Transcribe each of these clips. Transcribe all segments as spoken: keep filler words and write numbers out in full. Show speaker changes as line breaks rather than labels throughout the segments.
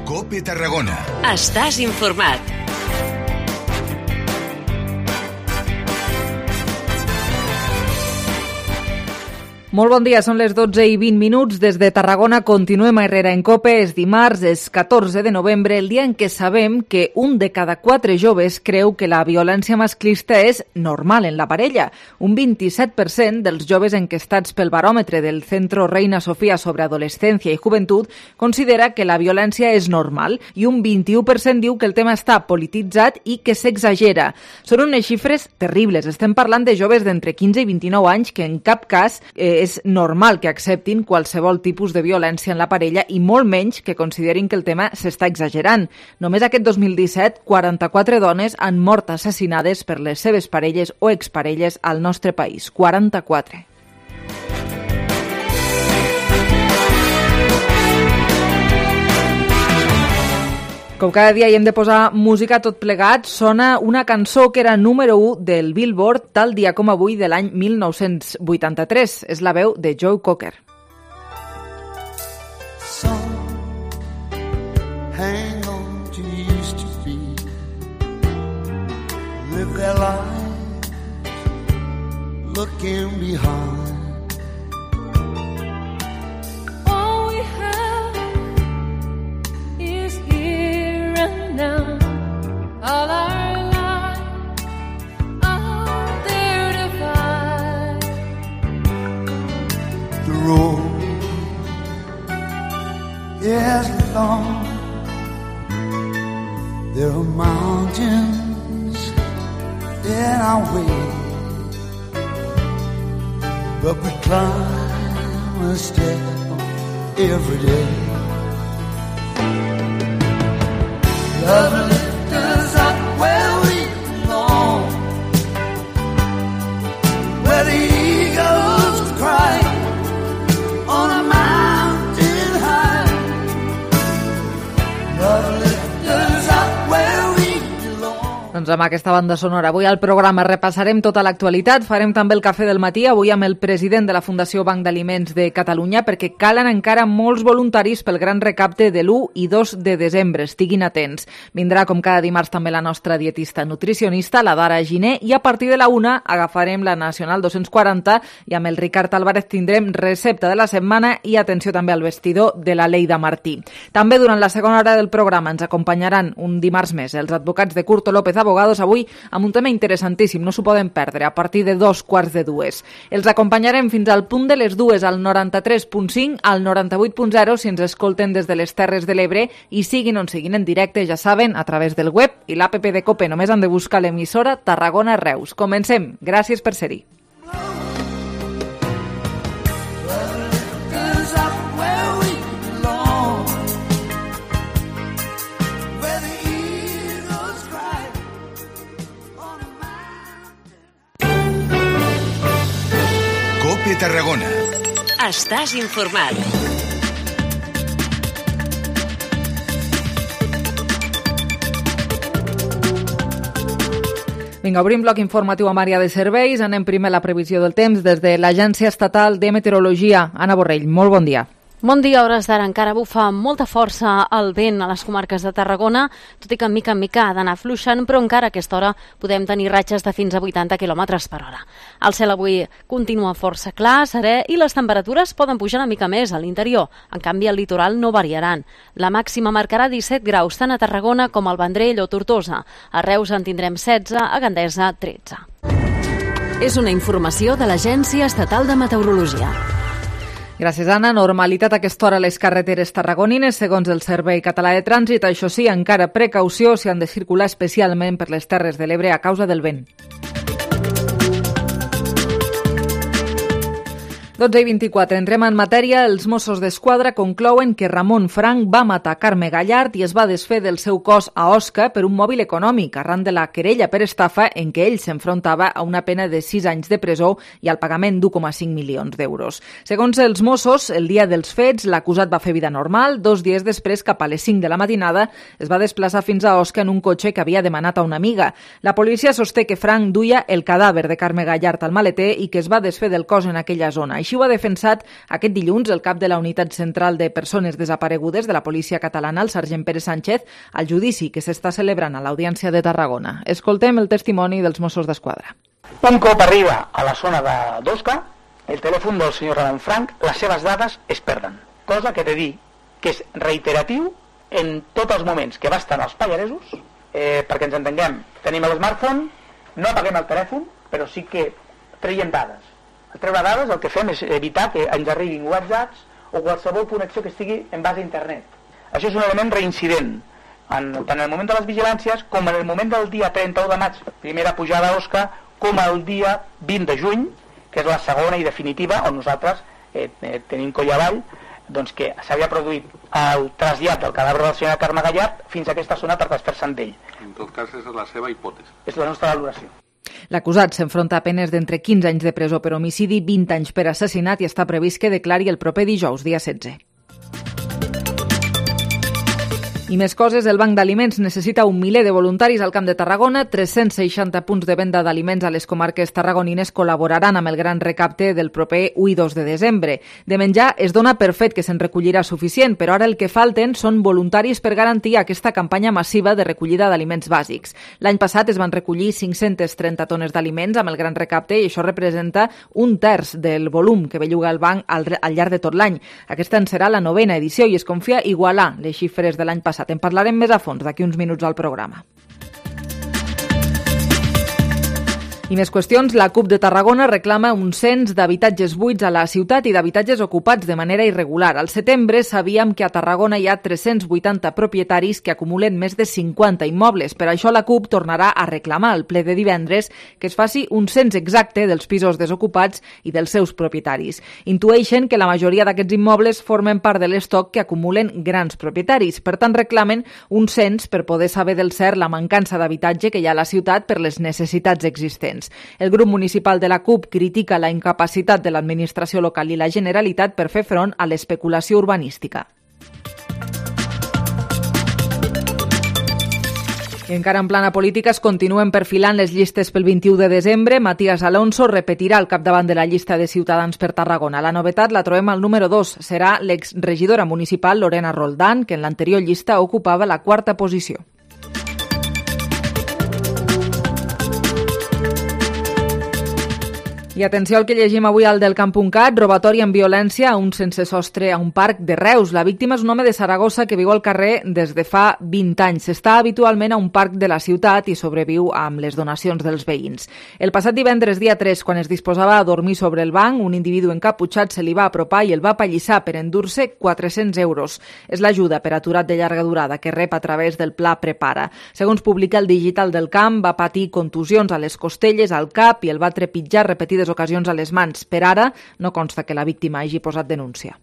COPE Tarragona.
Estàs informat.
Molt bon dia, són les dotze i vint minuts. Des de Tarragona continuem a Herrera en COPE. És dimarts, és catorze de novembre, el dia en què sabem que un de cada quatre joves creu que la violència masclista és normal en la parella. Un vint-i-set per cent dels joves enquestats pel baròmetre del Centro Reina Sofía sobre Adolescencia i Juventud considera que la violència és normal i un vint-i-u per cent diu que el tema està polititzat i que s'exagera. Són unes xifres terribles. Estem parlant de joves d'entre quinze i vint-i-nou anys que en cap cas eh, és normal que acceptin qualsevol tipus de violència en la parella i molt menys que considerin que el tema s'està exagerant. Només aquest dos mil disset, quaranta-quatre dones han mort assassinades per les seves parelles o exparelles al nostre país. quaranta-quatre. Com cada dia hi hem de posar música tot plegat, sona una cançó que era número u del Billboard tal dia com avui de l'any mil nou-cents vuitanta-tres. És la veu de Joe Cocker.
Some hang on to used to be, live their lives looking behind.
Now, all our lives are there to find.
The road is long. There are mountains in our way, but we climb a step every day. Love lift us up where we belong, where the eagles cry on a mountain high. Love lift us up where we belong.
Doncs amb aquesta banda sonora avui al programa repassarem tota l'actualitat, farem també el cafè del matí, avui amb el president de la Fundació Banc d'Aliments de Catalunya, perquè calen encara molts voluntaris pel gran recapte de l'u i dos de desembre, estiguin atents. Vindrà com cada dimarts també la nostra dietista nutricionista, la Dara Giner, i a partir de la una agafarem la Nacional dos-cents quaranta i amb el Ricard Álvarez tindrem recepta de la setmana i atenció també al vestidor de la Leida Martí. També durant la segona hora del programa ens acompanyaran un dimarts més els advocats de Curto López Abogados, avui amb un tema interessantíssim, no s'ho poden perdre, a partir de dos quarts de dues. Els acompanyarem fins al punt de les dues al noranta-tres punt cinc, al noranta-vuit punt zero si ens escolten des de les Terres de l'Ebre i siguin on siguin en directe, ja saben, a través del web i l'app de COPE. Només han de buscar l'emissora Tarragona Reus. Comencem. Gràcies per ser-hi.
COPE Tarragona.
Estàs informat.
Vinga, obrim bloc informatiu amb àrea de serveis. Anem primer a la previsió del temps des de l'Agència Estatal de Meteorologia. Anna Borrell, molt bon dia.
Bon dia, a hores d'ara encara bufa amb molta força el vent a les comarques de Tarragona, tot i que mica en mica ha d'anar fluixant, però encara a aquesta hora podem tenir ratxes de fins a vuitanta quilòmetres per hora. El cel avui continua força clar, serè, i les temperatures poden pujar una mica més a l'interior. En canvi, al litoral no variaran. La màxima marcarà disset graus tant a Tarragona com al Vendrell o Tortosa. A Reus en tindrem setze, a Gandesa tretze.
És una informació de l'Agència Estatal de Meteorologia.
Gràcies, Anna. Normalitat a aquesta hora a les carreteres tarragonines, segons el Servei Català de Trànsit. Això sí, encara precaució si han de circular especialment per les Terres de l'Ebre a causa del vent. dotze i vint-i-quatre. Entrem en matèria. Els Mossos d'Esquadra conclouen que Ramon Frank va matar Carme Gallard i es va desfer del seu cos a Osca per un mòbil econòmic, arran de la querella per estafa en què ell s'enfrontava a una pena de sis anys de presó i al pagament d'u coma cinc milions d'euros. Segons els Mossos, el dia dels fets, l'acusat va fer vida normal. Dos dies després, cap a les cinc de la matinada, es va desplaçar fins a Osca en un cotxe que havia demanat a una amiga. La policia sosté que Frank duia el cadàver de Carme Gallard al maleter i que es va desfer del cos en aquella zona. Així ho ha defensat aquest dilluns el cap de la Unitat Central de Persones Desaparegudes de la Policia Catalana, el sergent Pere Sánchez, al judici que s'està celebrant a l'Audiència de Tarragona. Escoltem el testimoni dels Mossos d'Esquadra.
Un cop arriba a la zona d'Osca, el telèfon del senyor Ramon Frank, les seves dades es perden. Cosa que he de dir que és reiteratiu en tots els moments que va estar als Pallaresos, eh, perquè ens entenguem, tenim l'smartphone, no apaguem el telèfon, però sí que traiem dades. Al treure dades el que fem és evitar que ens arribin whatsapps o qualsevol connexió que estigui en base a internet. Això és un element reincident, en, tant en el moment de les vigilàncies com en el moment del dia trenta-u de maig, primera pujada a Osca, com el dia vint de juny, que és la segona i definitiva, on nosaltres eh, eh, tenim coll avall, doncs que s'havia produït el trasllat del cadàver del senyor Carme Gallard fins a aquesta zona per desfer-se'n d'ell.
En tot cas, és la seva hipòtesi.
És la nostra valoració.
L'acusat s'enfronta a penes d'entre quinze anys de presó per homicidi, vint anys per assassinat i està previst que declari el proper dijous, dia setze. I més coses, el Banc d'Aliments necessita un miler de voluntaris al Camp de Tarragona, tres-cents seixanta punts de venda d'aliments a les comarques tarragonines col·laboraran amb el gran recapte del proper u i dos de desembre. De menjar es dona per fet que se'n recollirà suficient, però ara el que falten són voluntaris per garantir aquesta campanya massiva de recollida d'aliments bàsics. L'any passat es van recollir cinc-centes trenta tones d'aliments amb el gran recapte i això representa un terç del volum que belluga el banc al, al llarg de tot l'any. Aquesta en serà la novena edició i es confia igualar les xifres de l'any passat. En parlarem més a fons d'aquí uns minuts al programa. I més qüestions, la CUP de Tarragona reclama un cens d'habitatges buits a la ciutat i d'habitatges ocupats de manera irregular. Al setembre sabíem que a Tarragona hi ha tres-cents vuitanta propietaris que acumulen més de cinquanta immobles. Per això la CUP tornarà a reclamar al ple de divendres que es faci un cens exacte dels pisos desocupats i dels seus propietaris. Intueixen que la majoria d'aquests immobles formen part de l'estoc que acumulen grans propietaris. Per tant, reclamen un cens per poder saber del cert la mancança d'habitatge que hi ha a la ciutat per les necessitats existents. El grup municipal de la CUP critica la incapacitat de l'administració local i la Generalitat per fer front a l'especulació urbanística. I encara en plana política es continuen perfilant les llistes pel vint-i-u de desembre. Matías Alonso repetirà al capdavant de la llista de Ciutadans per Tarragona. La novetat la trobem al número dos. Serà l'exregidora municipal Lorena Roldán, que en l'anterior llista ocupava la quarta posició. I atenció al que llegim avui al del camp punt cat, robatori amb violència a un sense sostre a un parc de Reus. La víctima és un home de Saragossa que viu al carrer des de fa vint anys. Està habitualment a un parc de la ciutat i sobreviu amb les donacions dels veïns. El passat divendres, dia tres, quan es disposava a dormir sobre el banc, un individu encaputxat se li va apropar i el va apallissar per endur-se quatre-cents euros. És l'ajuda per aturat de llarga durada que rep a través del Pla Prepara. Segons publica el Digital del Camp, va patir contusions a les costelles, al cap i el va trepitjar repetides ocasions a les mans. Per ara, no consta que la víctima hagi posat denúncia.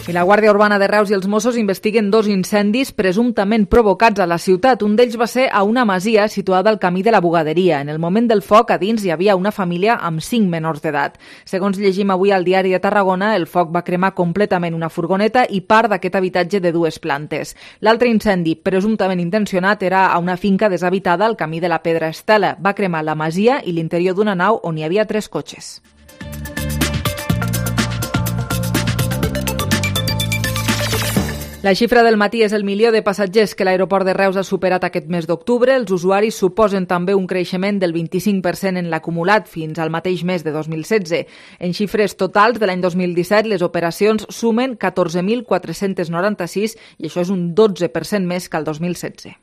I la Guàrdia Urbana de Reus i els Mossos investiguen dos incendis presumptament provocats a la ciutat. Un d'ells va ser a una masia situada al camí de la Bugaderia. En el moment del foc, a dins hi havia una família amb cinc menors d'edat. Segons llegim avui al Diari de Tarragona, el foc va cremar completament una furgoneta i part d'aquest habitatge de dues plantes. L'altre incendi, presumptament intencionat, era a una finca deshabitada al camí de la Pedra Estela. Va cremar la masia i l'interior d'una nau on hi havia tres cotxes. La xifra del matí és el milió de passatgers que l'aeroport de Reus ha superat aquest mes d'octubre. Els usuaris suposen també un creixement del vint-i-cinc per cent en l'acumulat fins al mateix mes de dos mil setze. En xifres totals de l'any dos mil disset, les operacions sumen catorze mil quatre-cents noranta-sis i això és un dotze per cent més que el dos mil setze.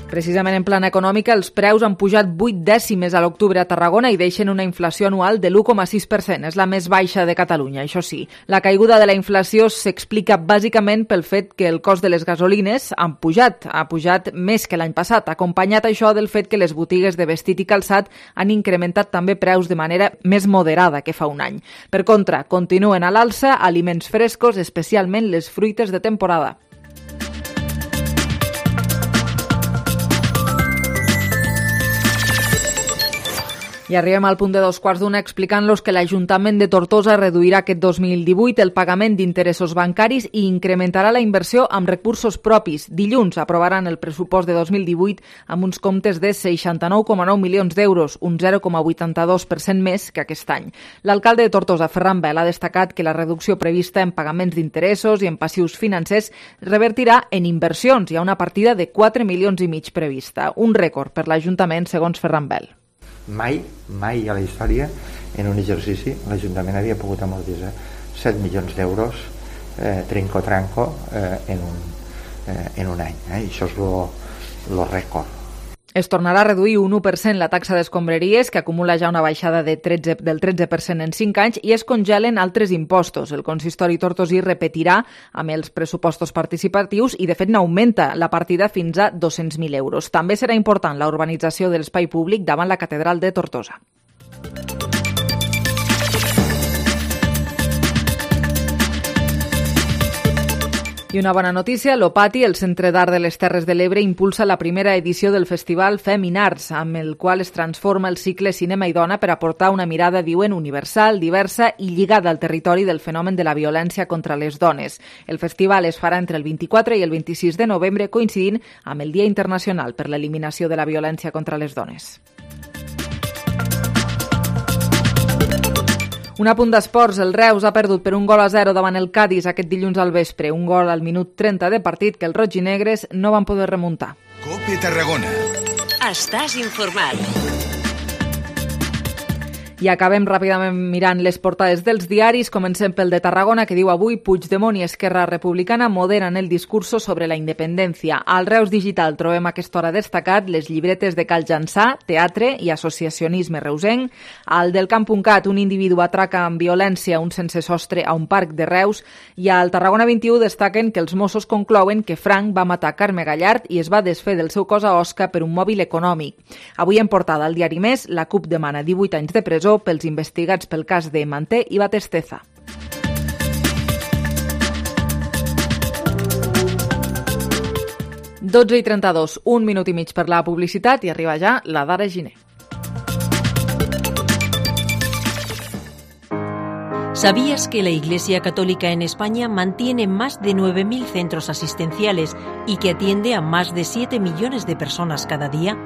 Precisament en plana econòmica, els preus han pujat vuit dècimes a l'octubre a Tarragona i deixen una inflació anual de l'u coma sis per cent. És la més baixa de Catalunya, això sí. La caiguda de la inflació s'explica bàsicament pel fet que el cost de les gasolines han pujat, ha pujat més que l'any passat, acompanyat això del fet que les botigues de vestit i calçat han incrementat també preus de manera més moderada que fa un any. Per contra, continuen a l'alça aliments frescos, especialment les fruites de temporada. I arribem al punt de dos quarts d'una explicant-los que l'Ajuntament de Tortosa reduirà aquest dos mil divuit el pagament d'interessos bancaris i incrementarà la inversió amb recursos propis. Dilluns aprovaran el pressupost de dos mil divuit amb uns comptes de seixanta-nou coma nou milions d'euros, un zero coma vuitanta-dos per cent més que aquest any. L'alcalde de Tortosa, Ferran Bel, ha destacat que la reducció prevista en pagaments d'interessos i en passius financers revertirà en inversions. Hi ha una partida de quatre milions i mig prevista, un rècord per l'Ajuntament, segons Ferran Bel.
Mai, mai a la història, en un exercici, l'Ajuntament havia pogut amortitzar set milions d'euros eh, trinco-tranco eh, en, un, eh, en un any. Eh? I això és el rècord.
Es tornarà a reduir un u per cent la taxa d'escombraries, que acumula ja una baixada de tretze, del tretze per cent en cinc anys, i es congelen altres impostos. El consistori tortosí repetirà amb els pressupostos participatius i, de fet, n'augmenta la partida fins a dos-cents mil euros. També serà important la urbanització de l'espai públic davant la catedral de Tortosa. I una bona notícia, l'Opati, el Centre d'Art de les Terres de l'Ebre, impulsa la primera edició del festival Feminarts, amb el qual es transforma el cicle Cinema i Dona per aportar una mirada, diuen, universal, diversa i lligada al territori del fenomen de la violència contra les dones. El festival es farà entre el vint-i-quatre i el vint-i-sis de novembre, coincidint amb el Dia Internacional per l'Eliminació de la Violència contra les Dones. Un apunt d'esports, el Reus ha perdut per un gol a zero davant el Cádiz aquest dilluns al vespre, un gol al minut trenta de partit que els rojinegres no van poder remuntar.
Cope Tarragona.
Estàs informat.
I acabem ràpidament mirant les portades dels diaris. Comencem pel de Tarragona, que diu avui Puigdemont i Esquerra Republicana moderen el discurso sobre la independència. Al Reus Digital trobem a aquesta hora destacat les llibretes de Cal Jançà, teatre i associacionisme reusenc. Al del Camp.cat, un individu atraca amb violència un sense sostre a un parc de Reus. I al Tarragona vint-i-u destaquen que els Mossos conclouen que Frank va matar Carme Gallard i es va desfer del seu cos a Osca per un mòbil econòmic. Avui en portada al diari Més, la CUP demana divuit anys de presó pels investigats pel cas de Manté i Batesteza. dotze i trenta-dos, un minut i mig per la publicitat i arriba ja la Dara Giner.
¿Sabías que la Iglesia Católica en España mantiene más de nueve mil centros asistenciales y que atiende a más de siete millones de personas cada día?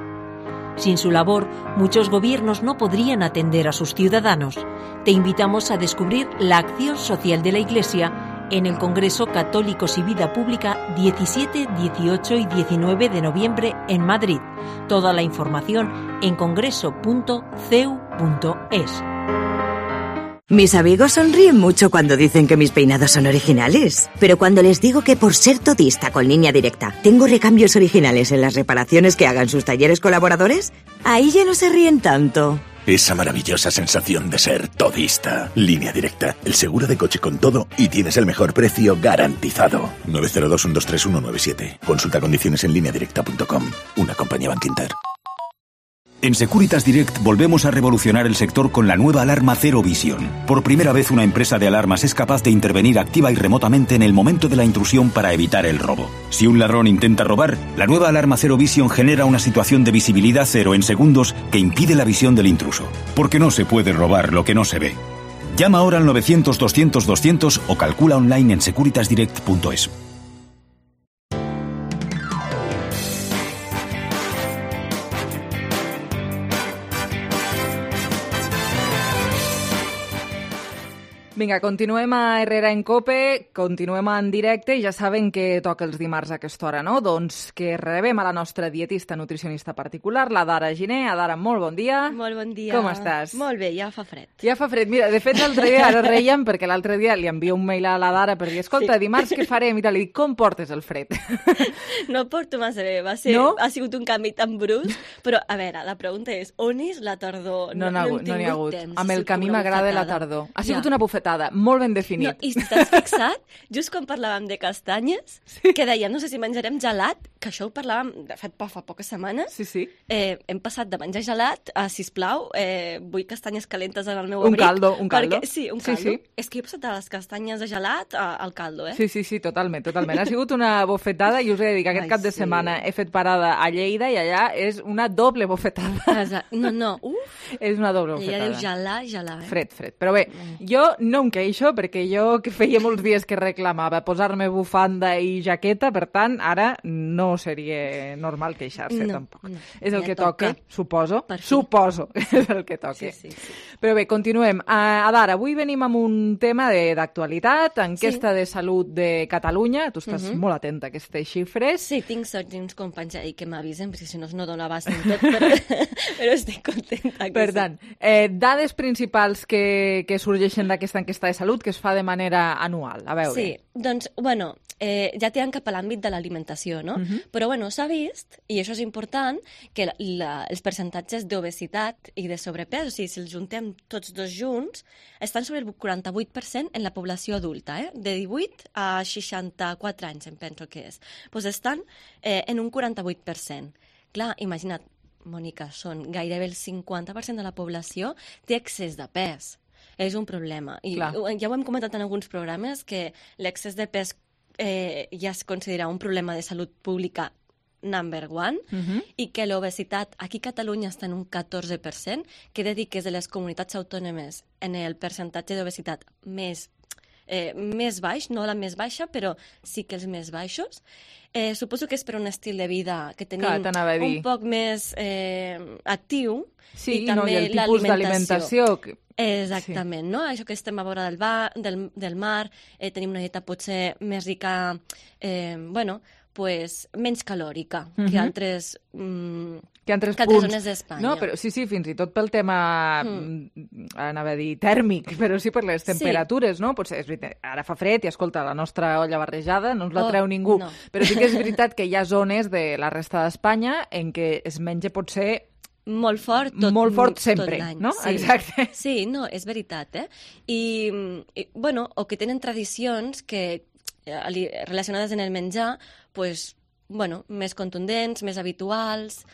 Sin su labor, muchos gobiernos no podrían atender a sus ciudadanos. Te invitamos a descubrir la acción social de la Iglesia en el Congreso Católicos y Vida Pública diecisiete, dieciocho y diecinueve de noviembre en Madrid. Toda la información en congreso punto c e u punto e s.
Mis amigos sonríen mucho cuando dicen que mis peinados son originales. Pero cuando les digo que por ser todista con Línea Directa tengo recambios originales en las reparaciones que hagan sus talleres colaboradores, ahí ya no se ríen tanto.
Esa maravillosa sensación de ser todista. Línea Directa, el seguro de coche con todo y tienes el mejor precio garantizado. nueve cero dos, uno dos tres, uno nueve siete. Consulta condiciones en línea directa punto com. Una compañía Bankinter.
En Securitas Direct volvemos a revolucionar el sector con la nueva alarma Zero Vision. Por primera vez una empresa de alarmas es capaz de intervenir activa y remotamente en el momento de la intrusión para evitar el robo. Si un ladrón intenta robar, la nueva alarma Zero Vision genera una situación de visibilidad cero en segundos que impide la visión del intruso. Porque no se puede robar lo que no se ve. Llama ahora al novecientos, doscientos, doscientos o calcula online en securitas direct punto es.
Vinga, continuem a Herrera en Cope, continuem en directe i ja saben que toca els dimarts a aquesta hora, no? Doncs que rebem a la nostra dietista nutricionista particular, la Dara Giner. Dara, molt bon dia.
Molt bon dia.
Com estàs?
Molt bé, ja fa fred.
Ja fa fred. Mira, de fet, l'altre dia ara reiem perquè l'altre dia li envio un mail a la Dara per dir, escolta, sí. dimarts què farem? Mira, li dic, com portes el fred?
No porto massa bé, va ser, no? Ha sigut un canvi tan brusc, però a veure, la pregunta és, on és la tardor?
No n'hi ha, no ha hagut.
Temps,
amb el camí m'agrada la tardor. Ha sigut ja. una bufetada. Molt ben definit.
No, I si t'has fixat, just quan parlàvem de castanyes, sí. que dèiem, no sé si menjarem gelat, que això ho parlàvem, de fet, fa poques setmanes,
sí, sí.
Eh, hem passat de menjar gelat a, sisplau, eh, vull castanyes calentes en el meu
un
abric.
Caldo, un caldo.
Perquè, sí, un caldo.
Sí, sí.
És que he passat de les castanyes de gelat a, al caldo, eh?
Sí, sí, sí, totalment, totalment. Ha sigut una bofetada i us he de dir que aquest Ai, cap de setmana sí. he fet parada a Lleida i allà és una doble bofetada.
Exacte. No, no, uh,
És una doble
I
bufetada.
ja diu gelà, gelà, eh?
Fred, fred. Però bé, jo no em queixo perquè jo que feia molts dies que reclamava posar-me bufanda i jaqueta, per tant, ara no seria normal queixar-se,
No,
tampoc.
no.
És el
Ja
que toca,
toca.
suposo.
Per fi.
Suposo que és el que toca.
Sí, sí, sí.
Però bé, continuem. Uh, Adar, avui venim amb un tema de- d'actualitat, enquesta
Sí.
de salut de Catalunya. Tu estàs
Mhm.
molt atenta a aquestes xifres.
Sí, tinc sort d'uns companys ahí que m'avisen, perquè si no no dono abast en tot, però, però estic contenta. Que
Per
sí.
tant, eh, dades principals que, que sorgeixen d'aquesta enquesta de salut que es fa de manera anual. A veure.
Sí, doncs, bueno, eh, ja tirant cap a l'àmbit de l'alimentació, no?
Mhm.
Però, bueno, s'ha vist, i això és important, que la, la, els percentatges d'obesitat i de sobrepès, o sigui, si els juntem tots dos junts, estan sobre el quaranta-vuit per cent en la població adulta, eh? De divuit a seixanta-quatre anys, em penso que és. Doncs estan eh, en un quaranta-vuit per cent. Clar, imagina't, Mònica, són gairebé el cinquanta per cent de la població té excés de pes. És un problema. I
Clar.
ja ho hem comentat en alguns programes, que l'excés de pes eh, ja es considera un problema de salut pública number one,
Mhm.
i que l'obesitat aquí a Catalunya està en un catorze per cent, que he de dir que és de les comunitats autònomes en el percentatge d'obesitat més, eh, més baix, no la més baixa, però sí que els més baixos. Eh, suposo que és per un estil de vida que tenim
Clar, t'anava a dir.
un poc més eh, actiu.
Sí,
i
no,
també
i el tipus d'alimentació que-
Exactament, sí. No? Això que estem a vora del, ba, del, del mar, eh, tenim una dieta potser més rica, eh, bueno, pues, menys calòrica
Mhm.
que altres, mm,
que altres
que altres
punts.
zones d'Espanya.
No, però sí, sí, fins i tot pel tema,
Mm.
mm. anava a dir, tèrmic, però sí per les
Sí.
temperatures, no? Potser és veritat, ara fa fred i, escolta, la nostra olla barrejada no ens la
Oh,
treu ningú.
no.
Però sí que és veritat que hi ha zones de la resta d'Espanya en què es menja potser
molt fort tot,
molt fort
tot
sempre,
l'any.
no?
Sí.
Exacte.
Sí, no, és veritat, eh? I, i, bueno, o que tenen tradicions que eh, ali- relacionades en el menjar, pues, bueno, més contundents, més habituals.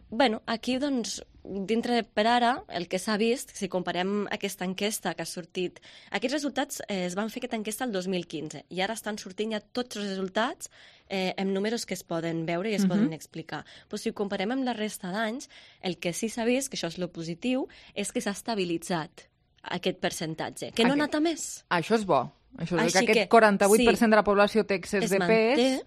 Bueno, aquí, doncs, dintre de per ara, el que s'ha vist, si comparem aquesta enquesta que ha sortit... Aquests resultats eh, es van fer aquesta enquesta el dos mil quinze i ara estan sortint ja tots els resultats eh, amb números que es poden veure i es
Mhm.
poden explicar. Però si ho comparem amb la resta d'anys, el que sí s'ha vist, que això és lo positiu, és que s'ha estabilitzat aquest percentatge, que no ha
Aquest-
anat a més.
Això és bo. Això és
Així
que aquest
que,
quaranta-vuit per cent
sí,
de la població té excés
es
de
manté.
pes.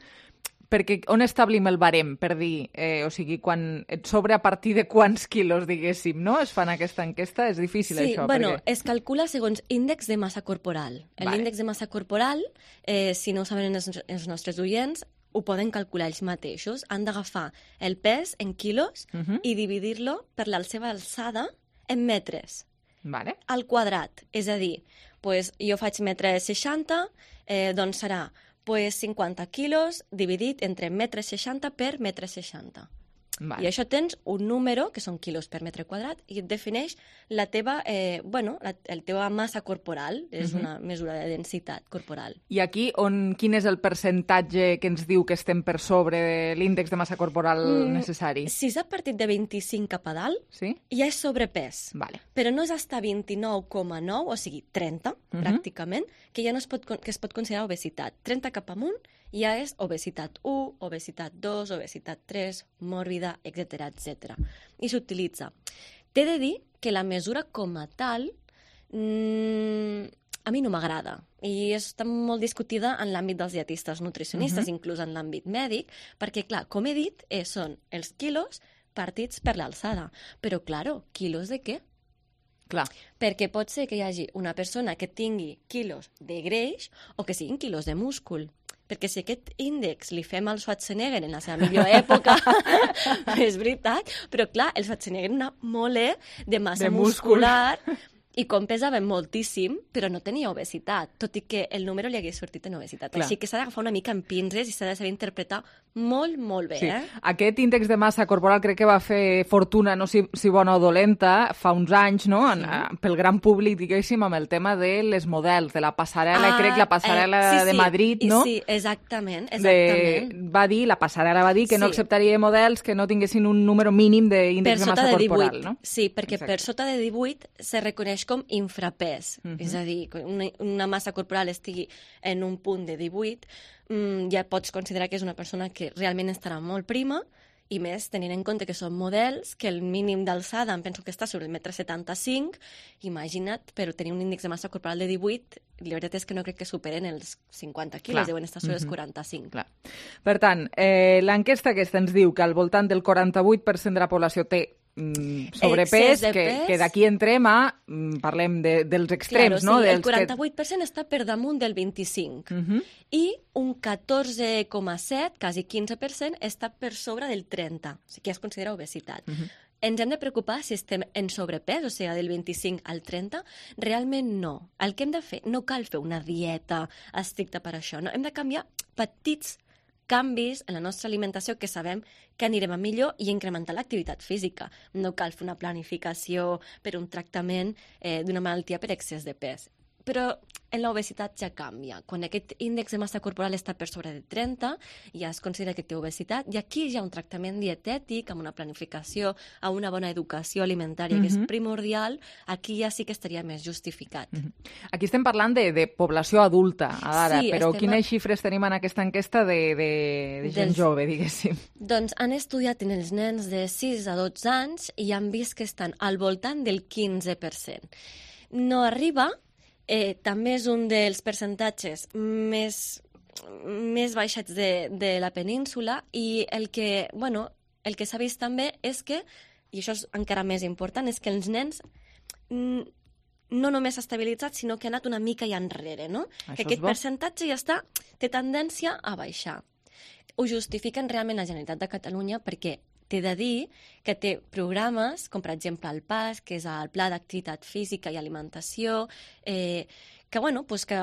Perquè on establim el barem, per dir, eh, o sigui, quan et sobre a partir de quants quilos, diguéssim, no? Es fan aquesta enquesta, és difícil
Sí,
això.
bueno,
perquè...
es calcula segons índex de massa corporal.
Vale.
L'índex de massa corporal, eh, si no ho saben els, els nostres oients, ho poden calcular ells mateixos. Han d'agafar el pes en quilos
Mhm.
i dividir-lo per la seva alçada en metres.
Vale.
Al quadrat. És a dir, pues, jo faig metre seixanta, eh, doncs serà pues, cinquanta quilos dividit entre metre seixanta per metre seixanta.
Vale.
I això tens un número, que són quilos per metre quadrat, i et defineix la teva, eh, bueno, la, la teva massa corporal, és
Mhm.
una mesura de densitat corporal.
I aquí, on, quin és el percentatge que ens diu que estem per sobre de l'índex de massa corporal
Mm,
necessari?
Si s'ha partit de vint-i-cinc cap a dalt,
sí?
ja és sobrepès.
Vale.
Però no és hasta vint-i-nou coma nou, o sigui, trenta,
Mhm.
pràcticament, que ja no es pot, con- que es pot considerar obesitat. trenta cap amunt ja és obesitat u, obesitat dos, obesitat tres, mòrbida, etcètera, etcètera. I s'utilitza. T'he de dir que la mesura com a tal mmm, a mi no m'agrada i està molt discutida en l'àmbit dels dietistes nutricionistes,
Mhm.
inclús en l'àmbit mèdic, perquè, clar, com he dit, eh, són els quilos partits per l'alçada. Però, claro, quilos de què?
Clar.
Perquè pot ser que hi hagi una persona que tingui quilos de greix o que siguin quilos de múscul. Perquè si aquest índex li fem al Schwarzenegger en la seva millor època, és veritat, però clar, el Schwarzenegger era molt eh, de massa
De múscul.
muscular i com pesava moltíssim, però no tenia obesitat, tot i que el número li hagués sortit en obesitat.
Clar.
Així que s'ha d'agafar una mica en pinces i s'ha de saber interpretar molt, molt bé.
Sí.
Eh?
Aquest índex de massa corporal crec que va fer fortuna, no sé si bona o dolenta, fa uns anys, no? En,
Sí.
pel gran públic, diguéssim, amb el tema de les models, de la passarel·la, crec, la passarel·la
eh, sí,
de
sí,
Madrid,
i
no?
Sí, exactament, exactament.
De, va dir, la passarel·la va dir que no
Sí.
acceptaria models que no tinguessin un número mínim d'índex
Per
de
sota
massa
de divuit,
corporal, no?
sí, perquè
Exacte.
per sota de divuit se reconeix com infrapès,
Mhm.
és a dir, que una, una massa corporal estigui en un punt de divuit, mm, ja pots considerar que és una persona que realment estarà molt prima i més tenint en compte que són models que el mínim d'alçada em penso que està sobre el metre setanta-cinc, imagina't, però tenir un índex de massa corporal de divuit, la veritat és que no crec que superen els cinquanta quilos,
Clar.
deuen estar sobre els
Mhm.
quaranta-cinc.
Clar. Per tant, eh, l'enquesta aquesta ens diu que al voltant del quaranta-vuit per cent de la població té mm, sobrepès,
Excés de
que,
pes.
que d'aquí entrem a, mm, parlem de, dels extrems,
Claro,
no?
sí,
dels
el quaranta-vuit per cent està per damunt del vint-i-cinc
Que... Uh -huh.
i un catorze coma set, quasi quinze per cent, està per sobre del trenta, o sigui que ja es considera obesitat.
Uh -huh.
Ens hem de preocupar si estem en sobrepès, o sigui, del vint-i-cinc al trenta? Realment no. El que hem de fer, no cal fer una dieta estricta per això, no? Hem de canviar petits canvis en la nostra alimentació que sabem que anirem a millor i incrementar l'activitat física. No cal fer una planificació per un tractament eh, d'una malaltia per excés de pes. Però en l'obesitat ja canvia. Quan aquest índex de massa corporal està per sobre de trenta, ja es considera que té obesitat, i aquí hi ha un tractament dietètic, amb una planificació, amb una bona educació alimentària, que és
Mhm.
primordial, aquí ja sí que estaria més justificat.
Uh -huh. Aquí estem parlant de, de població adulta, ara,
Sí,
però
estem
quines
a-
xifres tenim en aquesta enquesta de, de, de gent
Dels-
jove, diguéssim?
Doncs han estudiat en els nens de sis a dotze anys i han vist que estan al voltant del quinze per cent. No arriba, eh, també és un dels percentatges més, més baixets de, de la península, i el que, bueno, el que s'ha vist també és que, i això és encara més important, és que els nens mm, no només s'ha estabilitzat, sinó que ha anat una mica ja enrere, no?
Això
Que
és
aquest
bo.
percentatge ja està, té tendència a baixar. Ho justifiquen realment la Generalitat de Catalunya perquè t'he de dir que té programes, com per exemple el P A S, que és el Pla d'Activitat Física i Alimentació, eh, que, bueno, pues que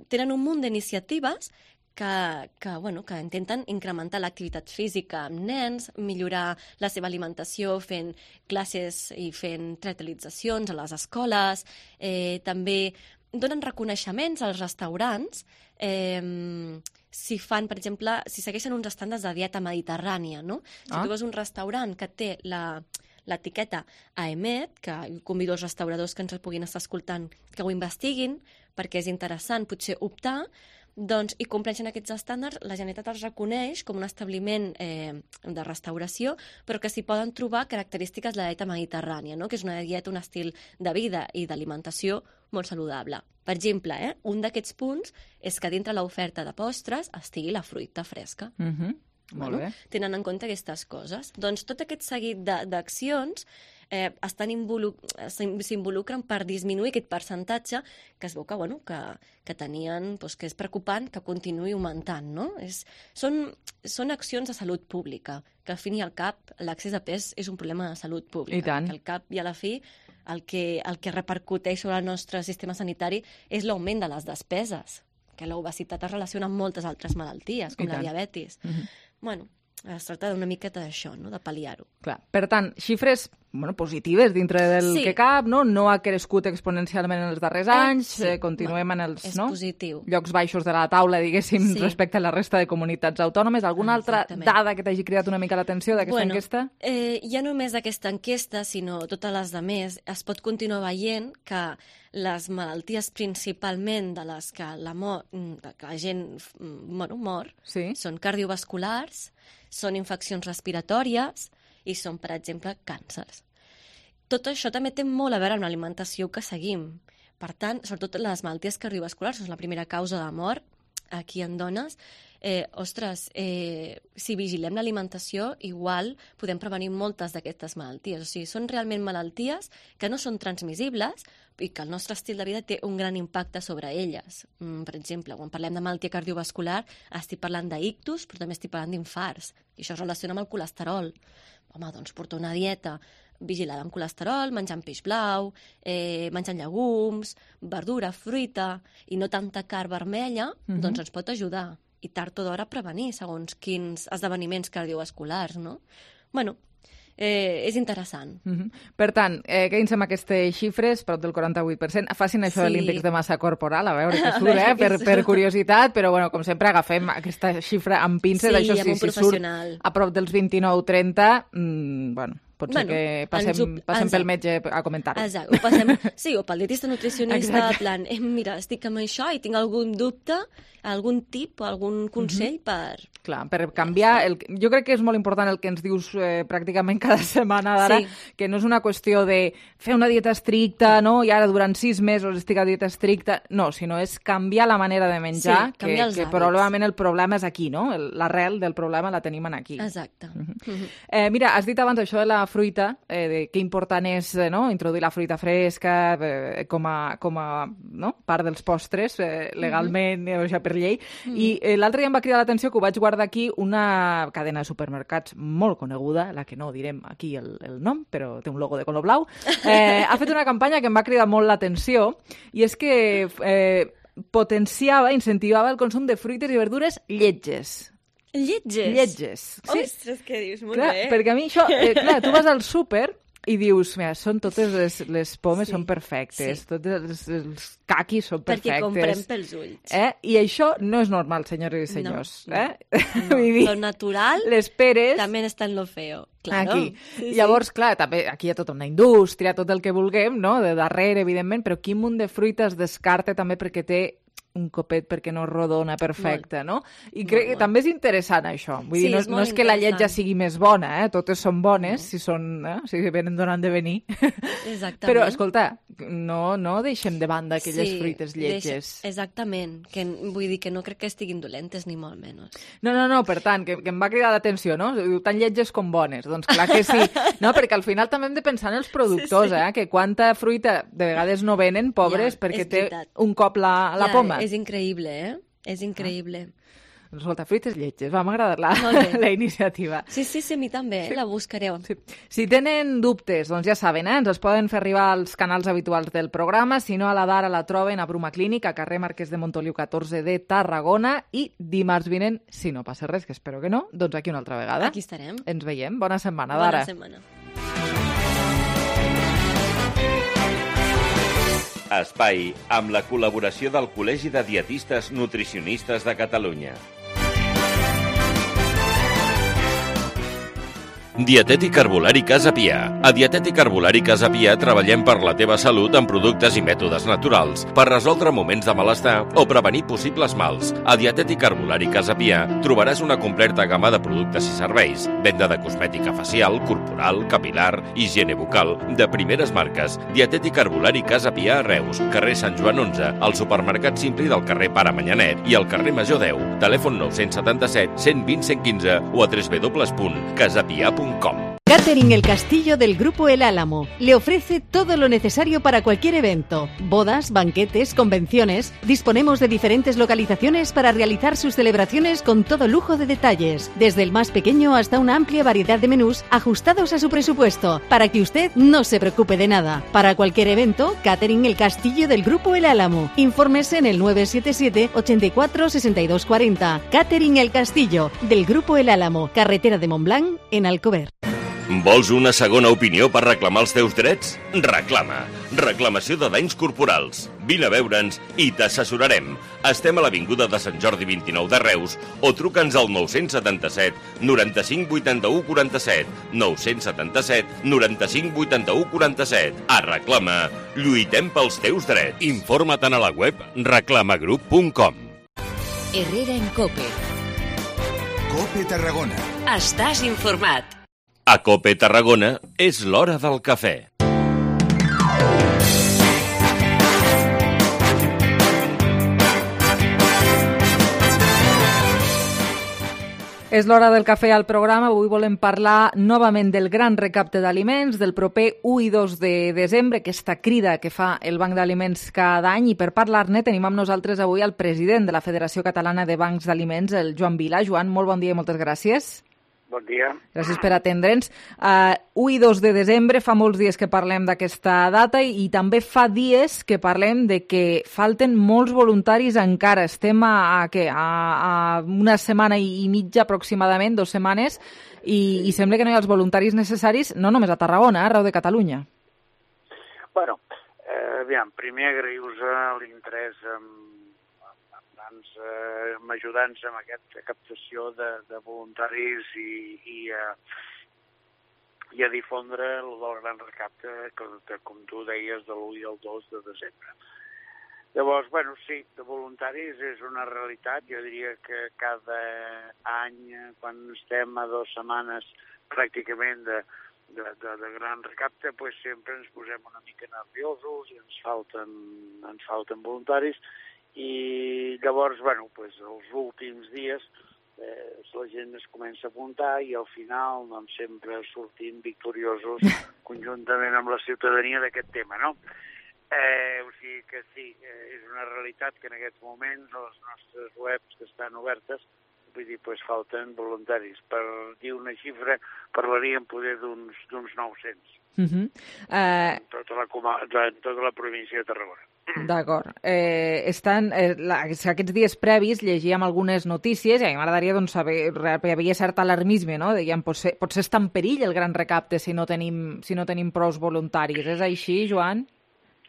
tenen un munt d'iniciatives que, que, bueno, que intenten incrementar l'activitat física amb nens, millorar la seva alimentació fent classes i fent teatralitzacions a les escoles, eh, també donen reconeixements als restaurants eh, si fan, per exemple, si segueixen uns estàndards de dieta mediterrània, no? Si
Ah.
tu vas a un restaurant que té la l'etiqueta A E M E T, que convido els restauradors que ens el puguin estar escoltant que ho investiguin, perquè és interessant potser optar, doncs, i compleixen aquests estàndards, la Generalitat els reconeix com un establiment eh, de restauració, però que s'hi poden trobar característiques de la dieta mediterrània, no? Que és una dieta, un estil de vida i d'alimentació molt saludable. Per exemple, eh, un d'aquests punts és que dintre l'oferta de postres estigui la fruita fresca.
Uh -huh. Molt
Bueno,
bé.
tenen en compte aquestes coses. Doncs tot aquest seguit de- d'accions eh, estan involu s'in- s'involucren per disminuir aquest percentatge que es veu que, bueno, que, que tenien, doncs, que és preocupant que continuï augmentant, no? És, són, són accions de salut pública, que al fin i al cap l'accés a pes és un problema de salut pública.
I tant.
Que al cap i a la fi el que, el que repercuteix sobre el nostre sistema sanitari és l'augment de les despeses, que l'obesitat es relaciona amb moltes altres malalties, com
I
la
tant.
diabetis.
Uh -huh.
Bueno, es tracta d'una miqueta d'això, no? De pal·liar-ho.
Clar. Per tant, xifres bueno, positives dintre del
Sí.
que cap, no? No ha crescut exponencialment en els darrers
Eh,
anys,
sí.
eh, continuem en els
És
no?
positiu.
llocs baixos de la taula, diguéssim,
Sí.
respecte a la resta de comunitats autònomes. Alguna altra
Exactament.
dada que t'hagi cridat una mica l'atenció d'aquesta
bueno,
enquesta?
Eh, ja no només aquesta enquesta, sinó totes les de més, es pot continuar veient que les malalties principalment de les que la, mor, de que la gent bueno, mor
sí.
són cardiovasculars, són infeccions respiratòries i són, per exemple, càncers. Tot això també té molt a veure amb l'alimentació que seguim. Per tant, sobretot les malalties cardiovasculars són la primera causa de mort aquí en dones. Eh, ostres, eh, si vigilem l'alimentació, igual podem prevenir moltes d'aquestes malalties. O sigui, són realment malalties que no són transmissibles i que el nostre estil de vida té un gran impacte sobre elles. Mm, per exemple, quan parlem de malaltia cardiovascular, estic parlant d'ictus, però també estic parlant d'infarts. I això es relaciona amb el colesterol. Home, doncs portar una dieta vigilada amb colesterol, menjant peix blau, eh, menjant llegums, verdura, fruita, i no tanta carn vermella,
Mhm.
doncs ens pot ajudar. I tard o d'hora prevenir segons quins esdeveniments cardiovasculars, no? Bueno, eh, és interessant.
Uh -huh. Per tant, eh, quedin-se amb aquestes xifres, prop del quaranta-vuit per cent. Facin això de
Sí.
l'índex de massa corporal, a veure què
A
surt,
veure
eh?
què
per,
surt.
per curiositat, però bueno, com sempre agafem aquesta xifra amb pinces,
Sí,
això
amb
sí,
un
si surt
professional.
a prop dels vint-i-nou trenta, mmm, bueno, Pot
Bueno,
ser que passem,
ens ho-
passem
exacte.
pel metge a comentar-ho.
Exacte, ho passem, sí, o pel dietista nutricionista,
Exacte.
en plan, eh, mira, estic amb això i tinc algun dubte, algun tip o algun consell per...
Clar, per canviar... El... Jo crec que és molt important el que ens dius eh, pràcticament cada setmana d'ara,
Sí.
que no és una qüestió de fer una dieta estricta, no? I ara durant sis mesos estic a dieta estricta. No, sinó és canviar la manera de menjar,
Sí,
que,
canviar els
que
hàbits.
probablement el problema és aquí, no? El- L'arrel del problema la tenim en aquí.
Exacte. Mhm.
Eh, mira, has dit abans això de la fruita, eh, de que important és eh, no? introduir la fruita fresca eh, com, a, com a no? part dels postres, eh, legalment, mm -hmm. o sigui, per llei.
Mhm.
I eh, l'altre dia em va cridar l'atenció que ho vaig guardar aquí, una cadena de supermercats molt coneguda, la que no direm aquí el, el nom, però té un logo de color blau, eh, ha fet una campanya que em va cridar molt l'atenció, i és que eh, potenciava, incentivava el consum de fruites i verdures lletges.
Lletges?
Lletges, sí.
Ostres, què dius? Molt
Clar,
bé.
perquè a mi això... Eh, clar, tu vas al súper i dius, mira, són totes les, les pomes
Sí,
són perfectes,
sí.
tots els, els caquis són perfectes.
Perquè comprem pels ulls.
Eh? I això no és normal, senyores i senyors.
No,
eh?
No,
Vull dir,
lo natural
les peres...
també està en lo feo. Claro.
Aquí.
Sí, sí.
Llavors, clar, també aquí hi ha tota una indústria, tot el que vulguem, no?, de darrere, evidentment, però quin munt de fruita es descarta també perquè té un copet perquè no rodona perfecte, no? I crec que també és interessant això. Vull
Sí,
dir, no,
és
no
molt
és que la llet ja
interessant.
sigui més bona, eh? Totes són bones, si són, eh? si venen donant de venir.
Exactament.
Però, escolta, no, no deixem de banda aquelles
Sí,
fruites lletges.
Deixa, exactament. Que, vull dir que no crec que estiguin dolentes, ni molt menys.
No, no, no, per tant, que, que em va cridar l'atenció, no? Diu, tan lletges com bones. Doncs clar que sí. No, perquè al final també hem de pensar en els productors,
Sí, sí.
eh? Que quanta fruita de vegades no venen, pobres,
Ja,
perquè
és
té
veritat.
un cop la, la
Ja,
poma.
És increïble, eh? És increïble.
Doncs escolta, fruites lletges, va, m'ha agradat la,
Molt bé.
la iniciativa.
Sí, sí, sí, a mi també, eh? La buscareu.
Sí. Si tenen dubtes, doncs ja saben, eh? ens els poden fer arribar als canals habituals del programa, si no a la d'ara la troben a Bruma Clínic, a carrer Marquès de Montoliu catorze de Tarragona, i dimarts vinent, si no passa res, que espero que no, doncs aquí una altra vegada.
Aquí estarem.
Ens veiem. Bona setmana,
Bona
d'ara.
setmana.
Espai amb la col·laboració del Col·legi de Dietistes Nutricionistes de Catalunya. Dietètic Herbolari Casa Pia. A Dietètic Herbolari Casa Pia treballem per la teva salut amb productes i mètodes naturals per resoldre moments de malestar o prevenir possibles mals. A Dietètic Herbolari Casa Pia trobaràs una completa gamma de productes i serveis. Venda de cosmètica facial, corporal, capilar, higiene bucal, de primeres marques. Dietètic Herbolari Casa Pia a Reus, carrer Sant Joan onze, al supermercat Simpli del carrer Pare Manyanet i al carrer Major deu. Telèfon nou set set, cent vint, cent quinze o a w w w punt casapia punt com.
Catering El Castillo del Grupo El Álamo le ofrece todo lo necesario para cualquier evento. Bodas, banquetes, convenciones. Disponemos de diferentes localizaciones para realizar sus celebraciones con todo lujo de detalles. Desde el más pequeño hasta una amplia variedad de menús ajustados a su presupuesto, para que usted no se preocupe de nada. Para cualquier evento, Catering El Castillo del Grupo El Álamo. Infórmese en el nueve siete siete, ochenta y cuatro, sesenta y dos cuarenta. Catering El Castillo del Grupo El Álamo. Carretera de Montblanc, en Alcover.
Vols una segona opinió per reclamar els teus drets? Reclama. Reclamació de danys corporals. Vine a veure'ns i t'assessorarem. Estem a l'Avinguda de Sant Jordi vint-i-nou de Reus o truca'ns al nou set set, noranta-cinc, vuitanta-u, quaranta-set. nou set set, noranta-cinc, vuitanta-u, quaranta-set. A Reclama. Lluitem pels teus drets. Informa't a la web reclamagroup punt com.
Herrera en Cope.
Cope Tarragona.
Estàs informat.
A Cope Tarragona és l'hora del cafè.
És l'hora del cafè al programa. Avui volem parlar novament del gran recapte d'aliments, del proper u i dos de desembre, aquesta crida que fa el Banc d'Aliments cada any. I per parlar-ne tenim amb nosaltres avui el president de la Federació Catalana de Bancs d'Aliments, el Joan Vila. Joan, molt bon dia i moltes gràcies.
Bon dia.
Gràcies per atendre'ns. Uh, u i dos de desembre, fa molts dies que parlem d'aquesta data i, i també fa dies que parlem de que falten molts voluntaris encara. Estem a, a, què? a, a una setmana i, i mitja aproximadament, dues setmanes, i, i sembla que no hi ha els voluntaris necessaris, no només a Tarragona, eh, arreu de Catalunya.
Bueno, eh, aviam, primer agrair-vos l'interès en Eh, m'ajudants amb aquesta captació de, de voluntaris i, i, eh, i a difondre el del gran recapte, que, com tu deies, de l'u i el dos de desembre. Llavors, bueno, sí, de voluntaris és una realitat. Jo diria que cada any, quan estem a dues setmanes pràcticament de, de, de, de gran recapte, pues sempre ens posem una mica nerviosos i ens falten, ens falten voluntaris. I llavors, bueno, pues, els últims dies eh, la gent es comença a apuntar i al final doncs, sempre sortim victoriosos conjuntament amb la ciutadania d'aquest tema, no? Eh, o sigui que sí, eh, és una realitat que en aquests moments a les nostres webs que estan obertes, vull dir, pues, falten voluntaris. Per dir una xifra, parlaríem poder d'uns nou-cents.
Uh-huh. uh...
En tota la, en tota la província de Tarragona.
D'acord. Eh, estan, eh, la, aquests dies previs llegíem algunes notícies i a mi m'agradaria doncs, saber, hi havia cert alarmisme, no? Deien, potser, potser està en perill el gran recapte si no tenim, si no tenim prous voluntaris. És així, Joan?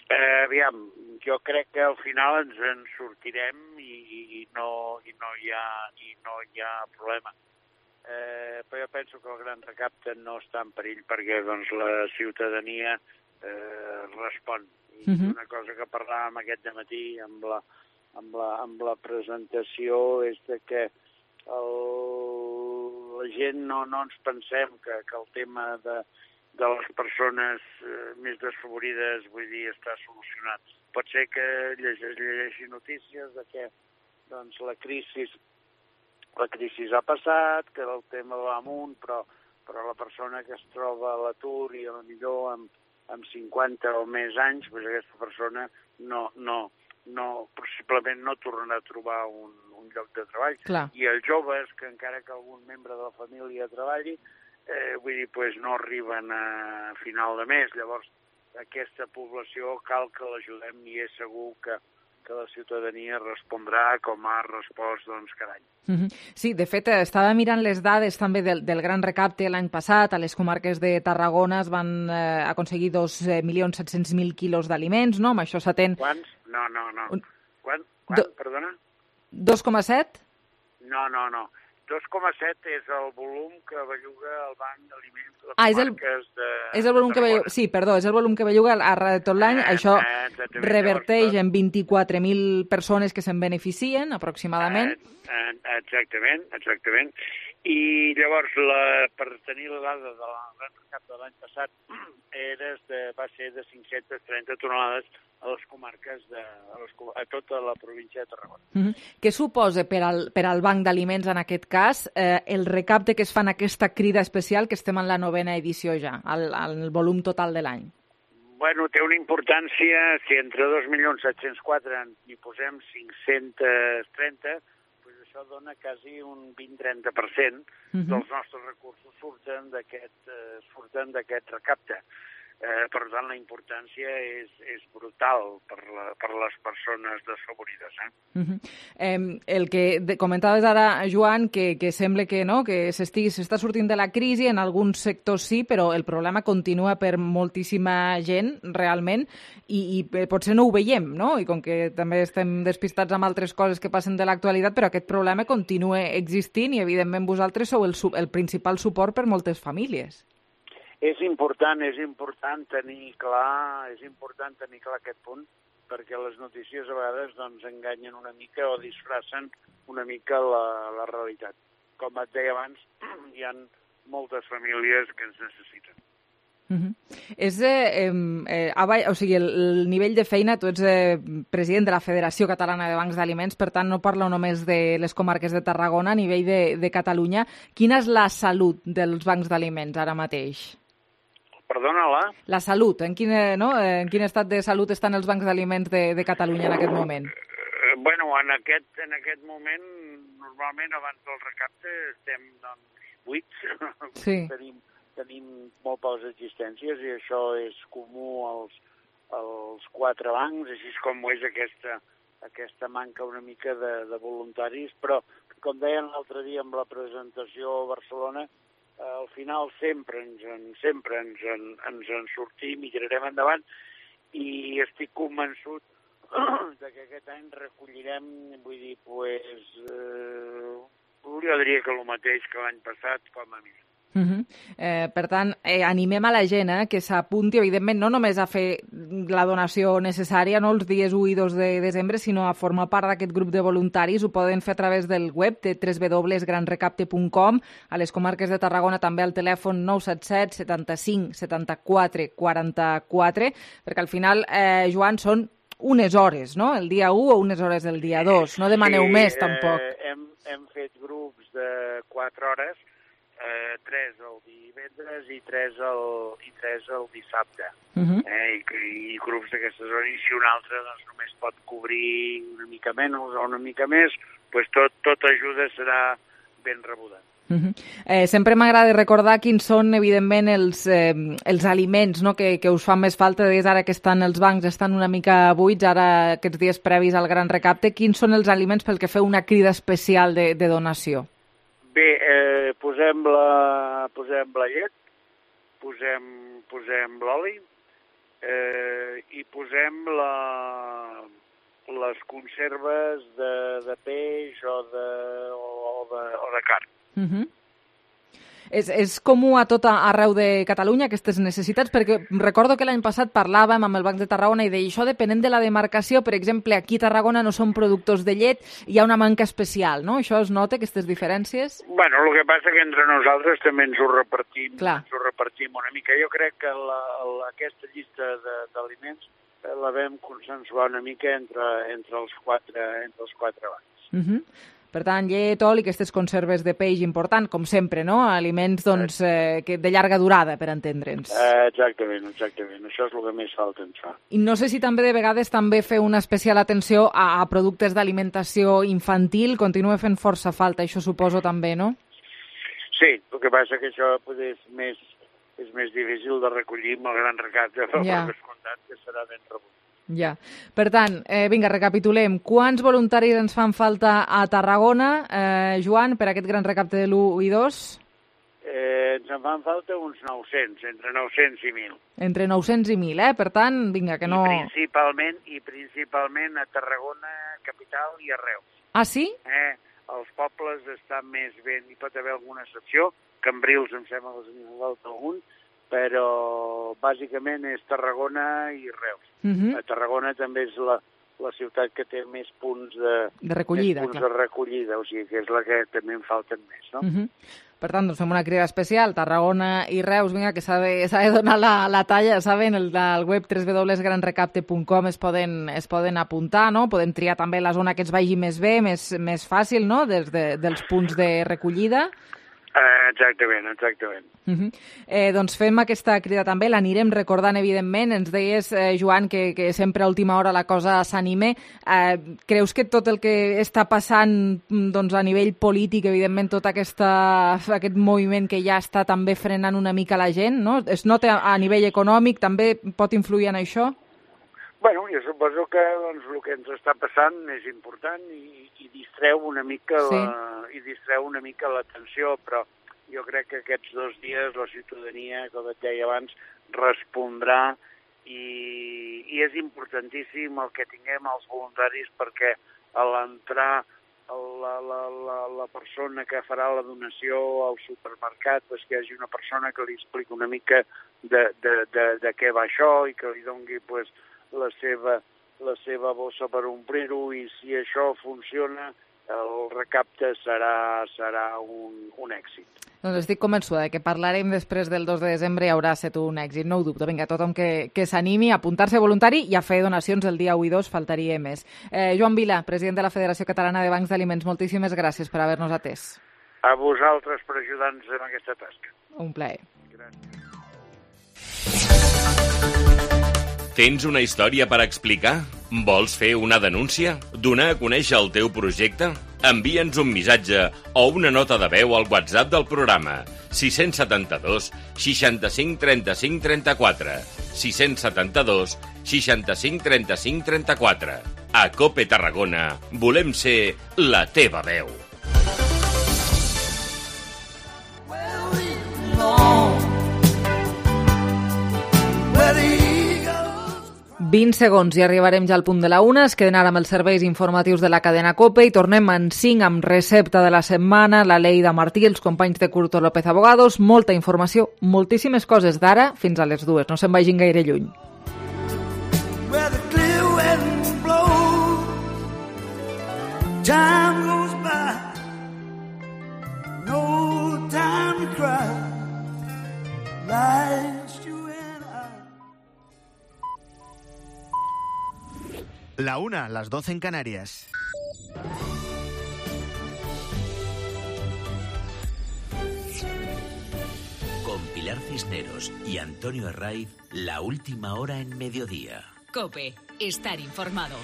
Eh, aviam, jo crec que al final ens en sortirem i, i, no, i, no, hi ha, i no hi ha problema. Eh, però jo penso que el gran recapte no està en perill perquè doncs, la ciutadania eh, respon. I uh-huh. Una cosa que parlàvem aquest dematí amb la, amb la, amb la presentació és de que el, la gent no, no ens pensem que, que el tema de de les persones eh, més desfavorides, vull dir, està solucionat. Pot ser que llegeixi, llegeixi notícies de que doncs, la crisi la crisi ha passat, que el tema va amunt, però, però la persona que es troba a l'atur i potser amb, amb cinquanta o més anys, doncs aquesta persona no, no, no, possiblement no tornarà a trobar un, un lloc de treball.
Clar.
I els joves, que encara que algun membre de la família treballi, Eh, vull dir, pues, no arriben a final de mes. Llavors, aquesta població cal que l'ajudem i és segur que, que la ciutadania respondrà com ha respost doncs, cada any.
Uh-huh. Sí, de fet, estava mirant les dades també del, del gran recapte l'any passat. A les comarques de Tarragona es van eh, aconseguir dos milions set-cents mil quilos d'aliments, no? Amb això s'atén...
Quants? No, no, no. Un... Quan? Quan? Do... Perdona?
dos coma set?
No, no, no. dos coma set és el volum que belluga el Banc d'Aliments de les
ah, és el,
comarques de
és el volum que belluga, sí, perdó, és el volum que belluga a de tot l'any. Eh, Això eh, reverteix en vint-i-quatre mil persones que se'n beneficien, aproximadament.
Eh, eh, exactament, exactament. I llavors, la, per tenir la dada de la gran recapte de l'any passat, era de, va ser de cinc-centes trenta tonelades a les comarques, de, a, les, a tota la província de Tarragona.
Mm-hmm. Què suposa per al, per al Banc d'Aliments, en aquest cas, eh, el recapte que es fa en aquesta crida especial, que estem en la novena edició ja, al, al volum total de l'any?
Bueno, té una importància, si entre dos milions set-cents quatre n'hi posem cinc-cents trenta, doncs això dona quasi un vint-trenta per cent uh-huh. dels nostres recursos surten d'aquest eh, surten d'aquest recapte. Eh, per tant, la importància és, és brutal per, la, per les persones desfavorides. Eh?
Uh-huh. eh, el que de, comentaves ara, Joan, que, que sembla que no, que s'està sortint de la crisi, en alguns sectors sí, però el problema continua per moltíssima gent, realment, i, i potser no ho veiem, no? I com que també estem despistats amb altres coses que passen de l'actualitat, però aquest problema continua existint i, evidentment, vosaltres sou el, el principal suport per moltes famílies.
És important, és important tenir clar, és important tenir clar aquest punt, perquè les notícies a vegades doncs, enganyen una mica o disfracen una mica la, la realitat. Com et deia abans, hi ha moltes famílies que ens necessiten.
Uh-huh. És, eh, eh, avall, o sigui, el, el nivell de feina, tu ets eh, president de la Federació Catalana de Bancs d'Aliments, per tant no parlo només de les comarques de Tarragona, a nivell de, de Catalunya. Quina és la salut dels bancs d'aliments ara mateix?
Perdona, la?
La salut. En quin, no? en quin estat de salut estan els bancs d'aliments de, de Catalunya en aquest moment?
Eh, bueno, en aquest, en aquest moment, normalment abans del recapte estem doncs, buits.
Sí.
tenim, tenim molt poques existències i això és comú als, als quatre bancs, així com ho és aquesta, aquesta manca una mica de, de voluntaris, però com deien l'altre dia amb la presentació a Barcelona, al final sempre ens en, sempre ens en, ens en sortim i tirarem endavant i estic convençut de que aquest any recollirem, vull dir, pues, eh, jo diria que el mateix que l'any passat, com a mínim.
Uh -huh. eh, per tant, eh, animem a la gent eh, que s'apunti, evidentment, no només a fer la donació necessària no, els dies u i dos de desembre, sinó a formar part d'aquest grup de voluntaris. Ho poden fer a través del web de w w w punt gran recapte punt com, a les comarques de Tarragona també al telèfon nou set set setanta-cinc setanta-quatre quaranta-quatre, perquè al final, eh, Joan, són unes hores, no?, el dia u o unes hores el dia dos. No demaneu
sí,
més, tampoc.
Eh, hem, hem fet grups de quatre hores, eh, tres el divendres i tres el, i tres el dissabte. Uh -huh. eh, i, I grups d'aquestes hores, i si un altre doncs, només pot cobrir una mica menys o una mica més, doncs tot, tot ajuda serà ben rebuda.
Uh -huh. eh, sempre m'agrada recordar quins són, evidentment, els, eh, els aliments no? que, que us fan més falta. Des ara que estan els bancs estan una mica buits, ara aquests dies previs al gran recapte, quins són els aliments pel que feu una crida especial de, de donació?
Bé, eh, posem, la, posem la llet, posem, posem l'oli eh, i posem la, les conserves de, de peix o de, o, o de, o de carn.
Uh -huh. És, és comú a tot arreu de Catalunya aquestes necessitats? Perquè recordo que l'any passat parlàvem amb el Banc de Tarragona i deia això depenent de la demarcació. Per exemple, aquí a Tarragona no són productors de llet, hi ha una manca especial, no? Això es nota, aquestes diferències?
Bueno, el que passa que entre nosaltres també ens ho repartim,
Clar.
ens ho repartim una mica. Jo crec que la, la, aquesta llista d'aliments la vam consensuar una mica entre, entre, els, quatre, entre els quatre bancs.
Uh -huh. Per tant, llet, oli, aquestes conserves de peix important, com sempre, no? Aliments doncs, eh, que de llarga durada, per entendre'ns.
Eh, exactament, exactament. Això és el que més falta ens fa.
I no sé si també de vegades també feu una especial atenció a, a productes d'alimentació infantil. Continua fent força falta, això suposo també, no?
Sí, el que passa que això pues, és, més, és més difícil de recollir amb el gran recapte, però
ja.
per descomptat que serà ben rebut.
Ja. Per tant, eh, vinga, recapitulem. Quants voluntaris ens fan falta a Tarragona, eh, Joan, per aquest gran recapte de l'u i dos?
Eh, ens en fan falta uns nou-cents, entre nou-cents i mil.
Entre nou-cents i mil, eh? Per tant, vinga, que no...
I principalment, i principalment a Tarragona, capital i a Reus.
Ah, sí?
Eh, els pobles estan més ben, hi pot haver alguna excepció, Cambrils em sembla que ens falta algun, però bàsicament és Tarragona i Reus. Uh -huh. A Tarragona també és la, la ciutat que té més punts de,
de recollida,
més punts
clar.
de recollida, o sigui que és la que també en falten més, no?
Uh -huh. Per tant, doncs fem una crida especial, Tarragona i Reus, vinga, que s'ha de, s'ha de donar la, la talla, saben, el del web w w w punt gran recapte punt com es poden, es poden apuntar, no? Podem triar també la zona que ens vagi més bé, més, més fàcil, no?, des de, dels punts de recollida.
Uh, exactament, exactament.
Uh -huh. eh, doncs fem aquesta crida també, l'anirem recordant, evidentment. Ens deies, eh, Joan, que, que sempre a última hora la cosa s'anime. Eh, creus que tot el que està passant doncs, a nivell polític, evidentment, tot aquesta, aquest moviment que ja està també frenant una mica la gent, no? Es nota a nivell econòmic, també pot influir en això?
Bueno, jo suposo que doncs, el que ens està passant és important i, i distreu una mica
sí.
la, i distreu una mica l'atenció, però jo crec que aquests dos dies la ciutadania, com et deia abans, respondrà i, i és importantíssim el que tinguem els voluntaris perquè a l'entrar la, la, la, la persona que farà la donació al supermercat, pues, que hi hagi una persona que li expliqui una mica de, de, de, de què va això i que li doni pues, la seva, la seva bossa per omplir-ho i si això funciona el recapte serà, serà un, un èxit.
Doncs estic convençuda que parlarem després del dos de desembre i haurà estat un èxit, no ho dubto. Vinga, tothom que, que s'animi a apuntar-se voluntari i a fer donacions el dia u i dos, faltaria més. Eh, Joan Vila, president de la Federació Catalana de Bancs d'Aliments, moltíssimes gràcies per haver-nos atès.
A vosaltres per ajudar-nos en aquesta tasca.
Un plaer.
Gràcies.
Tens una història per explicar? Vols fer una denúncia? Donar a conèixer el teu projecte? Envia'ns un missatge o una nota de veu al WhatsApp del programa sis setanta dos seixanta-cinc trenta-cinc trenta-quatre sis setanta dos seixanta-cinc trenta-cinc trenta-quatre. A COPE Tarragona volem ser la teva veu.
vint segons i arribarem ja al punt de la una. Es queden ara amb els serveis informatius de la cadena COPE i tornem en cinc amb recepta de la setmana, la Leida Martí, els companys de Curto López Abogados, molta informació, moltíssimes coses d'ara fins a les dues. No se'n vagin gaire lluny.
Where the clear wind blows, time goes by, no time to cry, life's you and I.
La una, las doce en Canarias.
Con Pilar Cisneros y Antonio Herraiz, la última hora en mediodía.
COPE, estar informado.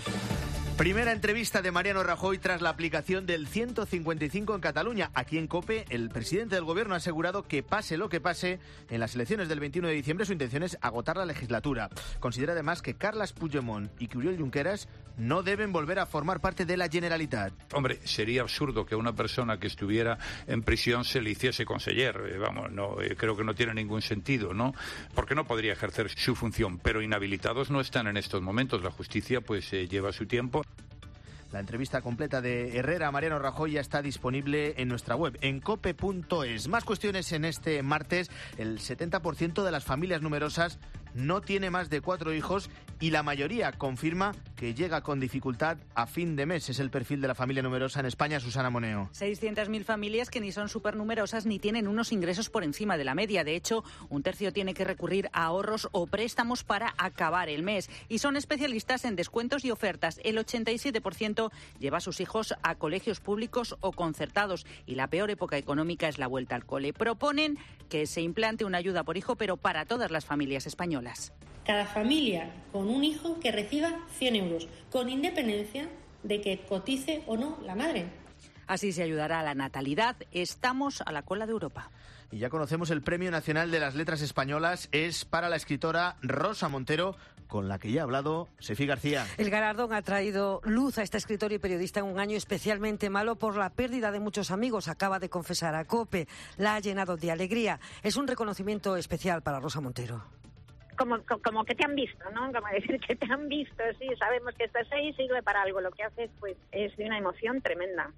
Primera entrevista de Mariano Rajoy tras la aplicación del ciento cincuenta y cinco en Cataluña. Aquí en COPE, el presidente del gobierno ha asegurado que pase lo que pase, en las elecciones del veintiuno de diciembre su intención es agotar la legislatura. Considera además que Carles Puigdemont y que Oriol Junqueras no deben volver a formar parte de la Generalitat.
Hombre, sería absurdo que a una persona que estuviera en prisión se le hiciese conseller. Eh, vamos, no, eh, creo que no tiene ningún sentido, ¿no? Porque no podría ejercer su función, pero inhabilitados no están en estos momentos. La justicia pues eh, lleva su tiempo.
La entrevista completa de Herrera a Mariano Rajoy ya está disponible en nuestra web, en cope punto es. Más cuestiones en este martes. El setenta por ciento de las familias numerosas no tiene más de cuatro hijos y la mayoría confirma que llega con dificultad a fin de mes. Es el perfil de la familia numerosa en España. Susana Moneo.
seiscientas mil familias que ni son supernumerosas ni tienen unos ingresos por encima de la media. De hecho, un tercio tiene que recurrir a ahorros o préstamos para acabar el mes. Y son especialistas en descuentos y ofertas. El ochenta y siete por ciento lleva a sus hijos a colegios públicos o concertados. Y la peor época económica es la vuelta al cole. Proponen que se implante una ayuda por hijo, pero para todas las familias españolas.
Cada familia con un hijo que reciba cien euros, con independencia de que cotice o no la madre.
Así se ayudará a la natalidad. Estamos a la cola de Europa.
Y ya conocemos el Premio Nacional de las Letras Españolas. Es para la escritora Rosa Montero, con la que ya ha hablado Sefi García.
El galardón ha traído luz a esta escritora y periodista en un año especialmente malo por la pérdida de muchos amigos. Acaba de confesar a COPE. La ha llenado de alegría. Es un reconocimiento especial para Rosa Montero.
Como, como que te han visto, ¿no? Como decir que te han visto, sí, sabemos que estás ahí, sirve para algo. Lo que haces, pues, es de una emoción tremenda.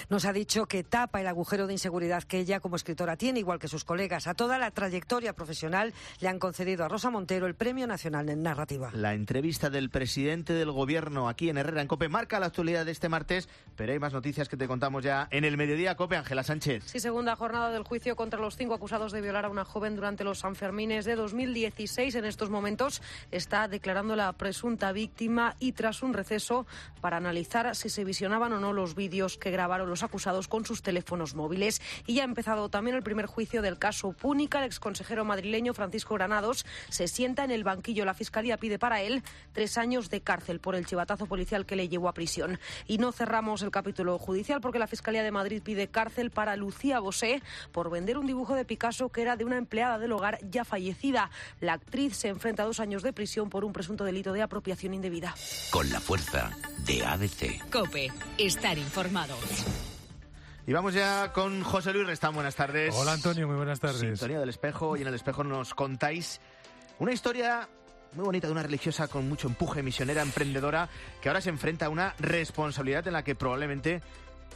Nos ha dicho que tapa el agujero de inseguridad que ella como escritora tiene, igual que sus colegas. A toda la trayectoria profesional le han concedido a Rosa Montero el Premio Nacional en Narrativa.
La entrevista del presidente del gobierno aquí en Herrera en COPE marca la actualidad de este martes, pero hay más noticias que te contamos ya en el mediodía. COPE, Ángela Sánchez.
Sí, segunda jornada del juicio contra los cinco acusados de violar a una joven durante los Sanfermines de dos mil dieciséis. En estos momentos está declarando la presunta víctima y tras un receso para analizar si se visionaban o no los vídeos que grabaron los acusados con sus teléfonos móviles. Y ya ha empezado también el primer juicio del caso Púnica. El exconsejero madrileño Francisco Granados se sienta en el banquillo. La Fiscalía pide para él tres años de cárcel por el chivatazo policial que le llevó a prisión. Y no cerramos el capítulo judicial porque la Fiscalía de Madrid pide cárcel para Lucía Bosé por vender un dibujo de Picasso que era de una empleada del hogar ya fallecida. La actriz se enfrenta a dos años de prisión por un presunto delito de apropiación indebida.
Con la fuerza de A B C.
COPE, estar informado.
Y vamos ya con José Luis Restán. Buenas tardes.
Hola, Antonio, muy buenas tardes.
Sintonía del Espejo, y en el Espejo nos contáis una historia muy bonita de una religiosa con mucho empuje, misionera, emprendedora, que ahora se enfrenta a una responsabilidad en la que probablemente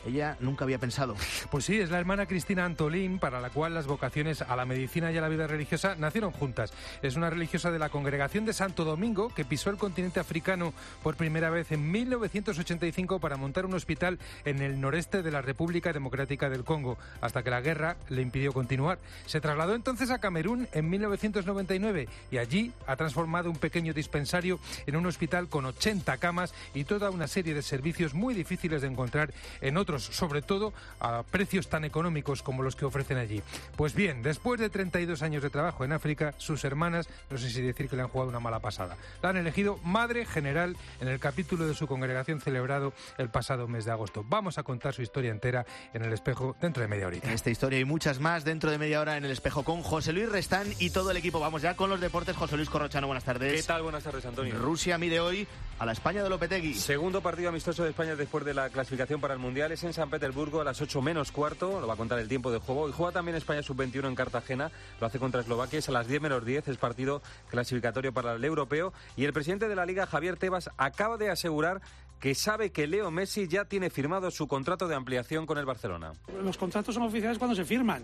ella nunca había pensado.
Pues sí, es la hermana Cristina Antolín, para la cual las vocaciones a la medicina y a la vida religiosa nacieron juntas. Es una religiosa de la Congregación de Santo Domingo que pisó el continente africano por primera vez en mil novecientos ochenta y cinco para montar un hospital en el noreste de la República Democrática del Congo, hasta que la guerra le impidió continuar. Se trasladó entonces a Camerún en mil novecientos noventa y nueve y allí ha transformado un pequeño dispensario en un hospital con ochenta camas y toda una serie de servicios muy difíciles de encontrar en otros, sobre todo a precios tan económicos como los que ofrecen allí. Pues bien, después de treinta y dos años de trabajo en África, sus hermanas, no sé si decir que le han jugado una mala pasada. La han elegido madre general en el capítulo de su congregación celebrado el pasado mes de agosto. Vamos a contar su historia entera en El Espejo dentro de media horita.
Esta historia y muchas más dentro de media hora en El Espejo con José Luis Restán y todo el equipo. Vamos ya con los deportes. José Luis Corrochano, buenas tardes.
¿Qué tal? Buenas tardes, Antonio.
Rusia mide hoy a la España de Lopetegui.
Segundo partido amistoso de España después de la clasificación para el Mundial. Es
es en San Petersburgo a las ocho menos cuarto, lo va a contar el tiempo de juego. Y juega también España sub veintiuno en Cartagena, lo hace contra Eslovaquia, es a las diez menos diez, es partido clasificatorio para el europeo. Y el presidente de la Liga, Javier Tebas, acaba de asegurar que sabe que Leo Messi ya tiene firmado su contrato de ampliación con el Barcelona.
Los contratos son oficiales cuando se firman,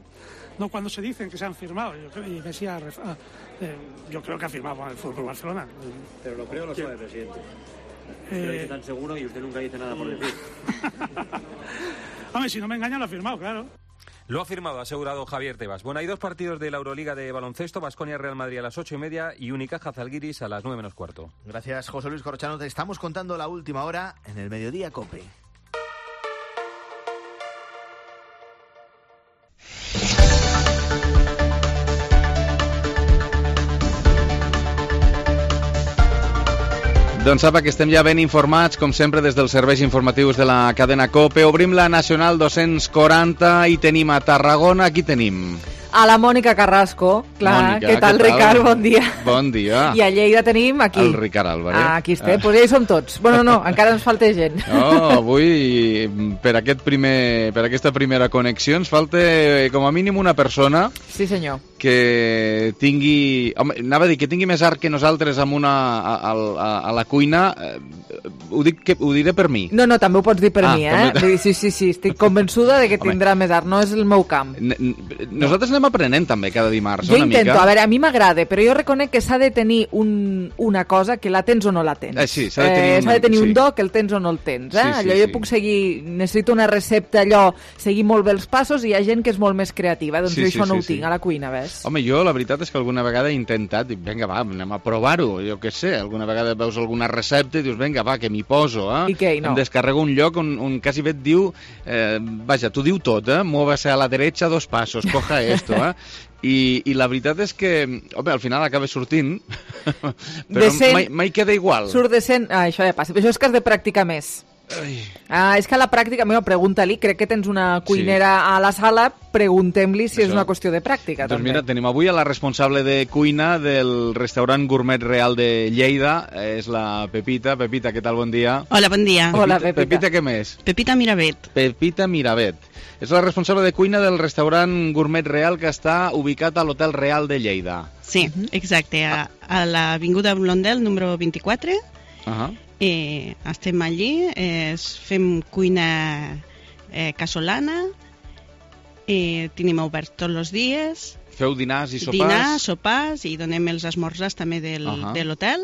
no cuando se dicen que se han firmado. Yo creo, y Messi ha, eh, yo creo que ha firmado con el Fútbol Barcelona.
Pero lo creo lo sabe el presidente.
Eh...
Lo dice tan seguro y usted nunca dice nada por decir.
Hombre, si no me engaña, lo ha firmado, claro.
Lo ha firmado, ha asegurado Javier Tebas. Bueno, hay dos partidos de la Euroliga de baloncesto, Baskonia-Real Madrid a las ocho y media y Unicaja-Zalgiris a las nueve menos cuarto.
Gracias, José Luis Corrochano. Te estamos contando la última hora en el Mediodía COPE.
Doncs sap que estem ja ben informats, com sempre, des dels serveis informatius de la cadena COPE. Obrim la Nacional dos-cents quaranta i tenim a Tarragona. Aquí tenim
a la Mònica Carrasco. Clar,
Mònica,
què tal,
què tal?
Ricard? Bon dia.
Bon dia.
I a Lleida tenim aquí.
El Ricard Álvarez.
Ah, aquí estem,
Ah.
pues ja hi som tots. Bueno, no, encara ens falta gent.
No, avui, per, aquest primer, per aquesta primera connexió, ens falta com a mínim una persona
Sí, senyor.
que tingui... Home, anava a dir que tingui més art que nosaltres amb una, a, a, a la cuina. Eh, ho, dic que, ho diré per mi.
No, no, també ho pots dir per
Ah,
mi, eh?
també-
Vull dir, Sí, sí, sí, estic convençuda de que
Home.
tindrà més art, no és el meu camp.
N n nosaltres anem aprenent també cada dimarts,
Jo
una
intento,
mica.
a veure, a mi m'agrada, però jo reconec que s'ha de tenir un, una cosa que la tens o no la tens.
Eh, sí, s'ha de tenir un-
s'ha de tenir
sí.
un do que el tens o no el tens, eh?
Sí, sí,
allò jo
sí.
puc seguir, necessito una recepta, allò, seguir molt bé els passos, i hi ha gent que és molt més creativa, doncs
Sí,
jo
sí,
això no
sí,
ho tinc
sí.
a la cuina, ves?
Home, jo la veritat és que alguna vegada he intentat, dic, vinga, va, anem a provar-ho, jo què sé, alguna vegada veus alguna recepta i dius, vinga, va, que m'hi poso, eh?
I què, i no?
Em descarrego un lloc on, on quasi bé et diu, eh, vaja, t'ho diu tot, eh? Muévase a la derecha dos pasos, coja esto, eh? I, i la veritat és que, home, al final acaba sortint, però
Decent.
mai, mai queda igual.
Surt decent, ah, això ja passa, però això és que has de practicar més.
Ai.
Ah, és que a la pràctica, mira, pregunta-li, crec que tens una cuinera a la sala, preguntem-li si és
Això.
una qüestió de pràctica,
Doncs
també.
mira, tenim avui a la responsable de cuina del restaurant Gourmet Real de Lleida, és la Pepita. Pepita, què tal? Bon dia.
Hola, bon dia.
Pepita, Pepita, què més?
Pepita Miravet.
Pepita Miravet. És la responsable de cuina del restaurant Gourmet Real que està ubicat a l'Hotel Real de Lleida.
Sí, exacte, a, a l'avinguda Blondel, número vint-i-quatre.
Uh -huh.
eh, estem allí, eh, fem cuina eh, casolana, eh, tenim obert tots els dies,
Feu dinars i sopars?
dinars, sopars, i donem els esmorzars també del, uh
Ahà.
-huh. de l'hotel.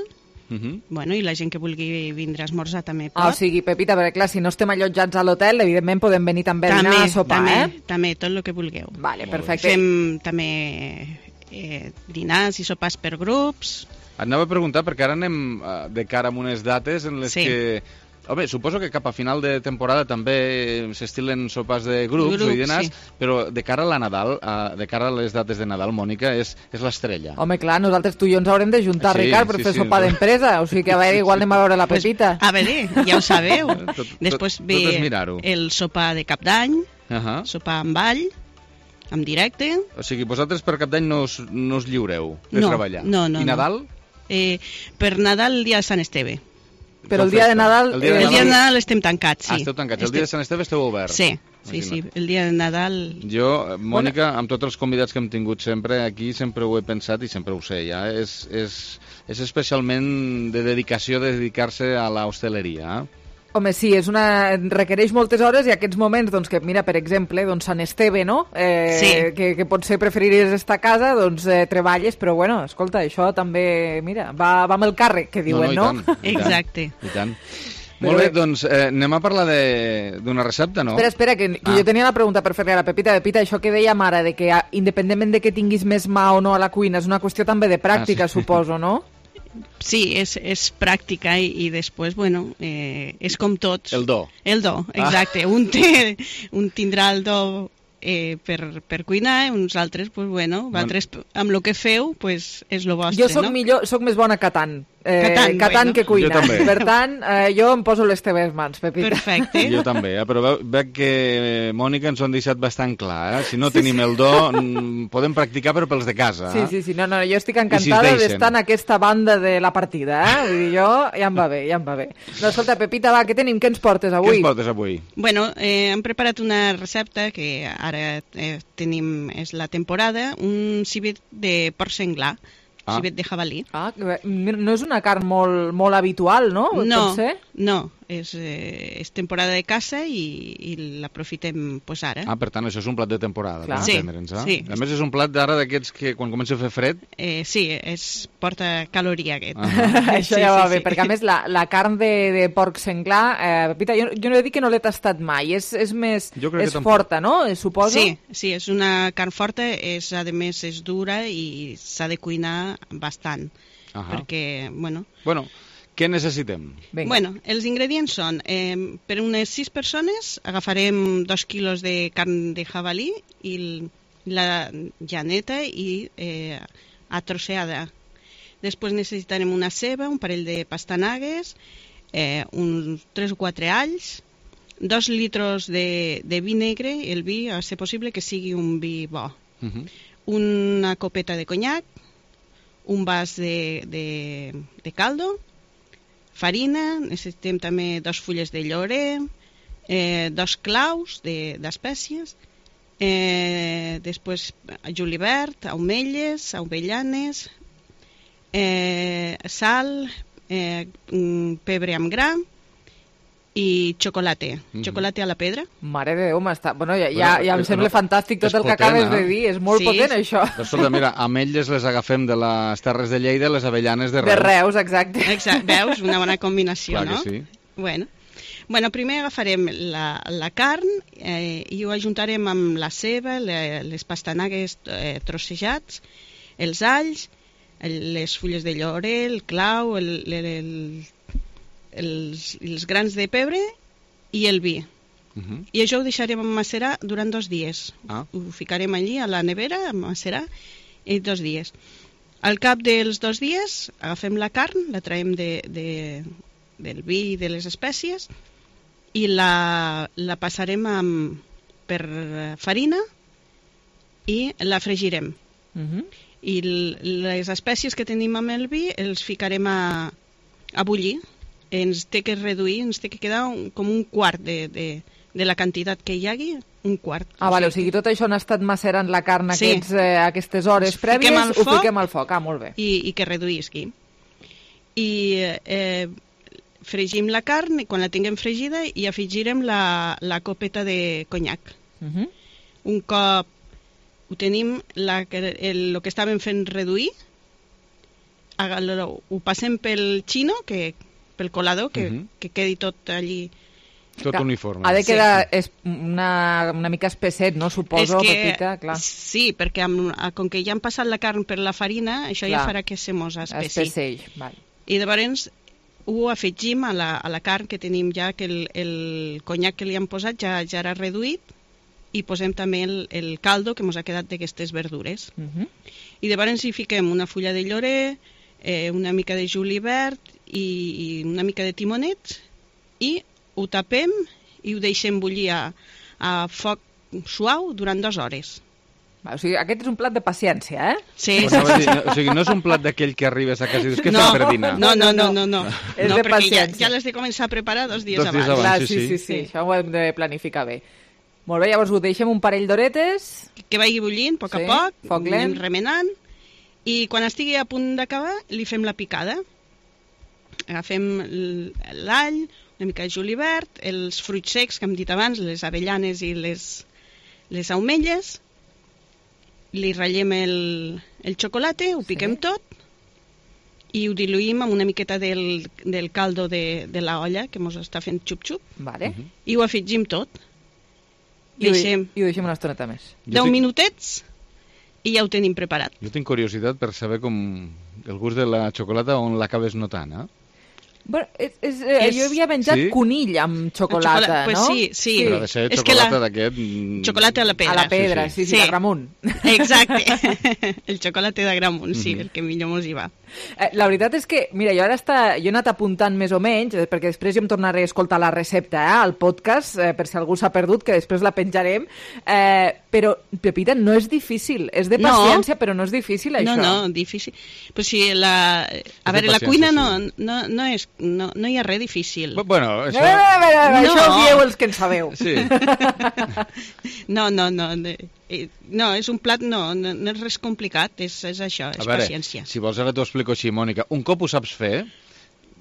Uh -huh.
Bueno, i la gent que vulgui vindre a esmorzar també pot.
Ah, o sigui, Pepita, perquè clar, si no estem allotjats a l'hotel, evidentment podem venir també a dinar a sopar,
també,
eh?
també, tot el que vulgueu.
Vale, perfecte.
Fem també eh, dinars i sopars per grups.
Et anava a preguntar, perquè ara anem eh, de cara a unes dates en les
Sí.
que... Home, suposo que cap a final de temporada també s'estilen sopars de grups,
Grups,
o dinars,
sí.
però de cara a la Nadal, eh, de cara a les dates de Nadal, Mònica, és, és l'estrella.
Home, clar, nosaltres tu i jo ens haurem de juntar,
Sí,
Ricard, per
sí,
fer
sí,
sopar
no.
d'empresa. O sigui que a veure, igual anem a veure la Pepita.
A veure, ja ho sabeu.
Tot-
Després
tot-
ve
tot és mirar-ho.
el sopar de cap d'any,
Uh -huh.
sopar amb ball, en directe.
O sigui, vosaltres per Cap d'Any no us, no us lliureu de
No,
treballar.
no, no,
I
no.
Nadal?
Eh, per Nadal, el dia de Sant Esteve.
Però el dia de Nadal...
El dia de
El dia de
Nadal-
Nadal estem tancats, sí.
Ah, esteu tancats. El dia de Sant Esteve esteu oberts.
Sí, sí, sí. El dia de Nadal...
Jo, Mònica, amb tots els convidats que hem tingut sempre aquí, sempre ho he pensat i sempre ho sé, ja, és, és, és especialment de dedicació de dedicar-se a la hosteleria. Eh?
Home, sí, és una... requereix moltes hores i aquests moments, doncs, que mira, per exemple, doncs Sant Esteve, no? Eh,
Sí.
que, que potser preferiries estar a casa, doncs eh, treballes, però bueno, escolta, això també, mira, va, va amb el càrrec, que diuen, no?
no, i tant, i tant,
Exacte.
I tant.
Però
Molt bé,
bé.
doncs eh, anem a parlar de- d'una recepta, no?
Espera, espera, que, que
Ah.
jo tenia la pregunta per fer-li a la Pepita. Pepita, això que deia Mara, de que ah, independentment de que tinguis més mà o no a la cuina, és una qüestió també de pràctica,
Ah, sí.
suposo, no?
Sí, és, és pràctica i, i després, bueno, eh, és com tots.
El do.
El do, exacte. Ah. Un, té, un tindrà el do eh, per, per cuinar, uns altres, pues, bueno, altres, amb el que feu, pues, és lo vostre,
Jo sóc
no?
millor, sóc més bona catant. Eh,
Catan,
Catan
bueno.
que cuina.
Jo també.
Per tant, eh, jo em poso les teves mans, Pepita.
Perfecte.
Jo també, eh? Però veu, veig que, Mònica, ens ho han deixat bastant clar. Eh? Si no tenim el do, mm, podem practicar, però pels de casa.
Sí,
Eh?
sí, sí. No, no, jo estic
I si
encantada
es deixen.
d'estar en aquesta banda de la partida, eh? Vull dir, jo ja em va bé, ja em va bé. No, escolta, Pepita, va, què tenim? Què ens portes
Què
avui?
ens portes avui?
Bueno, eh, hem preparat una recepta que ara eh, tenim, és la temporada, un civet de porc senglar,
Ah.
civet de jabalí.
Ah, no és una carn molt, molt habitual, no?
No,
Pot ser?
no, és, eh, és temporada de caça i, i l'aprofitem pues, ara.
Ah, per tant, això és un plat de temporada,
Clar.
per
Sí,
entendre'ns. Eh?
sí.
A més, és un plat d'ara d'aquests que quan comença a fer fred...
Eh, sí, és, porta caloria aquest.
Això
Sí,
ja va
sí,
bé,
sí.
perquè a més la, la carn de, de porc senglar, eh, Pepita, jo, jo no he dit que no l'he tastat mai, és, és més,
Jo crec que
és
tampoc.
forta, no? Suposo?
Sí, sí, és una carn forta, és, a més és dura i s'ha de cuinar bastant,
Ahà.
perquè, bueno...
Bueno, què necessitem?
Vinga.
Bueno, els ingredients són, eh, per unes sis persones agafarem dos quilos de carn de jabalí i l- la llaneta i eh, atroceada. Després necessitarem una ceba, un parell de pastanagues, eh, uns tres o quatre alls, dos litros de, de vi negre, el vi, a ser possible que sigui un vi bo,
Uh -huh.
una copeta de conyac, un vas de, de, de caldo, farina, necessitem també dos fulles de llorer, eh, dos claus de- d'espècies, eh, després julivert, aumelles, avellanes, eh, sal, eh, mm, pebre amb gra i xocolate,
Mhm.
xocolate a la pedra.
Mare de Déu, m'està... Bueno, ja,
Bueno,
ja, ja em
eh,
sembla
no,
fantàstic tot
és
el que
potent,
acabes
eh?
de dir, és molt
Sí,
potent
sí.
això.
Però, escolta, mira, ametlles les agafem de les Terres de Lleida, les avellanes de Reus.
De Reus, exacte.
Exacte, veus? Una bona combinació,
Clar que
no?
sí.
Bueno. Bueno, primer agafarem la, la carn eh, i ho ajuntarem amb la ceba, le, les pastanagues eh, trossejats, els alls, el, les fulles de llorer, el clau, el, el, el, els, els grans de pebre i el vi.
Uh -huh.
I això ho deixarem macerar durant dos dies.
Ah.
Ho ficarem allí a la nevera a macerar i dos dies. Al cap dels dos dies agafem la carn, la traiem de, de, del vi i de les espècies i la, la passarem amb, per farina i la fregirem.
Uh -huh.
I l- les espècies que tenim amb el vi els ficarem a, a bullir. Ens té que reduir, ens té que quedar un, com un quart de, de, de la quantitat que hi hagi, un quart.
Ah, vale, o sigui, tot això han estat macerant la carn
Sí.
aquests, eh, aquestes hores
Ho fiquem
prèvies,
al
ho
foc
fiquem al foc. Ah, molt bé.
I, i que reduïsqui. I eh, fregim la carn i quan la tinguem fregida i afegirem la, la copeta de conyac.
Uh -huh.
Un cop ho tenim, la, que- el, el que estàvem fent reduir, aga- lo- ho passem pel xino, que, pel colador, que,
Uh -huh.
que quedi tot allí.
Tot
Que
uniforme.
Ha de quedar és una, una mica espesset, no? Suposo,
És que-
Pepita, clar.
Sí, perquè amb, com que ja han passat la carn per la farina, això
Clar.
ja farà que se mos espessi.
Espessell, vale.
I llavors ho afegim a la, a la carn que tenim ja, que el, el conyac que li hem posat ja, ja era reduït, i posem també el, el caldo que ens ha quedat d'aquestes verdures.
Uh -huh.
I llavors hi fiquem una fulla de llorer, eh, una mica de julivert i, i una mica de timonets, i ho tapem i ho deixem bullir a, a foc suau durant dues hores.
Va, o sigui, aquest és un plat de paciència, eh?
Sí,
Pues anava a dir, no, o sigui, no és un plat d'aquell que arribes a casa i dius, què
no,
fem per dinar?
no, no, no, no, no.
És
no
de
perquè ja,
paciència.
ja l'has de començar a preparar dos dies
Dos dies
abans.
abans.
Clar,
sí,
sí, sí,
sí.
sí, això ho hem de planificar bé. Molt bé, llavors ho deixem un parell d'horetes.
Que vagi bullint a poc
Sí,
a poc,
foc
anem
lent.
remenant, i quan estigui a punt d'acabar li fem la picada. Agafem l- l'all, una mica de julivert, els fruits secs que hem dit abans, les avellanes i les, les aumelles, li ratllem el, el xocolate, ho piquem
Sí.
tot i ho diluïm amb una miqueta del, del caldo de, de la olla que ens està fent xup-xup
Vale.
i ho afegim tot.
I, ho,
Deixem
I ho deixem una estoneta més.
Jo
deu
tinc-
minutets i ja ho tenim preparat.
Jo tinc curiositat per saber com el gust de la xocolata on l'acabes notant, eh?
Bueno, és, és, eh, és... Jo havia menjat sí? conill amb xocolata,
xocolata,
no?
Pues sí, sí.
Però ha de ser
és
xocolata
la...
d'aquest...
Xocolata a la pedra.
A la pedra, sí, sí, sí, sí. De Gramunt.
Exacte. El xocolata de Gramunt, sí,
Mhm.
el que millor mos hi va.
Eh, la veritat és que, mira, jo ara està, jo he anat apuntant més o menys, eh, perquè després jo em tornaré a escoltar la recepta eh, al podcast, eh, per si algú s'ha perdut, que després la penjarem, eh, però, Pepita, no és difícil, és de paciència, no. Però no és difícil, això.
No, no, difícil. Pues sí, la... A veure, la cuina no, no, no, és, no, no hi ha res difícil.
Bueno, això...
Eh, eh, eh,
no.
Això ho dieu els que en sabeu.
Sí.
No, no, no. No, és un plat, no, no, no és res complicat, és, és això, és
a veure,
paciència.
Si vols ara t'ho explico així, Mònica. Un cop ho saps fer...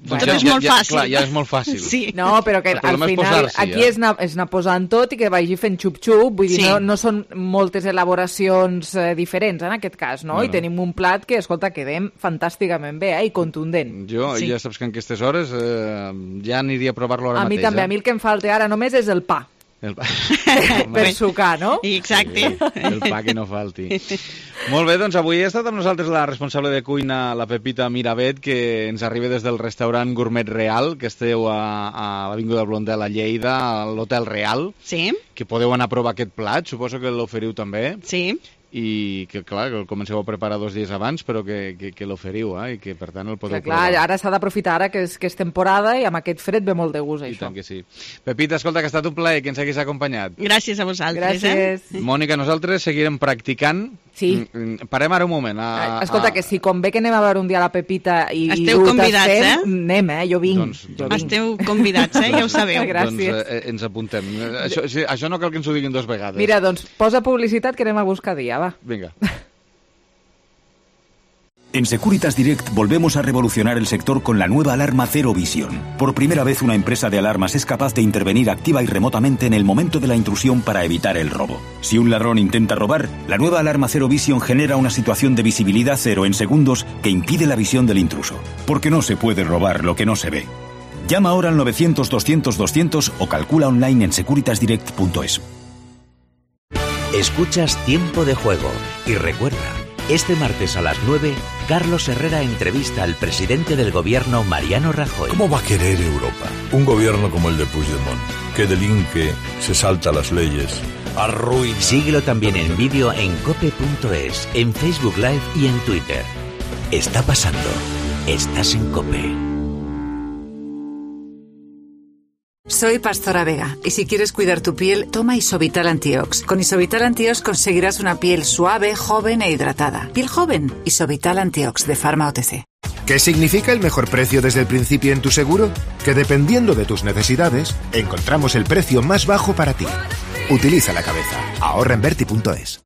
Bueno, tot és ja, molt
ja,
fàcil.
Clar, ja és molt fàcil.
Sí.
No, però que al final aquí
eh?
és, anar, és anar posant tot i que vagi fent xup-xup, vull dir,
Sí.
no, no són moltes elaboracions eh, diferents en aquest cas, no?
No,
I
no.
tenim un plat que, escolta, quedem fantàsticament bé, eh? I contundent.
Jo,
Sí.
ja saps que en aquestes hores eh, ja aniria a provar-lo ara
A mi
mateix.
també,
eh?
a mi el que em falta ara només és el pa.
El pa.
Per sucar, no?
Exacte.
Sí, el pa que no falti. Molt bé, doncs avui ha estat amb nosaltres la responsable de cuina, la Pepita Miravet, que ens arriba des del restaurant Gourmet Real, que esteu a, a l'Avinguda Blondel a Lleida, a l'Hotel Real.
Sí.
Que podeu anar a provar aquest plat, suposo que l'oferiu també.
Sí.
I que, clar, que el comenceu a preparar dos dies abans, però que, que, que l'oferiu, eh? I que, per tant, el podeu
Clar, clar,
provar.
ara s'ha d'aprofitar ara que és, que és temporada i amb aquest fred ve molt de gust,
I
això.
tant que sí. Pepita, escolta, que ha estat un plaer que ens haguis acompanyat.
Gràcies a vosaltres.
Gràcies.
Eh?
Mònica, nosaltres seguirem practicant.
Sí.
Mm, Parem ara un moment. A,
Escolta, que si convé que anem a veure un dia la Pepita i,
Esteu
i ho
convidats,
tastem,
eh?
anem, eh? Jo vinc.
Doncs-
jo vinc.
Esteu convidats, eh? Ja ho sabeu.
Gràcies.
Doncs eh, ens apuntem. Eh, Això, sí, això no cal que ens ho diguin dos vegades.
Mira, doncs posa publicitat que anem a buscar dia, va.
Vinga.
En Securitas Direct volvemos a revolucionar el sector con la nueva alarma Cero Visión. Por primera vez una empresa de alarmas es capaz de intervenir activa y remotamente en el momento de la intrusión para evitar el robo. Si un ladrón intenta robar, la nueva alarma Cero Visión genera una situación de visibilidad cero en segundos que impide la visión del intruso. Porque no se puede robar lo que no se ve. Llama ahora al novecientos doscientos doscientos o calcula online en securitas direct punto es.
Escuchas Tiempo de Juego y recuerda, este martes a las nueve, Carlos Herrera entrevista al presidente del gobierno, Mariano Rajoy.
¿Cómo va a querer Europa un gobierno como el de Puigdemont, que delinque, se salta las leyes, arruina?
Síguelo también en vídeo en cope punto es, en Facebook Live y en Twitter. Está pasando. Estás en COPE.
Soy Pastora Vega y si quieres cuidar tu piel, toma Isovital Antiox. Con Isovital Antiox conseguirás una piel suave, joven e hidratada. Piel joven, Isovital Antiox de Pharma O T C.
¿Qué significa el mejor precio desde el principio en tu seguro? Que dependiendo de tus necesidades, encontramos el precio más bajo para ti. Utiliza la cabeza. Ahorra en Berti punto es.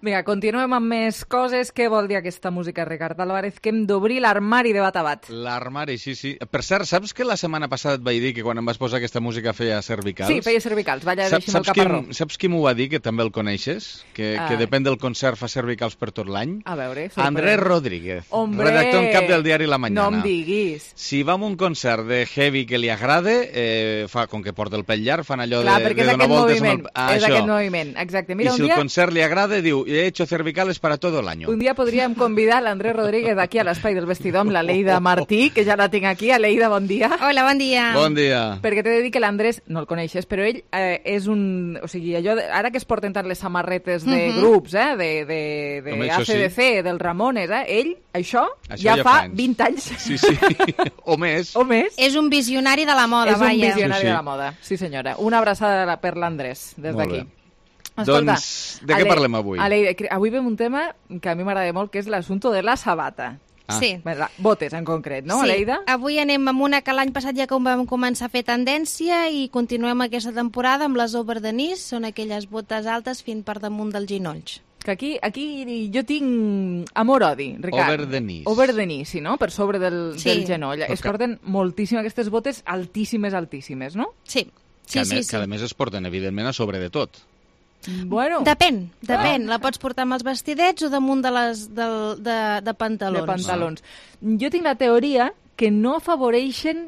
Vinga, continuem amb més coses. Què vol dir aquesta música, Ricard Álvarez? Que hem d'obrir l'armari de bat a bat.
L'armari, sí, sí. Per cert, saps que la setmana passada et vaig dir que quan em vas posar aquesta música feia cervicals?
Sí, feia cervicals. Vaya,
Saps,
deixi'm el
saps, qui,
caparró.
saps qui m'ho va dir, que també el coneixes? Que,
Ah.
que depèn del concert fa cervicals per tot l'any?
A veure, sorprèn.
Andrés Rodríguez,
Hombre,
redactor en cap del diari La Mañana.
No em diguis.
Si va a un concert de heavy que li agrade, eh, fa, com que porta el pell llarg, fan allò
Clar,
de,
perquè
de
és
donar
aquest
voltes
moviment.
amb el... Ah,
és
això.
aquest moviment, exacte. Mira,
I si
un dia...
el concert li agrada, diu, he hecho cervicales para todo el año.
Un dia podríem convidar l'Andrés Rodríguez aquí a l'espai del vestidor amb la Leida Martí, que ja la tinc aquí. Leida, bon dia.
Hola, bon dia.
Bon dia.
Perquè t'he de dir que l'Andrés, no el coneixes, però ell eh, és un... O sigui, allò, de, ara que es porten tant les samarretes de
Mhm.
grups, eh, de, de, de
Home, això
A C D C, del Ramones, eh, ell, això,
Això
ja,
ja
fa
fa anys.
vint anys.
Sí, sí, o més.
O més.
És un visionari de la moda,
és un
vaja.
visionari
Sí, sí.
de la moda, sí senyora. Una abraçada per l'Andrés, des
Molt
d'aquí.
bé. Doncs, de què
Ale-
parlem avui?
Ale, avui veiem un tema que a mi m'agrada molt, que és l'assumpte de la sabata.
Ah. Sí.
La, botes, en concret, no,
sí.
Aleida?
Avui anem amb una que l'any passat ja com vam començar a fer tendència i continuem aquesta temporada amb les over the knees, són aquelles botes altes fins per damunt dels ginolls.
Que aquí, aquí jo tinc amor-odi, Ricard.
Over the knees.
Over the knees, sí, no? Per sobre del,
Sí.
del genoll. Es
que-
porten moltíssim aquestes botes altíssimes, altíssimes, no?
Sí.
Que, a
Sí, sí,
més,
sí.
que a més es porten, evidentment, a sobre de tot.
Bueno.
Depèn, depèn. La pots portar amb els vestidets o damunt de, les, de, de, de pantalons.
De pantalons. Jo tinc la teoria que no afavoreixen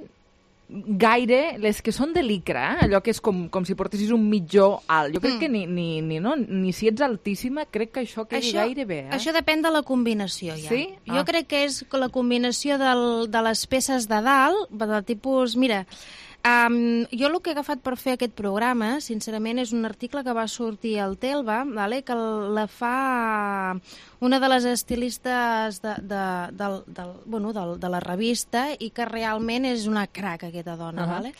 gaire les que són de licra, eh? Allò que és com, com si portessis un mitjó alt. Jo crec mm. que ni, ni, ni, no, ni si ets altíssima, crec que això quedi això, gaire bé. Eh?
Això depèn de la combinació, ja.
Sí?
Jo ah. crec que és la combinació del, de les peces de dalt, del tipus... Mira, um, jo el que he agafat per fer aquest programa, sincerament, és un article que va sortir al Telva, vale? Que la fa una de les estilistes de, de, de, de, bueno, de, de la revista i que realment és una crac, aquesta dona. Uh-huh. Vale?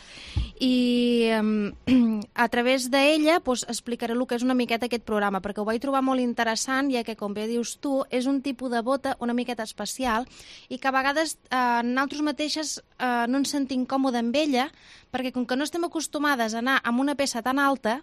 I um, a través d'ella pues, explicaré el que és una miqueta aquest programa, perquè ho vaig trobar molt interessant, ja que, com bé dius tu, és un tipus de bota una miqueta especial i que a vegades eh, nosaltres mateixes eh, no ens sentim còmode amb ella, perquè com que no estem acostumades a anar amb una peça tan alta,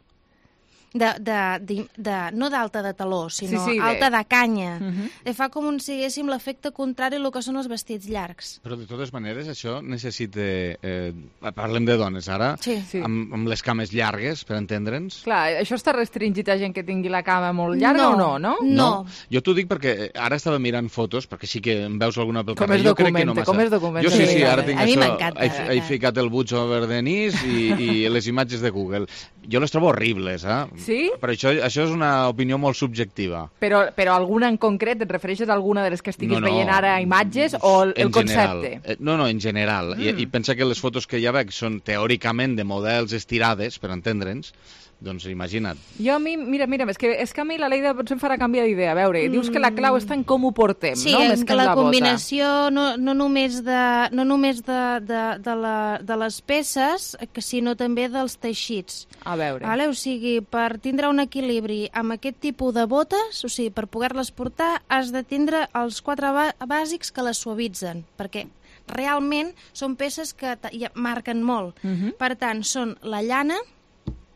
de, de, de, de, no d'alta de taló, sinó sí, sí, alta de, de canya. Uh-huh. E fa com un, siguéssim, l'efecte contrari al que són els vestits llargs.
Però de totes maneres això necessita... Eh, parlem de dones ara,
sí, sí.
Amb, amb les cames llargues, per entendre'ns.
Clar, això està restringit a gent que tingui la cama molt llarga
no,
o no, no?
No.
no. Jo t'ho dic perquè ara estava mirant fotos, perquè sí que em veus alguna pel
carrer.
Com es
documenta,
no
com es documenta.
Jo sí, sí, ara tinc
a
això.
Mi m'encanta.
He, he ficat el Butch over Denise i, i les imatges de Google. Jo les trobo horribles, eh?
Sí?
Per això això és una opinió molt subjectiva.
Però, però alguna en concret? Et refereixes a alguna de les que estiguis
no, no.
veient ara imatges o el, el concepte?
General. No, no, en general. Mm. I, I pensa que les fotos que ja veig són teòricament de models estirades, per entendre'ns, doncs imagina't.
Jo a mi, mira, mira, és que, és que a mi la Leida potser em farà canviar d'idea. A veure, mm. dius que la clau està en com ho portem,
sí,
no?
Sí,
Més
que,
que
la,
la
combinació no, no només, de, no només de, de, de, la, de les peces, sinó també dels teixits.
A veure.
Vale? O sigui, per tindre un equilibri amb aquest tipus de botes, o sigui, per poder-les portar, has de tindre els quatre bàsics que les suavitzen, perquè realment són peces que marquen molt. Uh-huh. Per tant, són la llana,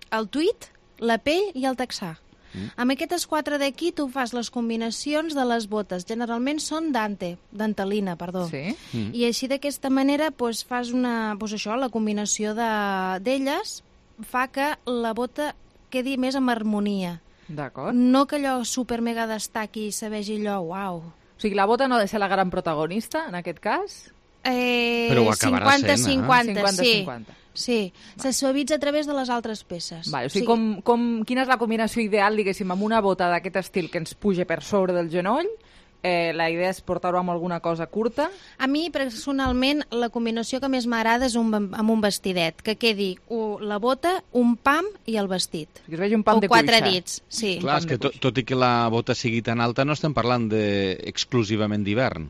el tuit, la pell i el texà. Mm. Amb aquestes quatre d'aquí tu fas les combinacions de les botes. Generalment són dante, dantelina, perdó.
Sí.
Mm.
I així d'aquesta manera pues, fas una, pues, això, la combinació d'elles de, fa que la bota quedi més en harmonia.
D'acord.
No que allò super mega destaqui i se vegi allò, uau.
O sigui, la bota no ha de ser la gran protagonista, en aquest cas?
Eh,
Però ho acabarà
cinquanta cinquanta,
sent, eh?
sí.
cinquanta.
Sí, va. Se suavitza a través de les altres peces.
Vale, o sigui, com, com, quina és la combinació ideal, diguéssim, amb una bota d'aquest estil que ens puja per sobre del genoll? Eh, la idea és portar-ho amb alguna cosa curta?
A mi, personalment, la combinació que més m'agrada és un, amb un vestidet, que quedi uh, la bota, un pam i el vestit.
Que es vegi un pam
o
de
quatre
cuixa.
dits, sí.
Clar, és que tot, tot i que la bota sigui tan alta, no estem parlant de, exclusivament d'hivern.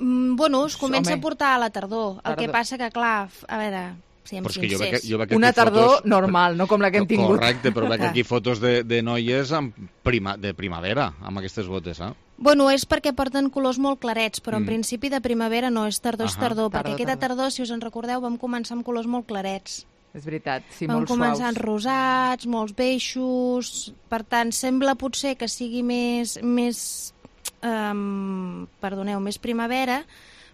Mm, bueno, es comença
Home.
a portar a la tardor. El
tardor.
que passa que, clar, a veure...
Però és que jo veig, jo veig
una tardor
fotos...
normal, no com la que hem tingut.
Correcte, però veig aquí fotos de, de noies amb prima, de primavera, amb aquestes botes, eh?
Bueno, és perquè porten colors molt clarets, però
Mm.
en principi de primavera no, és tardor, és
Ahà.
tardor,
Tardor,
perquè aquesta
tardor.
tardor, si us en recordeu, vam començar amb colors molt clarets.
És veritat, sí,
Vam
molt
començar amb
suaus.
rosats, molts beixos, per tant, sembla potser que sigui més, més um, perdoneu, més primavera,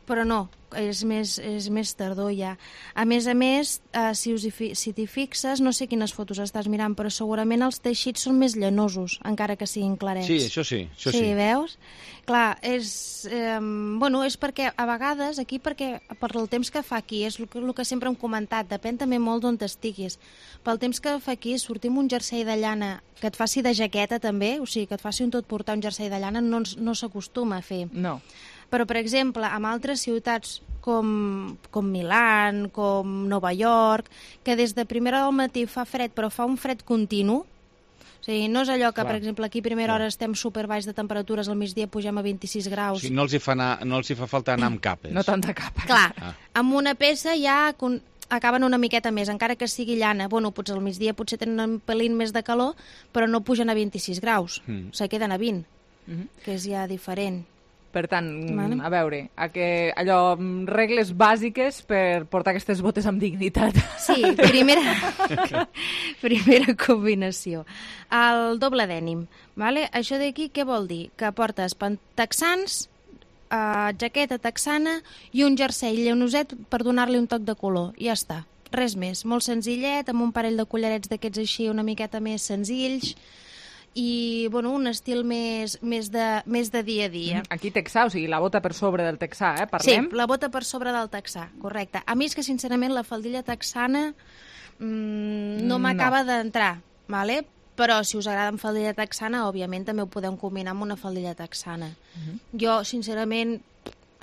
però no, és més, és més tardor ja. A més a més, eh, si us hi fi, si t'hi fixes, no sé quines fotos estàs mirant, però segurament els teixits són més llanosos, encara que siguin clarets.
Sí, això sí, això sí.
Sí, veus? Clar, és, eh, bueno, és perquè a vegades, aquí perquè per el temps que fa aquí, és el que, el que sempre hem comentat, depèn també molt d'on t'estiguis. Pel temps que fa aquí, sortir amb un jersei de llana que et faci de jaqueta també, o sigui, que et faci un tot portar un jersei de llana, no, no s'acostuma a fer.
No.
Però, per exemple, en altres ciutats com, com Milán, com Nova York, que des de primera hora del matí fa fred, però fa un fred continu, o sigui, no és allò que,
Clar.
per exemple, aquí a primera hora estem super baix de temperatures, al migdia pugem a vint-i-sis graus.
O sigui, no els hi fa, anar, no els hi fa falta anar amb capes.
No tanta capa.
Clar,
Ah.
amb una peça ja con- acaben una miqueta més, encara que sigui llana. Bueno, potser al migdia potser tenen un pelín més de calor, però no pugen a vint-i-sis graus,
Mm.
se queden a vint,
Mhm.
que és ja diferent.
Per tant,
Vale.
a veure, a que, allò, mm, regles bàsiques per portar aquestes botes amb dignitat.
Sí, primera, primera combinació. El doble dènim. Vale? Això d'aquí què vol dir? Que portes pan- texans, eh, jaqueta texana i un jersei llanoset per donar-li un toc de color. I ja està. Res més. Molt senzillet, amb un parell de collarets d'aquests així una miqueta més senzills. i bueno, un estil més, més, de, més de dia a dia.
Aquí texà, o sigui, la bota per sobre del texà, eh? Parlem?
Sí, la bota per sobre del texà, correcte. A mi és que, sincerament, la faldilla texana mmm, no m'acaba no. d'entrar, vale? Però si us agrada amb faldilla texana, òbviament també ho podem combinar amb una faldilla texana. Uh-huh. Jo, sincerament,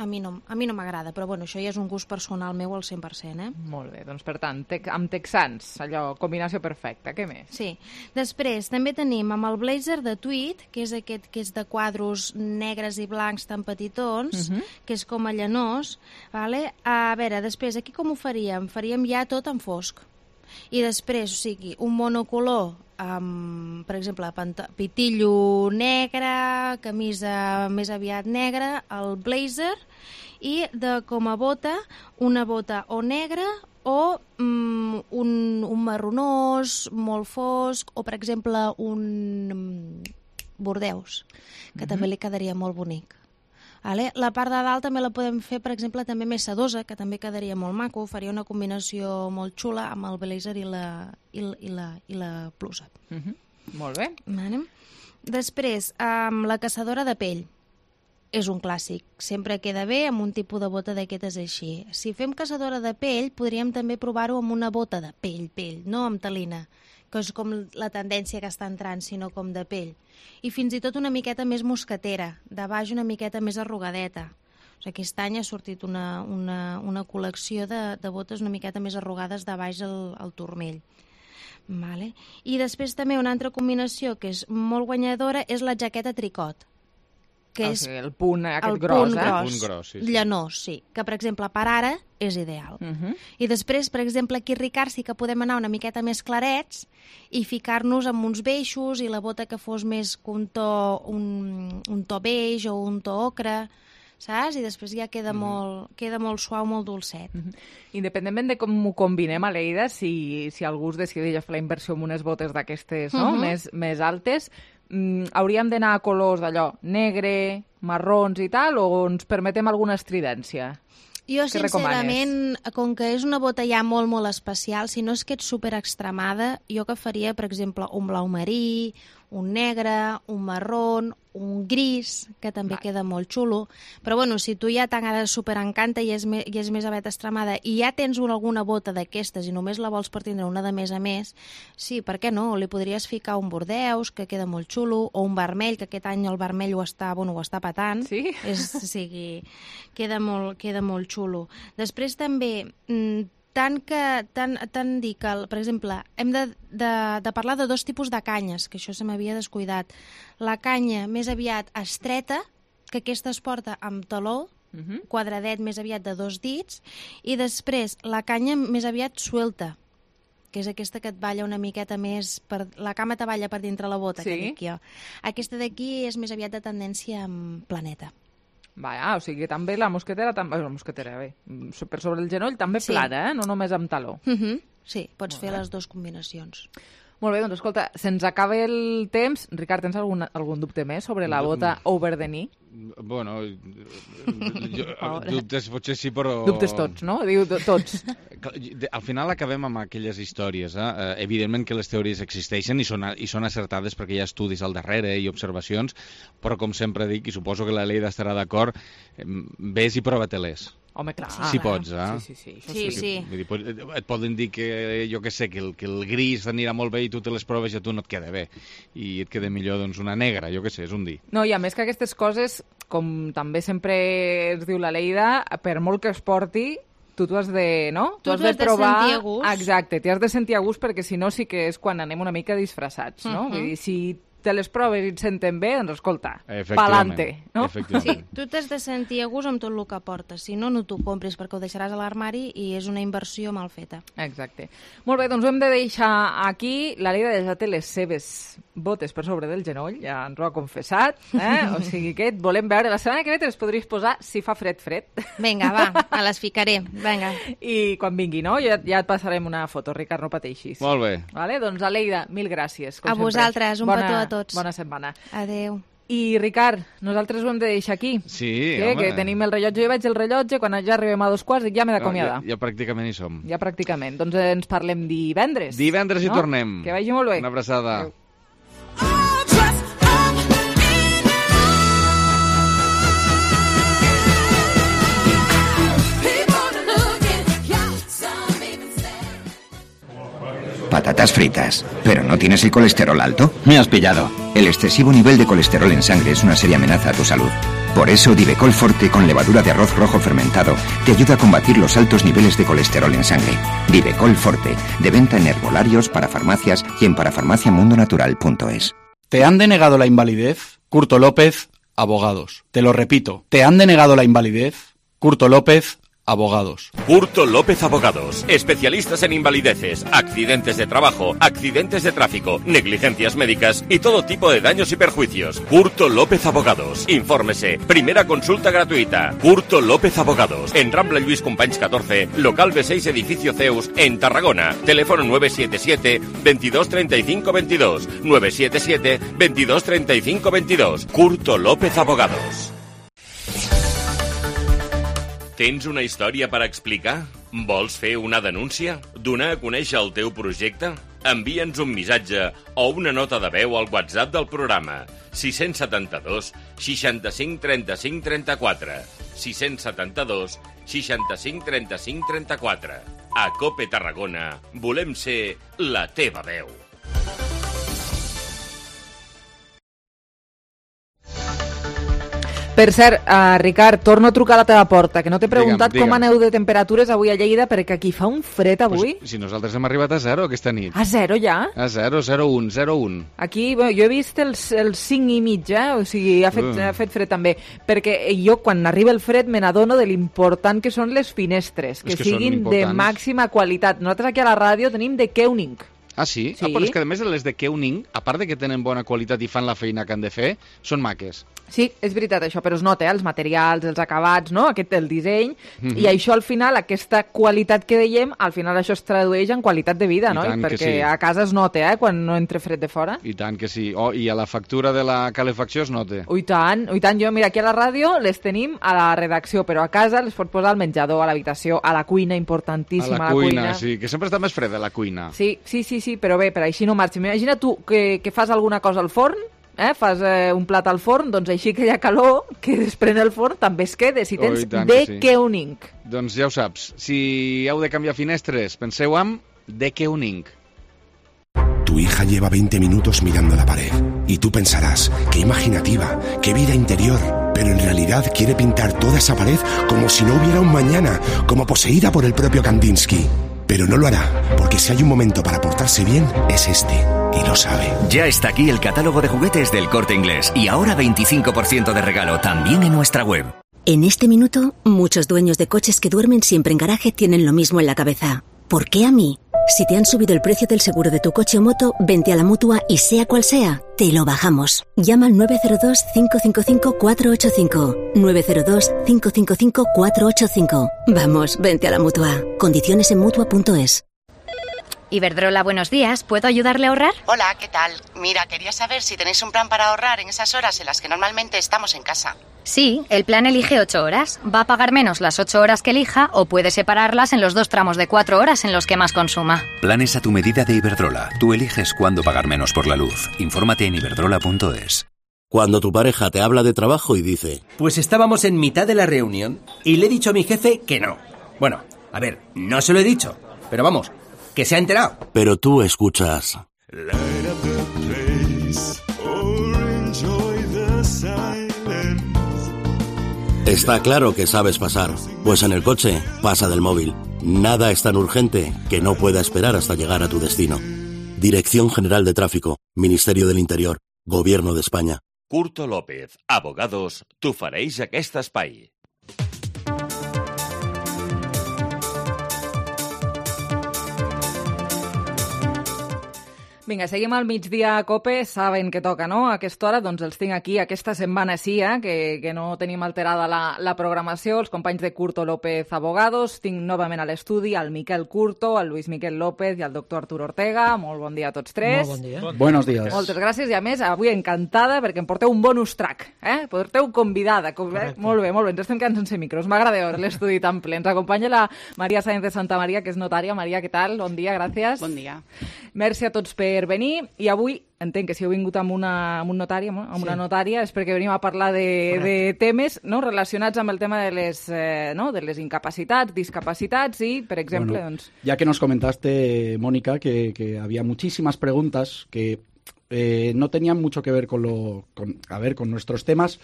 a mi no, a mi no m'agrada, però bueno, això ja és un gust personal meu al cent per cent, eh?
Molt bé, doncs per tant, te amb texans, allò, combinació perfecta, què més?
Sí. Després, també tenim amb el blazer de tweed, que és aquest que és de quadros negres i blancs tan petitons, uh-huh. que és com a llanós, vale? A veure, després, aquí com ho faríem? Faríem ja tot en fosc. I després, o sigui, un monocolor, amb, per exemple, pitillo negre, camisa més aviat negra, el blazer, i de, com a bota, una bota o negra o mm, un, un marronós molt fosc, o, per exemple, un bordeus, que mm-hmm. també li quedaria molt bonic. Vale? La part de dalt també la podem fer, per exemple, també més sedosa, que també quedaria molt maco, faria una combinació molt xula amb el blazer i la, i la, i la, i la blusa.
Uh-huh. Molt bé.
Vale? Després, amb la caçadora de pell. És un clàssic. Sempre queda bé amb un tipus de bota d'aquestes així. Si fem caçadora de pell, podríem també provar-ho amb una bota de pell, pell, no amb telina, que és com la tendència que està entrant, sinó com de pell. I fins i tot una miqueta més mosquetera, de baix una miqueta més arrugadeta. O sigui, aquest any ha sortit una, una, una col·lecció de, de botes una miqueta més arrugades de baix al, al turmell. Vale. I després també una altra combinació que és molt guanyadora és la jaqueta tricot. Que
o
és
sigui, el punt aquest
el
gros,
punt
eh?
gros,
el punt gros, sí, sí.
llanós, sí. Que, per exemple, per ara és ideal.
Uh -huh.
I després, per exemple, aquí, Ricard, sí que podem anar una miqueta més clarets i ficar-nos amb uns beixos i la bota que fos més un to, un, un to beix o un to ocre, saps? I després ja queda, uh -huh. molt, queda molt suau, molt dolcet.
Uh -huh. Independentment de com ho combinem, Aleida, si, si algú es decideix a fer la inversió en unes botes d'aquestes, no? uh -huh. més, més altes, mm, hauríem d'anar a colors d'allò negre, marrons i tal, o ens permetem alguna estridència?
Jo,
Què
sincerament,
recomanes?
com que és una bota ja molt, molt especial, si no és que ets super extremada, jo que faria, per exemple, un blau marí, un negre, un marrón, un gris, que també vale. Queda molt xulo. Però, bueno, si tu ja t'agrada superencanta i és, me, i és més avet extremada i ja tens una, alguna bota d'aquestes i només la vols per tindre una de més a més, sí, per què no? Li podries ficar un bordeus, que queda molt xulo, o un vermell, que aquest any el vermell ho està, bueno, ho està patant.
Sí?
És, o sigui, queda molt, queda molt xulo. Després també... Mmm, Tant que, tant, tant dir que, per exemple, hem de, de, de parlar de dos tipus de canyes, que això se m'havia descuidat. La canya més aviat estreta, que aquesta es porta amb taló, uh-huh. quadradet més aviat de dos dits, i després la canya més aviat suelta, que és aquesta que et balla una miqueta més... Per, la cama te balla per dintre la bota,
sí?
que dic jo. Aquesta d'aquí és més aviat de tendència amb planeta.
Va, o sigui, també la mosquetera, també, la mosquetera, bé, per sobre el genoll també
Sí.
plana, eh? No només amb taló.
Uh -huh. Sí, pots
Molt
fer
bé.
les dues combinacions.
Molt bé, doncs escolta, se'ns acaba el temps. Ricard, tens algun, algun dubte més sobre la bota over the knee?
Bueno, jo, dubtes potser sí, però...
Dubtes tots, no? Diu tots.
Al final acabem amb aquelles històries. Eh? Evidentment que les teories existeixen i són, i són acertades perquè hi ha estudis al darrere i observacions, però com sempre dic, i suposo que la Leida estarà d'acord, ves i prova-te-les.
Home, clar.
Si pots, eh?
Sí, sí, sí.
Sí, sí.
Vull dir, et poden dir que, jo què sé, que el, que el gris t'anirà molt bé i tu te les proves i a tu no et queda bé. I et queda millor, doncs, una negra, jo què sé, és un dir.
No, i a més que aquestes coses, com també sempre ens diu la Leida, per molt que es porti, tu t'ho has de, no?
Tu t'ho has de sentir a gust.
Exacte, t'hi has de sentir a gust perquè si no sí que és quan anem una mica disfressats, no?
Uh-huh.
Vull dir, si te les proves i et senten bé, doncs escolta,
Efectivament.
pa'lante, no?
Sí, tu t'has de sentir a gust amb tot el que portes. Si no, no t'ho compris perquè ho deixaràs a l'armari i és una inversió mal feta.
Exacte. Molt bé, doncs ho hem de deixar aquí. La Leida ja té les seves botes per sobre del genoll, ja ens ho ha confessat, eh? O sigui que et volem veure. La setmana que ve te les podries posar si fa fred, fred.
Vinga, va, me les ficaré. Vinga.
I quan vingui, no? Ja, ja et passarem una foto, Ricard, no pateixis.
Molt bé.
Vale? Doncs, Aleida, mil gràcies. Com
A
sempre.
vosaltres, un
bona,
petó a tots.
Bona setmana.
Adéu.
I, Ricard, nosaltres ho hem de deixar aquí.
Sí,
que,
home.
que tenim el rellotge, jo veig el rellotge, quan ja arribem a dos quarts ja m'he d'acomiadar.
Ja, ja pràcticament hi som.
Ja pràcticament. Doncs ens parlem divendres.
Divendres
no?
hi tornem.
Que vagi molt bé.
Una abraçada.
Adéu.
patatas fritas. ¿Pero no tienes el colesterol alto?
Me has pillado.
El excesivo nivel de colesterol en sangre es una seria amenaza a tu salud. Por eso, Divecol Forte con levadura de arroz rojo fermentado te ayuda a combatir los altos niveles de colesterol en sangre. Divecol Forte, de venta en herbolarios, para farmacias y en parafarmaciamundonatural punto es.
¿Te han denegado la invalidez? Curto López, abogados. Te lo repito, ¿te han denegado la invalidez? Curto López, abogados.
Curto López Abogados, especialistas en invalideces, accidentes de trabajo, accidentes de tráfico, negligencias médicas y todo tipo de daños y perjuicios. Curto López Abogados. Infórmese. Primera consulta gratuita. Curto López Abogados. En Rambla Lluís Companys catorce, local B seis, edificio Zeus, en Tarragona. Teléfono nueve siete siete, veintidós treinta y cinco veintidós. nueve siete siete, veintidós treinta y cinco veintidós. Curto López Abogados. Tens una història per explicar? Vols fer una denúncia? Donar a conèixer el teu projecte? Envia'ns un missatge o una nota de veu al WhatsApp del programa sis setanta dos, seixanta-cinc, trenta-cinc, trenta-quatre. sis setanta dos, seixanta-cinc, trenta-cinc, trenta-quatre. A COPE Tarragona volem ser la teva veu.
Per cert, uh, Ricard, torno a trucar a la teva porta, que no t'he preguntat
digue'm,
com
digue'm.
aneu de temperatures avui a Lleida, perquè aquí fa un fred avui.
Pues, si nosaltres hem arribat a zero aquesta nit.
A zero ja?
A zero, zero, un, zero, un.
Aquí, bueno, jo he vist els, els cinc i mig, eh? O sigui, ha fet,
Uh.
ha fet fred també, perquè jo quan arriba el fred me n'adono de l'important que són les finestres, que,
que
siguin
són
de
importants.
màxima qualitat. Nosaltres aquí a la ràdio tenim de Keuning.
Ah, sí?
Sí.
Ah, però és que a més les de Keuning, a part de que tenen bona qualitat i fan la feina que han de fer, són maques.
Sí, és veritat això, però es nota, eh? Els materials, els acabats, no? Aquest, el disseny,
Mhm.
i això al final, aquesta qualitat que dèiem, al final això es tradueix en qualitat de vida,
I
no?
tant que
Perquè
sí.
a casa es nota, eh? Quan no entra fred de fora.
I tant que sí. Oh, i a la factura de la calefacció es nota.
Ui tant, ui tant, jo mira, aquí a la ràdio les tenim a la redacció, però a casa les pots posar al menjador, a l'habitació, a la cuina,
A
importantíssima,
la cuina, sí, que sempre està més freda la cuina.
Sí, sí, sí, sí, però bé, per així no marxa. Imagina tu que, que fas alguna cosa al forn, eh? fas eh, un plat al forn, doncs així que hi ha calor, que desprèn el forn, també es queda, si tens
Oh, i tant
de
que sí.
Keuning.
Doncs ja ho saps, si heu de canviar finestres, penseu amb de Keuning.
Tu hija lleva veinte minutos mirando la pared y tú pensarás, qué imaginativa, qué vida interior, pero en realidad quiere pintar toda esa pared como si no hubiera un mañana, como poseída por el propio Kandinsky. Pero no lo hará, porque si hay un momento para portarse bien, es este, y lo sabe.
Ya está aquí el catálogo de juguetes del Corte Inglés y ahora veinticinco por ciento de regalo también en nuestra web.
En este minuto, muchos dueños de coches que duermen siempre en garaje tienen lo mismo en la cabeza. ¿Por qué a mí? Si te han subido el precio del seguro de tu coche o moto, vente a la Mutua y sea cual sea, te lo bajamos. Llama al nueve cero dos, cinco cinco cinco, cuatro ocho cinco. nueve cero dos, cinco cinco cinco, cuatro ocho cinco. Vamos, vente a la Mutua. Condiciones en Mutua punto es.
Iberdrola, buenos días. ¿Puedo ayudarle a ahorrar?
Hola, ¿qué tal? Mira, quería saber si tenéis un plan para ahorrar en esas horas en las que normalmente estamos en casa.
Sí, el plan elige ocho horas. Va a pagar menos las ocho horas que elija o puede separarlas en los dos tramos de cuatro horas en los que más consuma.
Planes a tu medida de Iberdrola. Tú eliges cuándo pagar menos por la luz. Infórmate en iberdrola punto es.
Cuando tu pareja te habla de trabajo y dice...
Pues estábamos en mitad de la reunión y le he dicho a mi jefe que no. Bueno, a ver, no se lo he dicho, pero vamos, que se ha enterado.
Pero tú escuchas... Está claro que sabes pasar, pues en el coche pasa del móvil. Nada es tan urgente que no pueda esperar hasta llegar a tu destino. Dirección General de Tráfico, Ministerio del Interior, Gobierno de España.
Curto López, abogados, t'ofereix aquest espai.
Vinga, seguim al migdia a COPE, saben que toca, no? A aquesta hora, doncs els tinc aquí, aquesta setmana sí, eh? que, que no tenim alterada la, la programació, els companys de Curto López Abogados, tinc novament a l'estudi el Miquel Curto, el Luis Miquel López i el doctor Arturo Ortega. Molt bon dia a tots tres.
Molt bon dia. Bon Buenos días.
Moltes gràcies i a més, avui encantada perquè em porteu un bonus track, eh? Porteu convidada. Com, eh? Molt bé, molt bé, ens estem quedant sense micros, m'agrada veure l'estudi tan ple. Ens acompanya la Maria Sáenz de Santa Maria, que és notària. Maria, què tal? Bon dia, gràcies.
Bon dia.
Merci a tots per per venir, i avui entenc que si heu vingut amb, una, amb un notari, amb una sí. notària, és perquè venim a parlar de, de temes no, relacionats amb el tema de les, eh, no, de les incapacitats, discapacitats i, per exemple...
Bueno,
doncs...
Ya que nos comentaste, Mónica, que, que había muchísimas preguntas que eh, no tenían mucho que ver con, lo, con, a ver, con nuestros temas,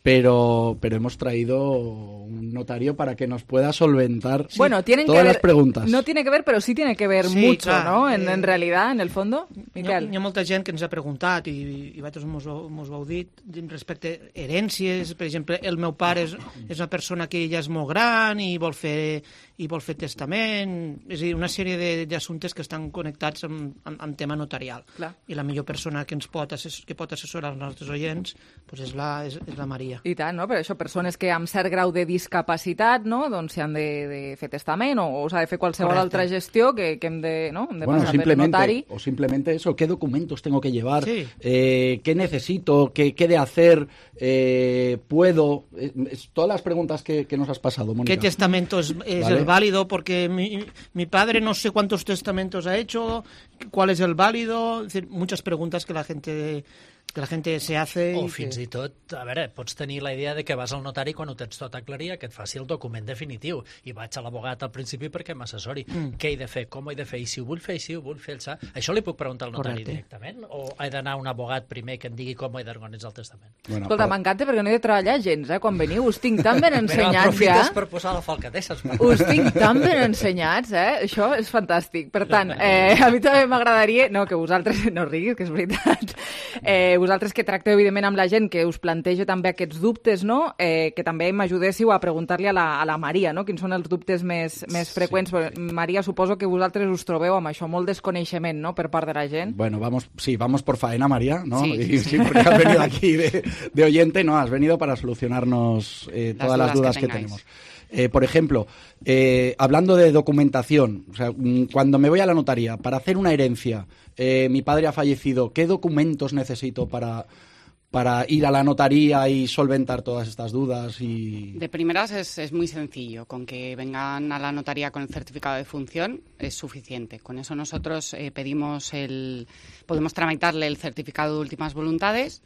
Pero, pero hemos traído un notario para que nos pueda solventar sí,
bueno, tienen
todas
que ver,
las preguntas.
No tiene que ver, pero sí tiene que ver sí, mucho, clar, ¿no? En, eh, en realidad, en el fondo. Miquel.
Hi ha, hi ha molta gent que ens ha preguntat i, i vosaltres mos, mos ho heu dit respecte a herències. Per exemple, el meu pare és, és una persona que ja és molt gran i vol fer, i vol fer testament. És a dir, una sèrie d'assumptes que estan connectats amb, amb, amb tema notarial.
Clar.
I la millor persona que ens pot, assessor, que pot assessorar els nostres oients pues és, la, és, és la Maria.
I tant, no? Per això persones que amb cert grau de discapacitat, no? Doncs si han de, de fer testament o, o s'ha de fer qualsevol Correcte. Altra gestió que, que hem de, no? hem de
bueno,
passar per notari.
O simplemente eso, ¿qué documentos tengo que llevar?
Sí.
Eh, ¿Qué necesito? ¿Qué, qué de hacer? Eh, ¿Puedo? Eh, todas las preguntas que, que nos has pasado, Mónica.
¿Qué testamento es, es ¿Vale? el válido? Porque mi, mi padre no sé cuántos testamentos ha hecho, ¿cuál es el válido? Es decir, muchas preguntas que la gente... que la gent se hace...
O
i
fins
que...
i tot, a veure, pots tenir la idea de que vas al notari quan ho tens tot aclarit, que et faci el document definitiu, i vaig a l'abogat al principi perquè m'assessori. Mm. Què he de fer, com ho he de fer, i si ho vull fer, i si ho vull fer... El... Això li puc preguntar al notari Correcte. Directament? O he d'anar a un abogat primer que em digui com he d'organitzar el testament?
Bueno, Escolta, però... m'encanta perquè no he de treballar gens, eh? Quan veniu us tinc tan ben ensenyats ja.
Però aprofites per posar la falca, deixa'ns.
Us tinc tan ben ensenyats, eh? Això és fantàstic. Per tant, eh, a mi també m'agradaria... No, que vosaltres... No riguis, que és veritat. Eh, vosaltres que tracteu evidentment amb la gent que us planteja també aquests dubtes, no? Eh, que també m'ajudéssiu a preguntar-li a, la, a la Maria, no? Quins són els dubtes més, més freqüents. Sí. Maria, suposo que vosaltres us trobeu amb això, molt desconeixement, no?, per part de la gent.
Bueno, vamos, sí, vamos por faena, María, ¿no?
Sí,
y,
sí.
sí, porque has venido aquí de, de oyente, ¿no? Has venido para solucionarnos eh, todas las dudas, las dudas que, que tenemos. Eh, por ejemplo, eh, hablando de documentación, o sea, cuando me voy a la notaría para hacer una herencia, eh, mi padre ha fallecido, ¿qué documentos necesito para, para ir a la notaría y solventar todas estas dudas? Y...
De primeras es, es muy sencillo, con que vengan a la notaría con el certificado de función es suficiente. Con eso nosotros eh, pedimos el, podemos tramitarle el certificado de últimas voluntades.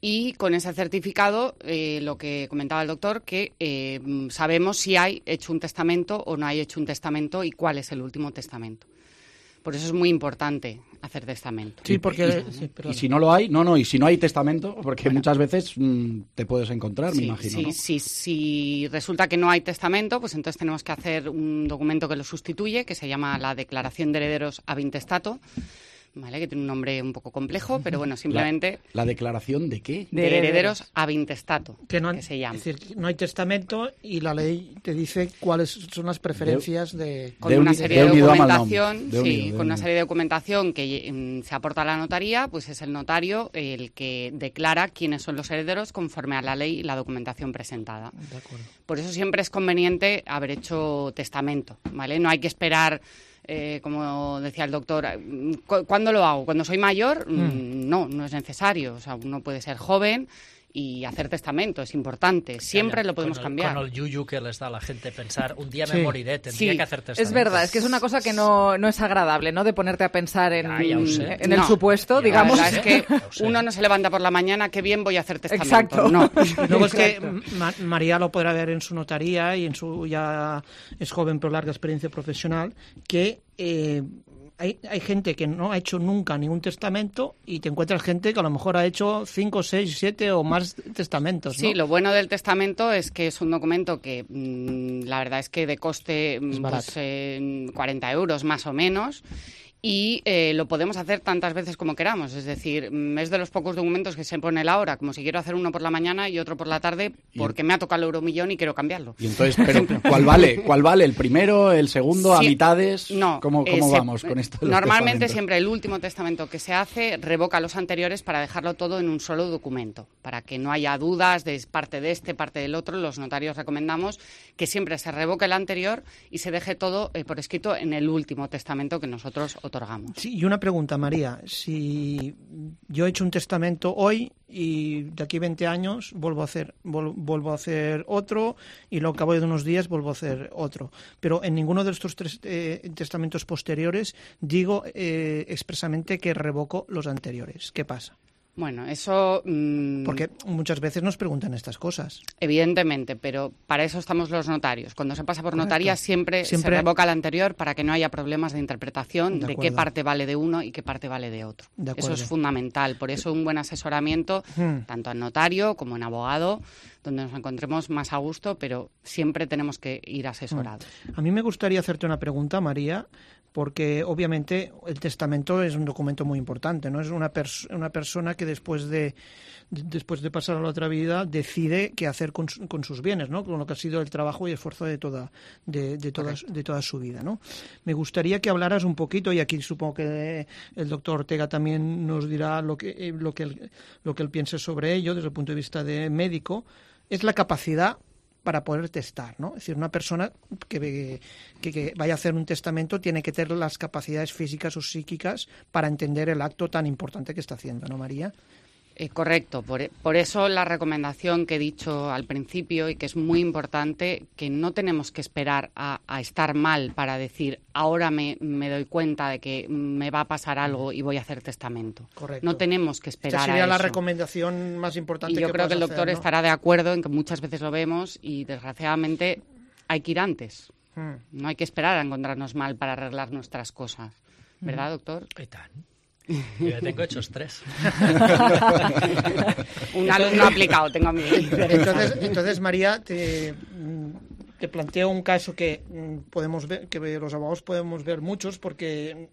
Y con ese certificado, eh, lo que comentaba el doctor, que eh, sabemos si hay hecho un testamento o no hay hecho un testamento y cuál es el último testamento. Por eso es muy importante hacer testamento.
Sí, porque...
Y,
sí,
y si no lo hay, no, no, y si no hay testamento, porque bueno, muchas veces mmm, te puedes encontrar,
sí,
me imagino,
sí,
¿no?
Sí, si resulta que no hay testamento, pues entonces tenemos que hacer un documento que lo sustituye, que se llama la Declaración de Herederos ab intestato, ¿vale? Que tiene un nombre un poco complejo, pero bueno, simplemente...
¿La, la declaración de qué?
De, de herederos ab intestato,
que, no,
que se llama.
Es decir, no hay testamento y la ley te dice cuáles son las preferencias de... de
con de una serie de, de documentación,
de
sí,
unido,
con una serie de documentación que um, se aporta a la notaría, pues es el notario el que declara quiénes son los herederos conforme a la ley y la documentación presentada.
De acuerdo.
Por eso siempre es conveniente haber hecho testamento, ¿vale? No hay que esperar... Eh, como decía el doctor, ¿cuándo lo hago? ¿Cuando soy mayor? Mm. No, no es necesario. O sea, uno puede ser joven y hacer testamento, es importante. Siempre
Calla,
lo podemos
con el,
cambiar.
Con el yuyu que les da a la gente pensar, un día
sí.
me moriré, tendría
sí.
que hacer testamento.
Es verdad, es que es una cosa que no, no es agradable, ¿no? De ponerte a pensar en,
ah, ya sé.
en el
no,
supuesto, digamos.
La verdad es que uno no se levanta por la mañana, qué bien voy a hacer testamento.
Exacto.
No.
Luego es que Ma María lo podrá ver en su notaría y en su ya es joven pero larga experiencia profesional, que eh, Hay, hay gente que no ha hecho nunca ningún testamento y te encuentras gente que a lo mejor ha hecho cinco, seis, siete o más testamentos, ¿no?
Sí, lo bueno del testamento es que es un documento que mmm, la verdad es que de coste pues, eh, cuarenta euros más o menos. Y eh, lo podemos hacer tantas veces como queramos. Es decir, es de los pocos documentos que se pone la hora, como si quiero hacer uno por la mañana y otro por la tarde porque me ha tocado el euromillón y quiero cambiarlo.
Y entonces, pero ¿cuál vale? ¿Cuál vale? ¿El primero, el segundo, sí, a mitades?
No.
¿Cómo, cómo
eh,
vamos
se,
con esto? De
normalmente siempre el último testamento que se hace revoca los anteriores para dejarlo todo en un solo documento, para que no haya dudas de parte de este, parte del otro. Los notarios recomendamos que siempre se revoque el anterior y se deje todo eh, por escrito en el último testamento que nosotros otorgamos. otorgamos.
Sí, y una pregunta, María. Si yo he hecho un testamento hoy y de aquí a veinte años vuelvo a hacer vol, vuelvo a hacer otro y luego al cabo de unos días vuelvo a hacer otro, pero en ninguno de estos tres eh, testamentos posteriores digo eh, expresamente que revoco los anteriores. ¿Qué pasa?
Bueno, eso... Mmm,
Porque muchas veces nos preguntan estas cosas.
Evidentemente, pero para eso estamos los notarios. Cuando se pasa por
Correcto.
notaría siempre, siempre se revoca el anterior para que no haya problemas de interpretación de, de qué parte vale de uno y qué parte vale de otro. De eso es fundamental. Por eso un buen asesoramiento, hmm. tanto en notario como en abogado, donde nos encontremos más a gusto, pero siempre tenemos que ir asesorados.
A mí me gustaría hacerte una pregunta, María, porque obviamente el testamento es un documento muy importante, ¿no? Es una, pers- una persona que después de, de después de pasar a la otra vida decide qué hacer con, su, con sus bienes, ¿no? Con lo que ha sido el trabajo y esfuerzo de toda de, de, toda, de toda su vida, ¿no? Me gustaría que hablaras un poquito, y aquí supongo que el doctor Ortega también nos dirá lo que, lo que, él, lo que él piense sobre ello desde el punto de vista de médico, es la capacidad para poder testar, ¿no? Es decir, una persona que, que, que vaya a hacer un testamento tiene que tener las capacidades físicas o psíquicas para entender el acto tan importante que está haciendo, ¿no, María?
Eh, correcto, por, por eso la recomendación que he dicho al principio y que es muy importante, que no tenemos que esperar a, a estar mal para decir ahora me, me doy cuenta de que me va a pasar algo y voy a hacer testamento.
Correcto.
No tenemos que esperar
Esta sería
a
la
eso.
recomendación más importante
y yo
que
creo que el
puedas
doctor
hacer, ¿no?
estará de acuerdo en que muchas veces lo vemos y desgraciadamente hay que ir antes.
Hmm.
No hay que esperar a encontrarnos mal para arreglar nuestras cosas. ¿Verdad, doctor?
Y tant. Yo ya tengo hechos tres.
Un alumno aplicado tengo a mí.
Entonces, entonces María, te, te planteo un caso que podemos ver, que los abogados podemos ver muchos, porque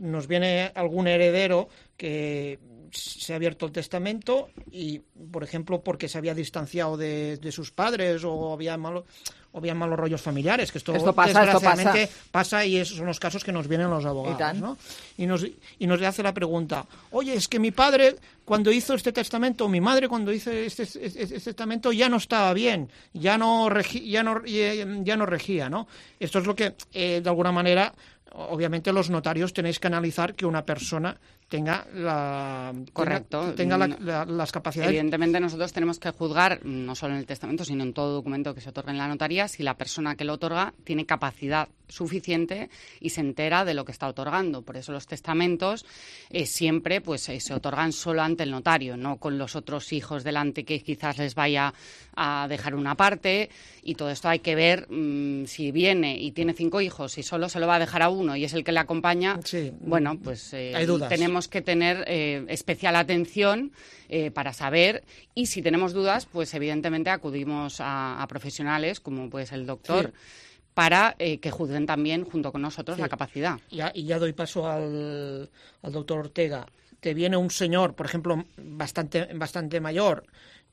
nos viene algún heredero que se ha abierto el testamento y, por ejemplo, porque se había distanciado de, de sus padres o había malo, o había malos rollos familiares, que esto,
esto pasa,
desgraciadamente
esto pasa.
pasa y esos son los casos que nos vienen los abogados, ¿no? Y nos, y nos hace la pregunta, oye, es que mi padre cuando hizo este testamento, mi madre cuando hizo este, este, este testamento ya no estaba bien, ya no, regi, ya no, ya no regía, ¿no? Esto es lo que, eh, de alguna manera, obviamente los notarios tenéis que analizar que una persona tenga la
correcto
tenga, tenga la, la, las capacidades.
Evidentemente nosotros tenemos que juzgar no solo en el testamento sino en todo documento que se otorga en la notaría si la persona que lo otorga tiene capacidad suficiente y se entera de lo que está otorgando. Por eso los testamentos eh, siempre pues eh, se otorgan solo ante el notario, no con los otros hijos delante que quizás les vaya a dejar una parte, y todo esto hay que ver mmm, si viene y tiene cinco hijos y solo se lo va a dejar a uno y es el que le acompaña,
sí.
bueno, pues eh,
hay dudas.
Tenemos que tener eh, especial atención eh, para saber, y si tenemos dudas, pues evidentemente acudimos a, a profesionales como pues el doctor, sí. para eh, que juzguen también junto con nosotros sí. la capacidad.
Ya, y ya doy paso al, al doctor Ortega. Te viene un señor, por ejemplo, bastante, bastante mayor,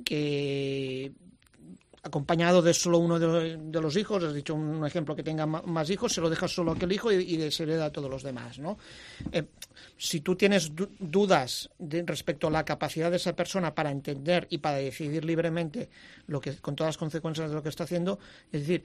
que acompañado de solo uno de, de los hijos, has dicho un ejemplo que tenga más hijos, se lo deja solo a aquel hijo y, y se le da a todos los demás, ¿no? Eh, si tú tienes du- dudas de, respecto a la capacidad de esa persona para entender y para decidir libremente lo que, con todas las consecuencias de lo que está haciendo, es decir,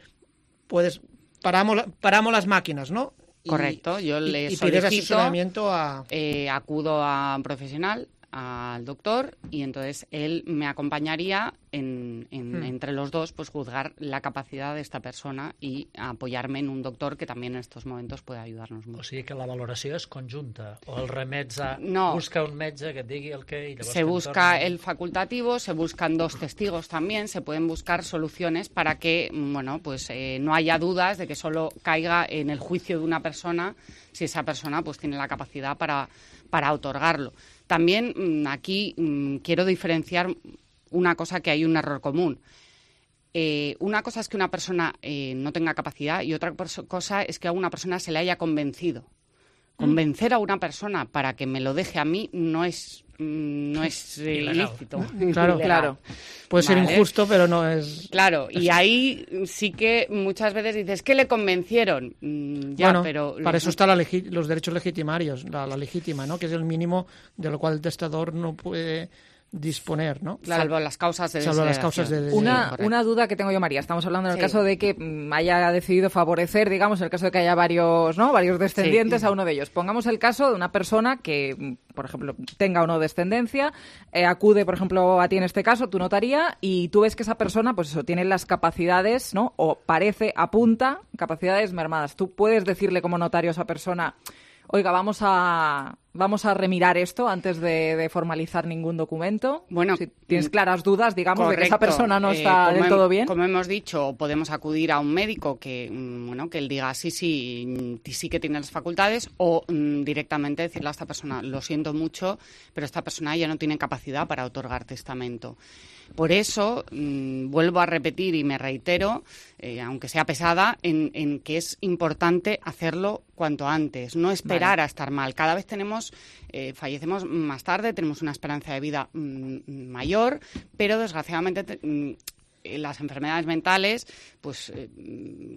puedes paramos, paramos las máquinas, ¿no? Y,
correcto, yo le
y, y
solicito,
pides asesoramiento a...
Eh, acudo a un profesional, al doctor, y entonces él me acompañaría en, en, hmm. entre los dos, pues juzgar la capacidad de esta persona y apoyarme en un doctor que también en estos momentos puede ayudarnos mucho.
O sigui que la valoració és conjunta, o el remet a
no.
busca un metge que et digui el que... I
se busca el facultativo, se buscan dos testigos también, se pueden buscar soluciones para que, bueno, pues eh, no haya dudas de que solo caiga en el juicio de una persona si esa persona pues tiene la capacidad para, para otorgarlo. También aquí mmm, quiero diferenciar una cosa, que hay un error común. Eh, una cosa es que una persona eh, no tenga capacidad y otra cosa es que a una persona se le haya convencido. Convencer a una persona para que me lo deje a mí no es no es eh, ilícito.
Claro, claro. Puede
¿Vale?
ser injusto, pero no es...
Claro, y ahí sí que muchas veces dices, ¿qué le convencieron? Mm, ya,
bueno,
pero...
para eso están legi- los derechos legitimarios, la, la legítima, ¿no? Que es el mínimo de lo cual el testador no puede... disponer, ¿no?
Claro. Salvo las causas de
Salvo las causas de
una, sí, una duda que tengo yo, María. Estamos hablando en el sí. caso de que mm, haya decidido favorecer, digamos, en el caso de que haya varios, ¿no? varios descendientes sí. a uno de ellos. Pongamos el caso de una persona que, por ejemplo, tenga o no descendencia, eh, acude, por ejemplo, a ti en este caso, tu notaría, y tú ves que esa persona, pues eso, tiene las capacidades, ¿no? O parece, apunta, capacidades mermadas. Tú puedes decirle como notario a esa persona, oiga, vamos a vamos a remirar esto antes de, de formalizar ningún documento.
Bueno,
si tienes claras dudas, digamos,
correcto.
de que esa persona no está
eh,
del todo bien.
Como hemos dicho, podemos acudir a un médico que, bueno, que él diga sí, sí, sí que tiene las facultades, o mm, directamente decirle a esta persona, lo siento mucho, pero esta persona ya no tiene capacidad para otorgar testamento. Por eso, mmm, vuelvo a repetir y me reitero, eh, aunque sea pesada, en, en que es importante hacerlo cuanto antes, no esperar vale. a estar mal. Cada vez tenemos, eh, fallecemos más tarde, tenemos una esperanza de vida mmm, mayor, pero desgraciadamente te, mmm, las enfermedades mentales pues eh,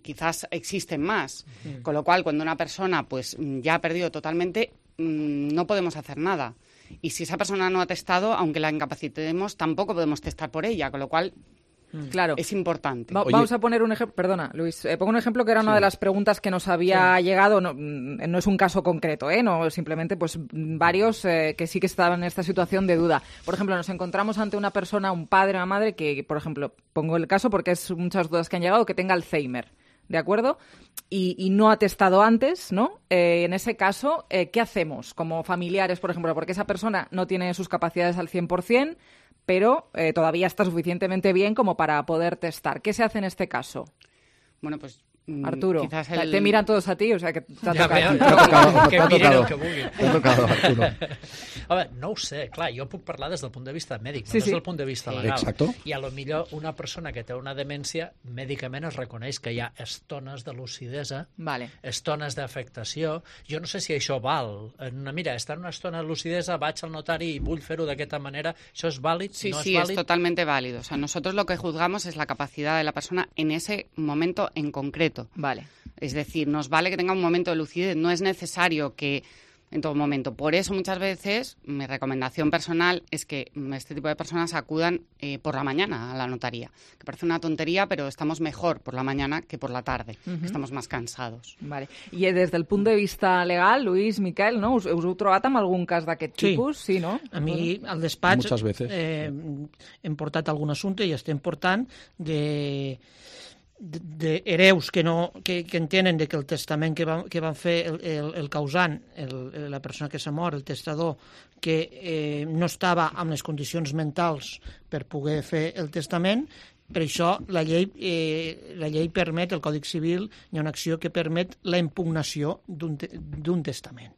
quizás existen más. Sí. Con lo cual, cuando una persona pues ya ha perdido totalmente, mmm, no podemos hacer nada. Y si esa persona no ha testado, aunque la incapacitemos, tampoco podemos testar por ella, con lo cual
claro.
es importante.
Va, vamos a poner un ejemplo, perdona, Luis, eh, pongo un ejemplo que era una sí. de las preguntas que nos había sí. llegado, no, no es un caso concreto, ¿eh? No, simplemente pues varios eh, que sí que estaban en esta situación de duda. Por ejemplo, nos encontramos ante una persona, un padre, una madre, que, por ejemplo, pongo el caso porque es muchas dudas que han llegado, que tenga Alzheimer. ¿De acuerdo? Y, y no ha testado antes, ¿no? Eh, en ese caso, eh, ¿qué hacemos como familiares, por ejemplo? Porque esa persona no tiene sus capacidades al cien por ciento, pero eh, todavía está suficientemente bien como para poder testar. ¿Qué se hace en este caso?
Bueno, pues...
Arturo,
quizás el...
te miran todos a ti, o sea que t'ha
ja
tocat.
Veu, que, que miren el que
vulguin. T'ha tocado, Arturo.
Home, no ho sé, clar, jo puc parlar des del punt de vista mèdic, no
sí,
des
sí.
del punt de vista legal.
Exacto.
I a lo millor una persona que té una demència, mèdicament es reconeix que hi ha estones de lucidesa,
vale.
estones d'afectació. Jo no sé si això val. Mira, estar en una estona de lucidesa, vaig al notari i vull fer-ho d'aquesta manera, ¿això és vàlid?
Sí,
¿no
sí,
es válido?
Es totalmente válido. O sea, nosotros lo que juzgamos es la capacidad de la persona en ese momento en concreto.
Vale.
Es decir, nos vale que tenga un momento de lucidez, no es necesario que en todo momento. Por eso muchas veces mi recomendación personal es que este tipo de personas acudan eh, por la mañana a la notaría, que parece una tontería, pero estamos mejor por la mañana que por la tarde, uh-huh. que estamos más cansados.
Vale. I des del punt de vista legal, Luis, Miquel, no? Us, us heu trobat amb algun cas d'aquest
sí.
tipus? Sí, no?
A mi, al despatx,
Muchas veces.
Eh, hem portat algun assumpte i estem portant de... d'hereus que, no, que, que entenen de que el testament que, va, que van fer el, el, el causant, el, la persona que s'ha mort, el testador, que eh, no estava amb les condicions mentals per poder fer el testament. Per això la llei, eh, la llei permet, el Còdic Civil, hi ha una acció que permet la impugnació d'un te, d'un testament.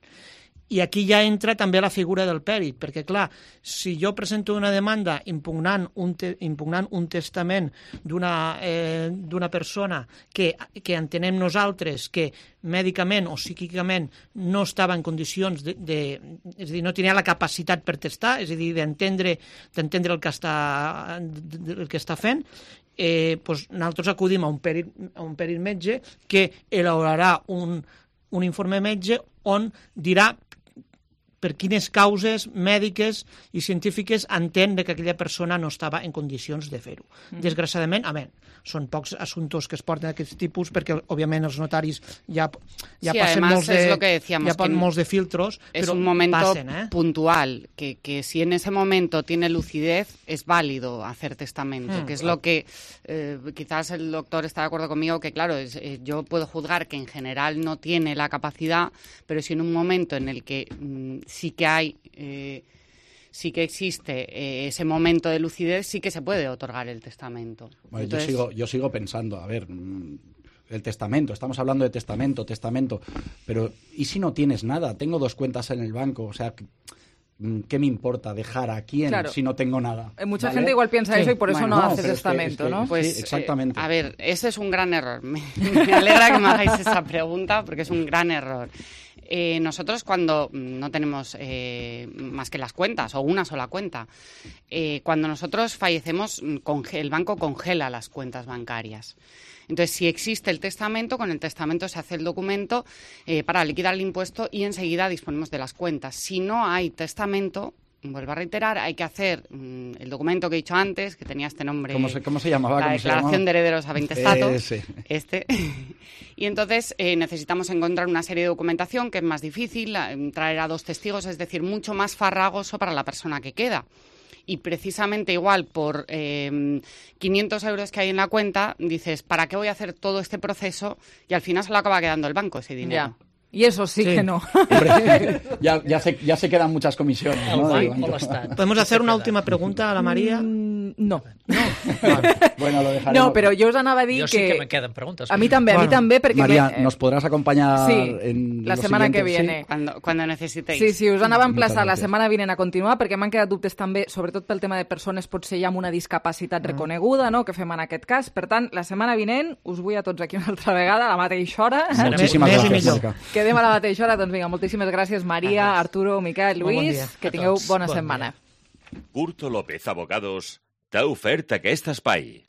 I aquí ja entra també la figura del pèrit, perquè, clar, si jo presento una demanda impugnant un, te, impugnant un testament d'una eh, d'una persona que, que entenem nosaltres que mèdicament o psíquicament no estava en condicions de, de... És a dir, no tenia la capacitat per testar, és a dir, d'entendre d'entendre el que està, el que està fent, eh, doncs nosaltres acudim a un pèrit, a un pèrit metge que elaborarà un, un informe metge on dirà per quines causes mèdiques i científiques entén que aquella persona no estava en condicions de fer-ho. Mm. Desgraciadament, a veure, són pocs assumptos que es porten d'aquest tipus perquè, òbviament, els notaris ja, ja
sí,
passen
además,
molts de,
es lo que decíamos,
ja passen molts de filtros,
es
però
un momento
passen, eh?
puntual, que, que si en ese momento tiene lucidez, es válido hacer testamento, mm. que es lo que eh, quizás el doctor está de acuerdo conmigo, que claro, es, eh, yo puedo juzgar que en general no tiene la capacidad, pero si en un momento en el que mm, sí que hay... Eh, sí que existe eh, ese momento de lucidez, sí que se puede otorgar el testamento.
Bueno,
Entonces...
yo sigo, yo sigo pensando, a ver, el testamento, estamos hablando de testamento, testamento, pero ¿y si no tienes nada? Tengo dos cuentas en el banco, o sea, ¿qué me importa dejar a quién
claro.
si no tengo nada?
Mucha
¿vale?
gente igual piensa
sí.
eso y por eso
bueno,
no,
no
hace testamento,
es que, es que,
¿no?
Pues,
sí, exactamente.
Eh, a ver, ese es un gran error. Me, me alegra que me hagáis esa pregunta porque es un gran error. Eh, nosotros cuando no tenemos eh, más que las cuentas o una sola cuenta, eh, cuando nosotros fallecemos, el banco congela las cuentas bancarias. Entonces, si existe el testamento, con el testamento se hace el documento eh, para liquidar el impuesto y enseguida disponemos de las cuentas. Si no hay testamento, vuelvo a reiterar, hay que hacer mmm, el documento que he dicho antes, que tenía este nombre.
¿Cómo se, cómo se llamaba?
La
¿Cómo
declaración
se llamaba?
de herederos a veinte estatus.
Eh, sí.
Este. Y entonces eh, necesitamos encontrar una serie de documentación que es más difícil, traer a dos testigos, es decir, mucho más farragoso para la persona que queda. Y precisamente igual por eh, quinientos euros que hay en la cuenta, dices, ¿para qué voy a hacer todo este proceso? Y al final se lo acaba quedando el banco ese dinero.
Ya. Y eso sí, sí. que no.
Hombre, ya, ya, se, ya se quedan muchas comisiones, ¿no?
¿Podemos hacer una última pregunta a la María?
Mm, no.
No.
Vale. Bueno, lo dejaremos.
No, però jo us anava a dir
jo
que...
Jo sí que me queden preguntes.
A mi també, bueno, a mi també, perquè...
María,
me...
¿nos podrás acompañar
sí,
en
la semana que viene?
Sí, cuando, cuando necesitéis.
Sí, sí, us anava a emplaçar la setmana vinent a continuar, perquè m'han quedat dubtes també, sobretot pel tema de persones potser ja amb una discapacitat mm. reconeguda, no?, que fem en aquest cas. Per tant, la setmana vinent us vull a tots aquí una altra vegada, a la mateixa hora.
Moltíssimes gràcies, Mònica.
Quedem a la mateixa hora, doncs vinga, moltíssimes gràcies, Maria, Arturo, Miquel, Lluís, bon que tingueu bona bon setmana.
Dia. Curto López Abogados t'ha ofert aquest espai.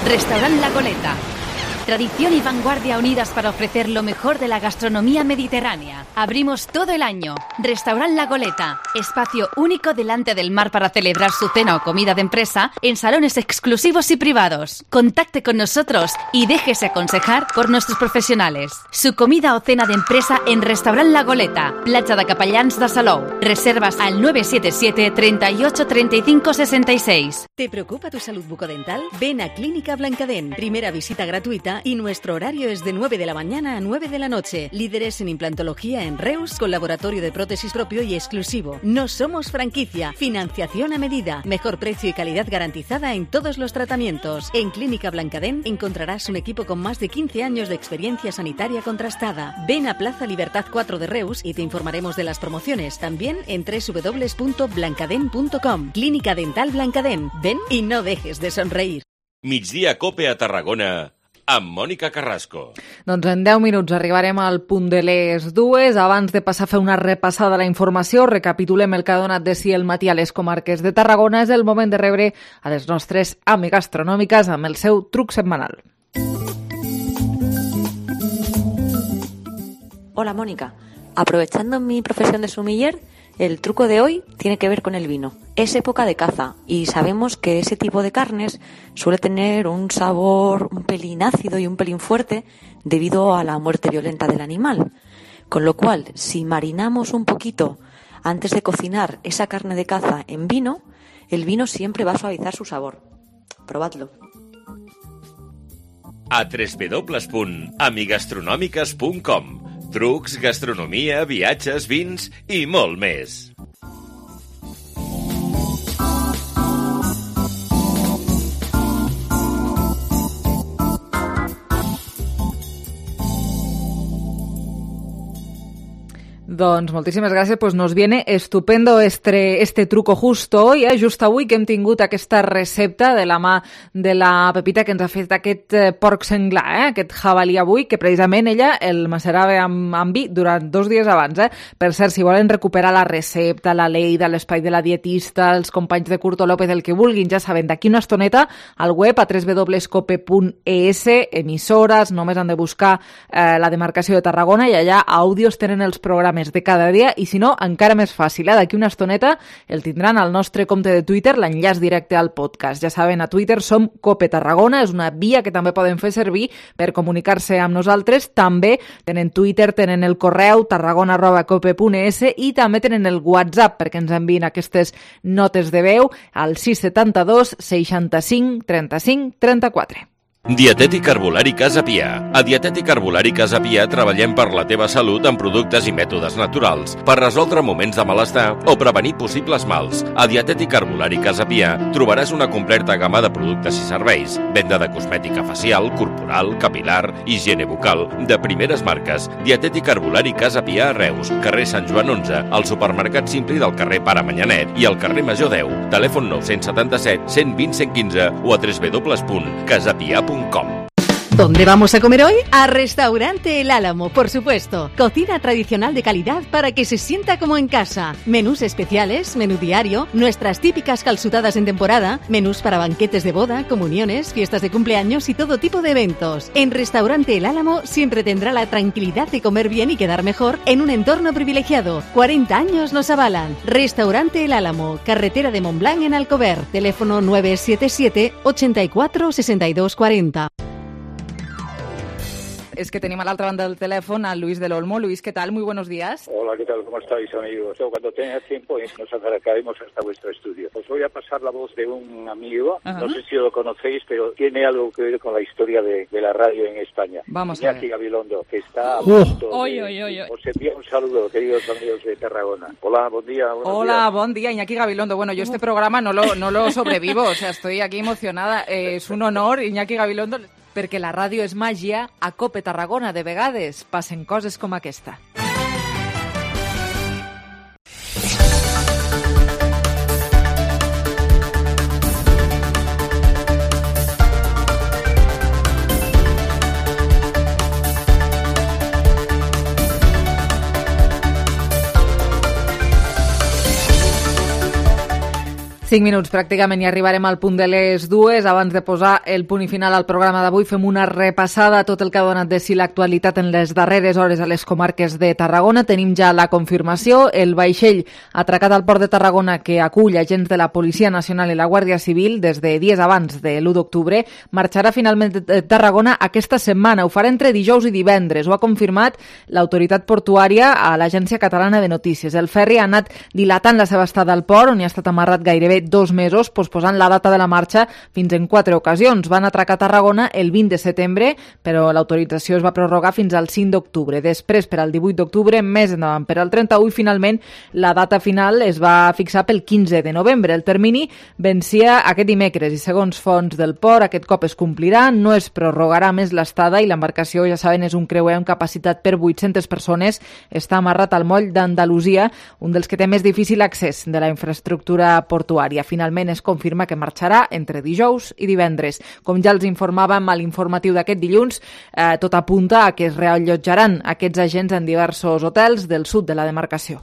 Restaurant La Goleta. Tradición y vanguardia unidas para ofrecer lo mejor de la gastronomía mediterránea. Abrimos todo el año. Restaurant La Goleta. Espacio único delante del mar para celebrar su cena o comida de empresa en salones exclusivos y privados. Contacte con nosotros y déjese aconsejar por nuestros profesionales. Su comida o cena de empresa en Restaurant La Goleta. Platja de Capellans de Salou. Reservas al nueve siete siete, treinta y ocho, treinta y cinco, sesenta y seis.
¿Te preocupa tu salud bucodental? Ven a Clínica Blancadent. Primera visita gratuita y nuestro horario es de nueve de la mañana a nueve de la noche. Líderes en implantología en Reus, con laboratorio de prótesis propio y exclusivo. No somos franquicia, financiación a medida, mejor precio y calidad garantizada en todos los tratamientos. En Clínica Blancadent encontrarás un equipo con más de quince años de experiencia sanitaria contrastada. Ven a Plaza Libertad cuatro de Reus y te informaremos de las promociones. También en doble u doble u doble u punto blancadent punto com. Clínica Dental Blancadent. Ven y no dejes de sonreír.
Migdia Cope a Tarragona amb Mònica Carrasco.
Doncs en deu minuts arribarem al punt de les dues. Abans de passar a fer una repassada a la informació, recapitulem el que ha donat de si el matí a les comarques de Tarragona. És el moment de rebre a les nostres àmigues gastronòmiques amb el seu truc setmanal.
Hola, Mónica. Aprovechando mi profesión de sumiller, el truco de hoy tiene que ver con el vino. Es época de caza y sabemos que ese tipo de carnes suele tener un sabor un pelín ácido y un pelín fuerte debido a la muerte violenta del animal. Con lo cual, si marinamos un poquito antes de cocinar esa carne de caza en vino, el vino siempre va a suavizar su sabor. Probadlo.
A doble u doble u doble u punt amigastronòmiques punt com. Trucs, gastronomia, viatges, vins i molt més.
Doncs moltíssimes gràcies, pues nos viene estupendo este, este truco justo hoy, eh? Just avui que hem tingut aquesta recepta de la mà de la Pepita que ens ha fet aquest eh, porc senglar, eh? Aquest jabalí avui, que precisament ella el macerava amb, amb vi durant dos dies abans. Eh? Per cert, si volen recuperar la recepta, la Leida, l'espai de la dietista, els companys de Curto López, el que vulguin, ja saben, d'aquí una estoneta al web a doble u doble u doble u punt cope punt es, emissores, només han de buscar eh, la demarcació de Tarragona i allà àudios tenen els programes de cada dia i si no, encara més fàcil, eh? D'aquí una estoneta el tindran al nostre compte de Twitter, l'enllaç directe al podcast. Ja saben, a Twitter som Cope Tarragona, és una via que també poden fer servir per comunicar-se amb nosaltres. També tenen Twitter, tenen el correu tarragona arroba cope punt es i també tenen el WhatsApp perquè ens envien aquestes notes de veu al sis setanta dos seixanta-cinc trenta-cinc trenta-quatre.
Dietètic Herbolari Casa Pia. A Dietètic Herbolari Casa Pia treballem per la teva salut amb productes i mètodes naturals per resoldre moments de malestar o prevenir possibles mals. A Dietètic Herbolari Casa Pia trobaràs una completa gamma de productes i serveis. Venda de cosmètica facial, corporal, capilar, higiene bucal, de primeres marques. Dietètic Herbolari Casa Pia a Reus, carrer Sant Joan onze, al supermercat Simpli del carrer Pare Manyanet i al carrer Major deu. Telèfon nou setanta set, cent vint, cent quinze o a doble u doble u doble u punt casapia punt com.
¿Dónde vamos a comer hoy? A Restaurante El Álamo, por supuesto. Cocina tradicional de calidad para que se sienta como en casa. Menús especiales, menú diario, nuestras típicas calzutadas en temporada, menús para banquetes de boda, comuniones, fiestas de cumpleaños y todo tipo de eventos. En Restaurante El Álamo siempre tendrá la tranquilidad de comer bien y quedar mejor en un entorno privilegiado. cuarenta años nos avalan. Restaurante El Álamo, carretera de Montblanc en Alcover. Teléfono nueve siete siete, ochenta y cuatro, sesenta y dos cuarenta.
Es que tenemos a la otra banda del teléfono a Luis del Olmo. Luis, ¿qué tal? Muy buenos días.
Hola, ¿qué tal? ¿Cómo estáis, amigos? Cuando tenga tiempo nos acercaremos hasta vuestro estudio. Os voy a pasar la voz de un amigo, Ajá. no sé si lo conocéis, pero tiene algo que ver con la historia de, de la radio en España.
Vamos
Iñaki
a ver.
Gabilondo, que está a
Uh.
punto de...
Oy, oy, oy, oy.
Os envío un saludo, queridos amigos de Tarragona. Hola, buen día.
Hola,
días.
buen día, Iñaki Gabilondo. Bueno, yo este programa no lo, no lo sobrevivo, o sea, estoy aquí emocionada. Eh, és un honor, Iñaki Gabilondo, perquè la ràdio és màgia, a Cope Tarragona de vegades passen coses com aquesta. Cinc minuts pràcticament i arribarem al punt de les dues. Abans de posar el punt i final al programa d'avui, fem una repassada a tot el que ha donat de si l'actualitat en les darreres hores a les comarques de Tarragona. Tenim ja la confirmació. El vaixell atracat al port de Tarragona, que acull agents de la Policia Nacional i la Guàrdia Civil des de dies abans de l'u d'octubre, marxarà finalment de Tarragona aquesta setmana. Ho farà entre dijous i divendres. Ho ha confirmat l'autoritat portuària a l'Agència Catalana de Notícies. El ferri ha anat dilatant la seva estada al port, on hi ha estat amarrat gairebé dos mesos, posposant la data de la marxa fins en quatre ocasions. Van atracar a Tarragona el vint de setembre, però l'autorització es va prorrogar fins al cinc d'octubre. Després, per al divuit d'octubre, més endavant, per al trenta-u, i finalment la data final es va fixar pel quinze de novembre. El termini vencia aquest dimecres i, segons fonts del port, aquest cop es complirà, no es prorrogarà més l'estada i l'embarcació, ja saben, és un creuer amb capacitat per vuit-centes persones. Està amarrat al moll d'Andalusia, un dels que té més difícil accés de la infraestructura portuària. Finalment es confirma que marxarà entre dijous i divendres. Com ja els informàvem a l'informatiu d'aquest dilluns, eh, tot apunta a que es reallotjaran aquests agents en diversos hotels del sud de la demarcació.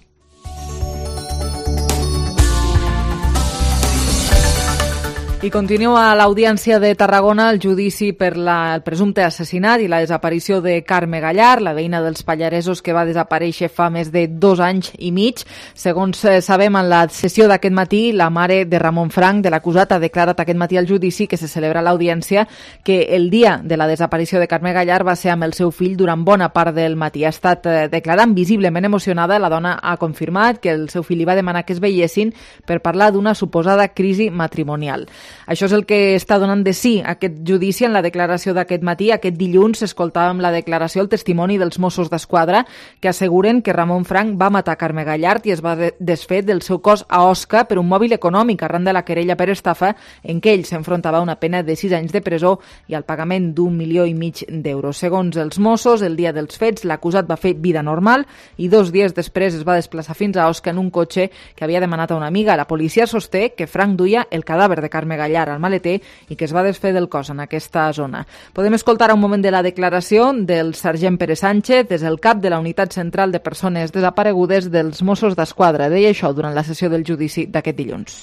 I continua a l'Audiència de Tarragona el judici per la, el presumpte assassinat i la desaparició de Carme Gallar, la veïna dels Pallaresos que va desaparèixer fa més de dos anys i mig. Segons sabem, en la sessió d'aquest matí, la mare de Ramon Frank, de l'acusat, ha declarat aquest matí al judici que se celebra a l'Audiència que el dia de la desaparició de Carme Gallar va ser amb el seu fill durant bona part del matí. Ha estat eh, declarant visiblement emocionada. La dona ha confirmat que el seu fill li va demanar que es veiessin per parlar d'una suposada crisi matrimonial. Això és el que està donant de sí aquest judici. En la declaració d'aquest matí, aquest dilluns, escoltàvem la declaració, el testimoni dels Mossos d'Esquadra, que asseguren que Ramon Frank va matar Carme Gallard i es va desfer del seu cos a Osca per un mòbil econòmic arran de la querella per estafa en què ell s'enfrontava a una pena de sis anys de presó i al pagament d'un milió i mig d'euros. Segons els Mossos, el dia dels fets, l'acusat va fer vida normal i dos dies després es va desplaçar fins a Osca en un cotxe que havia demanat a una amiga. La policia sosté que Frank duia el cadàver de Carme Gallar al maleter i que es va desfer del cos en aquesta zona. Podem escoltar un moment de la declaració del sergent Pere Sánchez, és el cap de la Unitat Central de Persones Desaparegudes dels Mossos d'Esquadra. Deia això durant la sessió del judici d'aquest dilluns.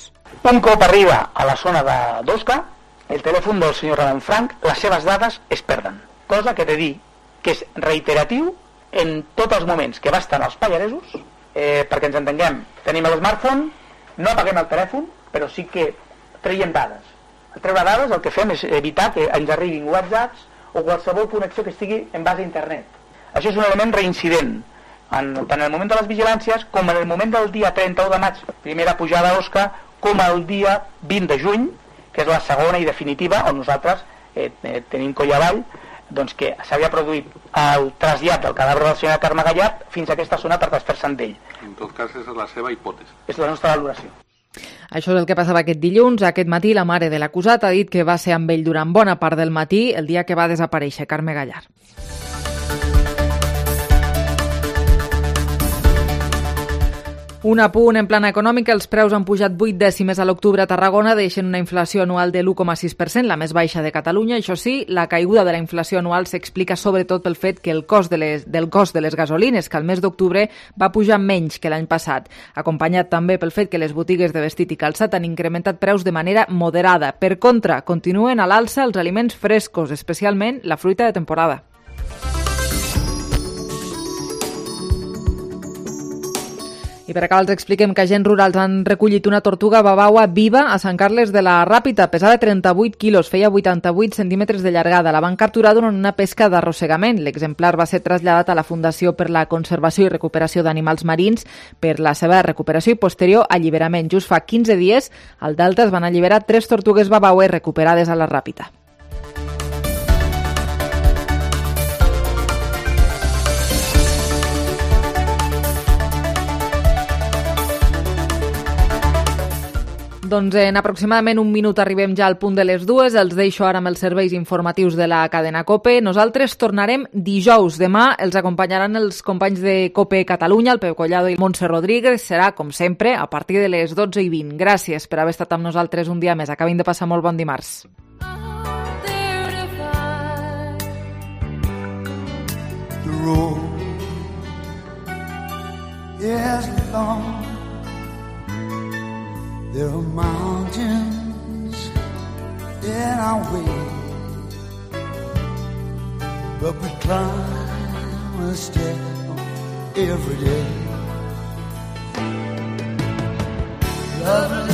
Un cop arriba a la zona d'Osca, el telèfon del senyor Ramon Frank, les seves dades es perden. Cosa que he de dir que és reiteratiu en tots els moments que va estar als Pallaresos, eh, perquè ens entenguem, tenim l'smartphone, no apaguem el telèfon, però sí que traiem dades. Al treure dades el que fem és evitar que ens arribin whatsapps o qualsevol connexió que estigui en base a internet. Això és un element reincident, en, tant en el moment de les vigilàncies com en el moment del dia trenta-u de maig, primera pujada a Osca, com el dia vint de juny, que és la segona i definitiva, on nosaltres eh, eh, tenim coll avall, doncs que s'havia produït el trasllat del cadàver del senyor Carme Gallard fins a aquesta zona per desfer-se d'ell.
En tot cas, és la seva hipòtesi.
És la nostra valoració.
Això és el que passava aquest dilluns. Aquest matí la mare de l'acusat ha dit que va ser amb ell durant bona part del matí el dia que va desaparèixer Carme Gallard. Un apunt en plana econòmica, els preus han pujat vuit dècimes a l'octubre a Tarragona, deixen una inflació anual de l'u coma sis per cent, la més baixa de Catalunya. Això sí, la caiguda de la inflació anual s'explica sobretot pel fet que el cost de les, del cost de les gasolines, que al mes d'octubre va pujar menys que l'any passat, acompanyat també pel fet que les botigues de vestit i calçat han incrementat preus de manera moderada. Per contra, continuen a l'alça els aliments frescos, especialment la fruita de temporada. I per acabar els expliquem que agents rurals han recollit una tortuga babaua viva a Sant Carles de la Ràpita. Pesava trenta-vuit quilos, feia vuitanta-vuit centímetres de llargada. La van capturar durant una pesca d'arrossegament. L'exemplar va ser traslladat a la Fundació per la Conservació i Recuperació d'Animals Marins per la seva recuperació i posterior alliberament. Just fa quinze dies, al Delta es van alliberar tres tortugues babaues recuperades a la Ràpita. Doncs en aproximadament un minut arribem ja al punt de les dues. Els deixo ara amb els serveis informatius de la cadena COPE. Nosaltres tornarem dijous. Demà els acompanyaran els companys de COPE Catalunya, el Pep Collado i Montse Rodríguez. Serà, com sempre, a partir de les dotze i vint. Gràcies per haver estat amb nosaltres un dia més. Acabin de passar molt bon dimarts.
The road is long. There are mountains in our way, but we climb a step every day. Love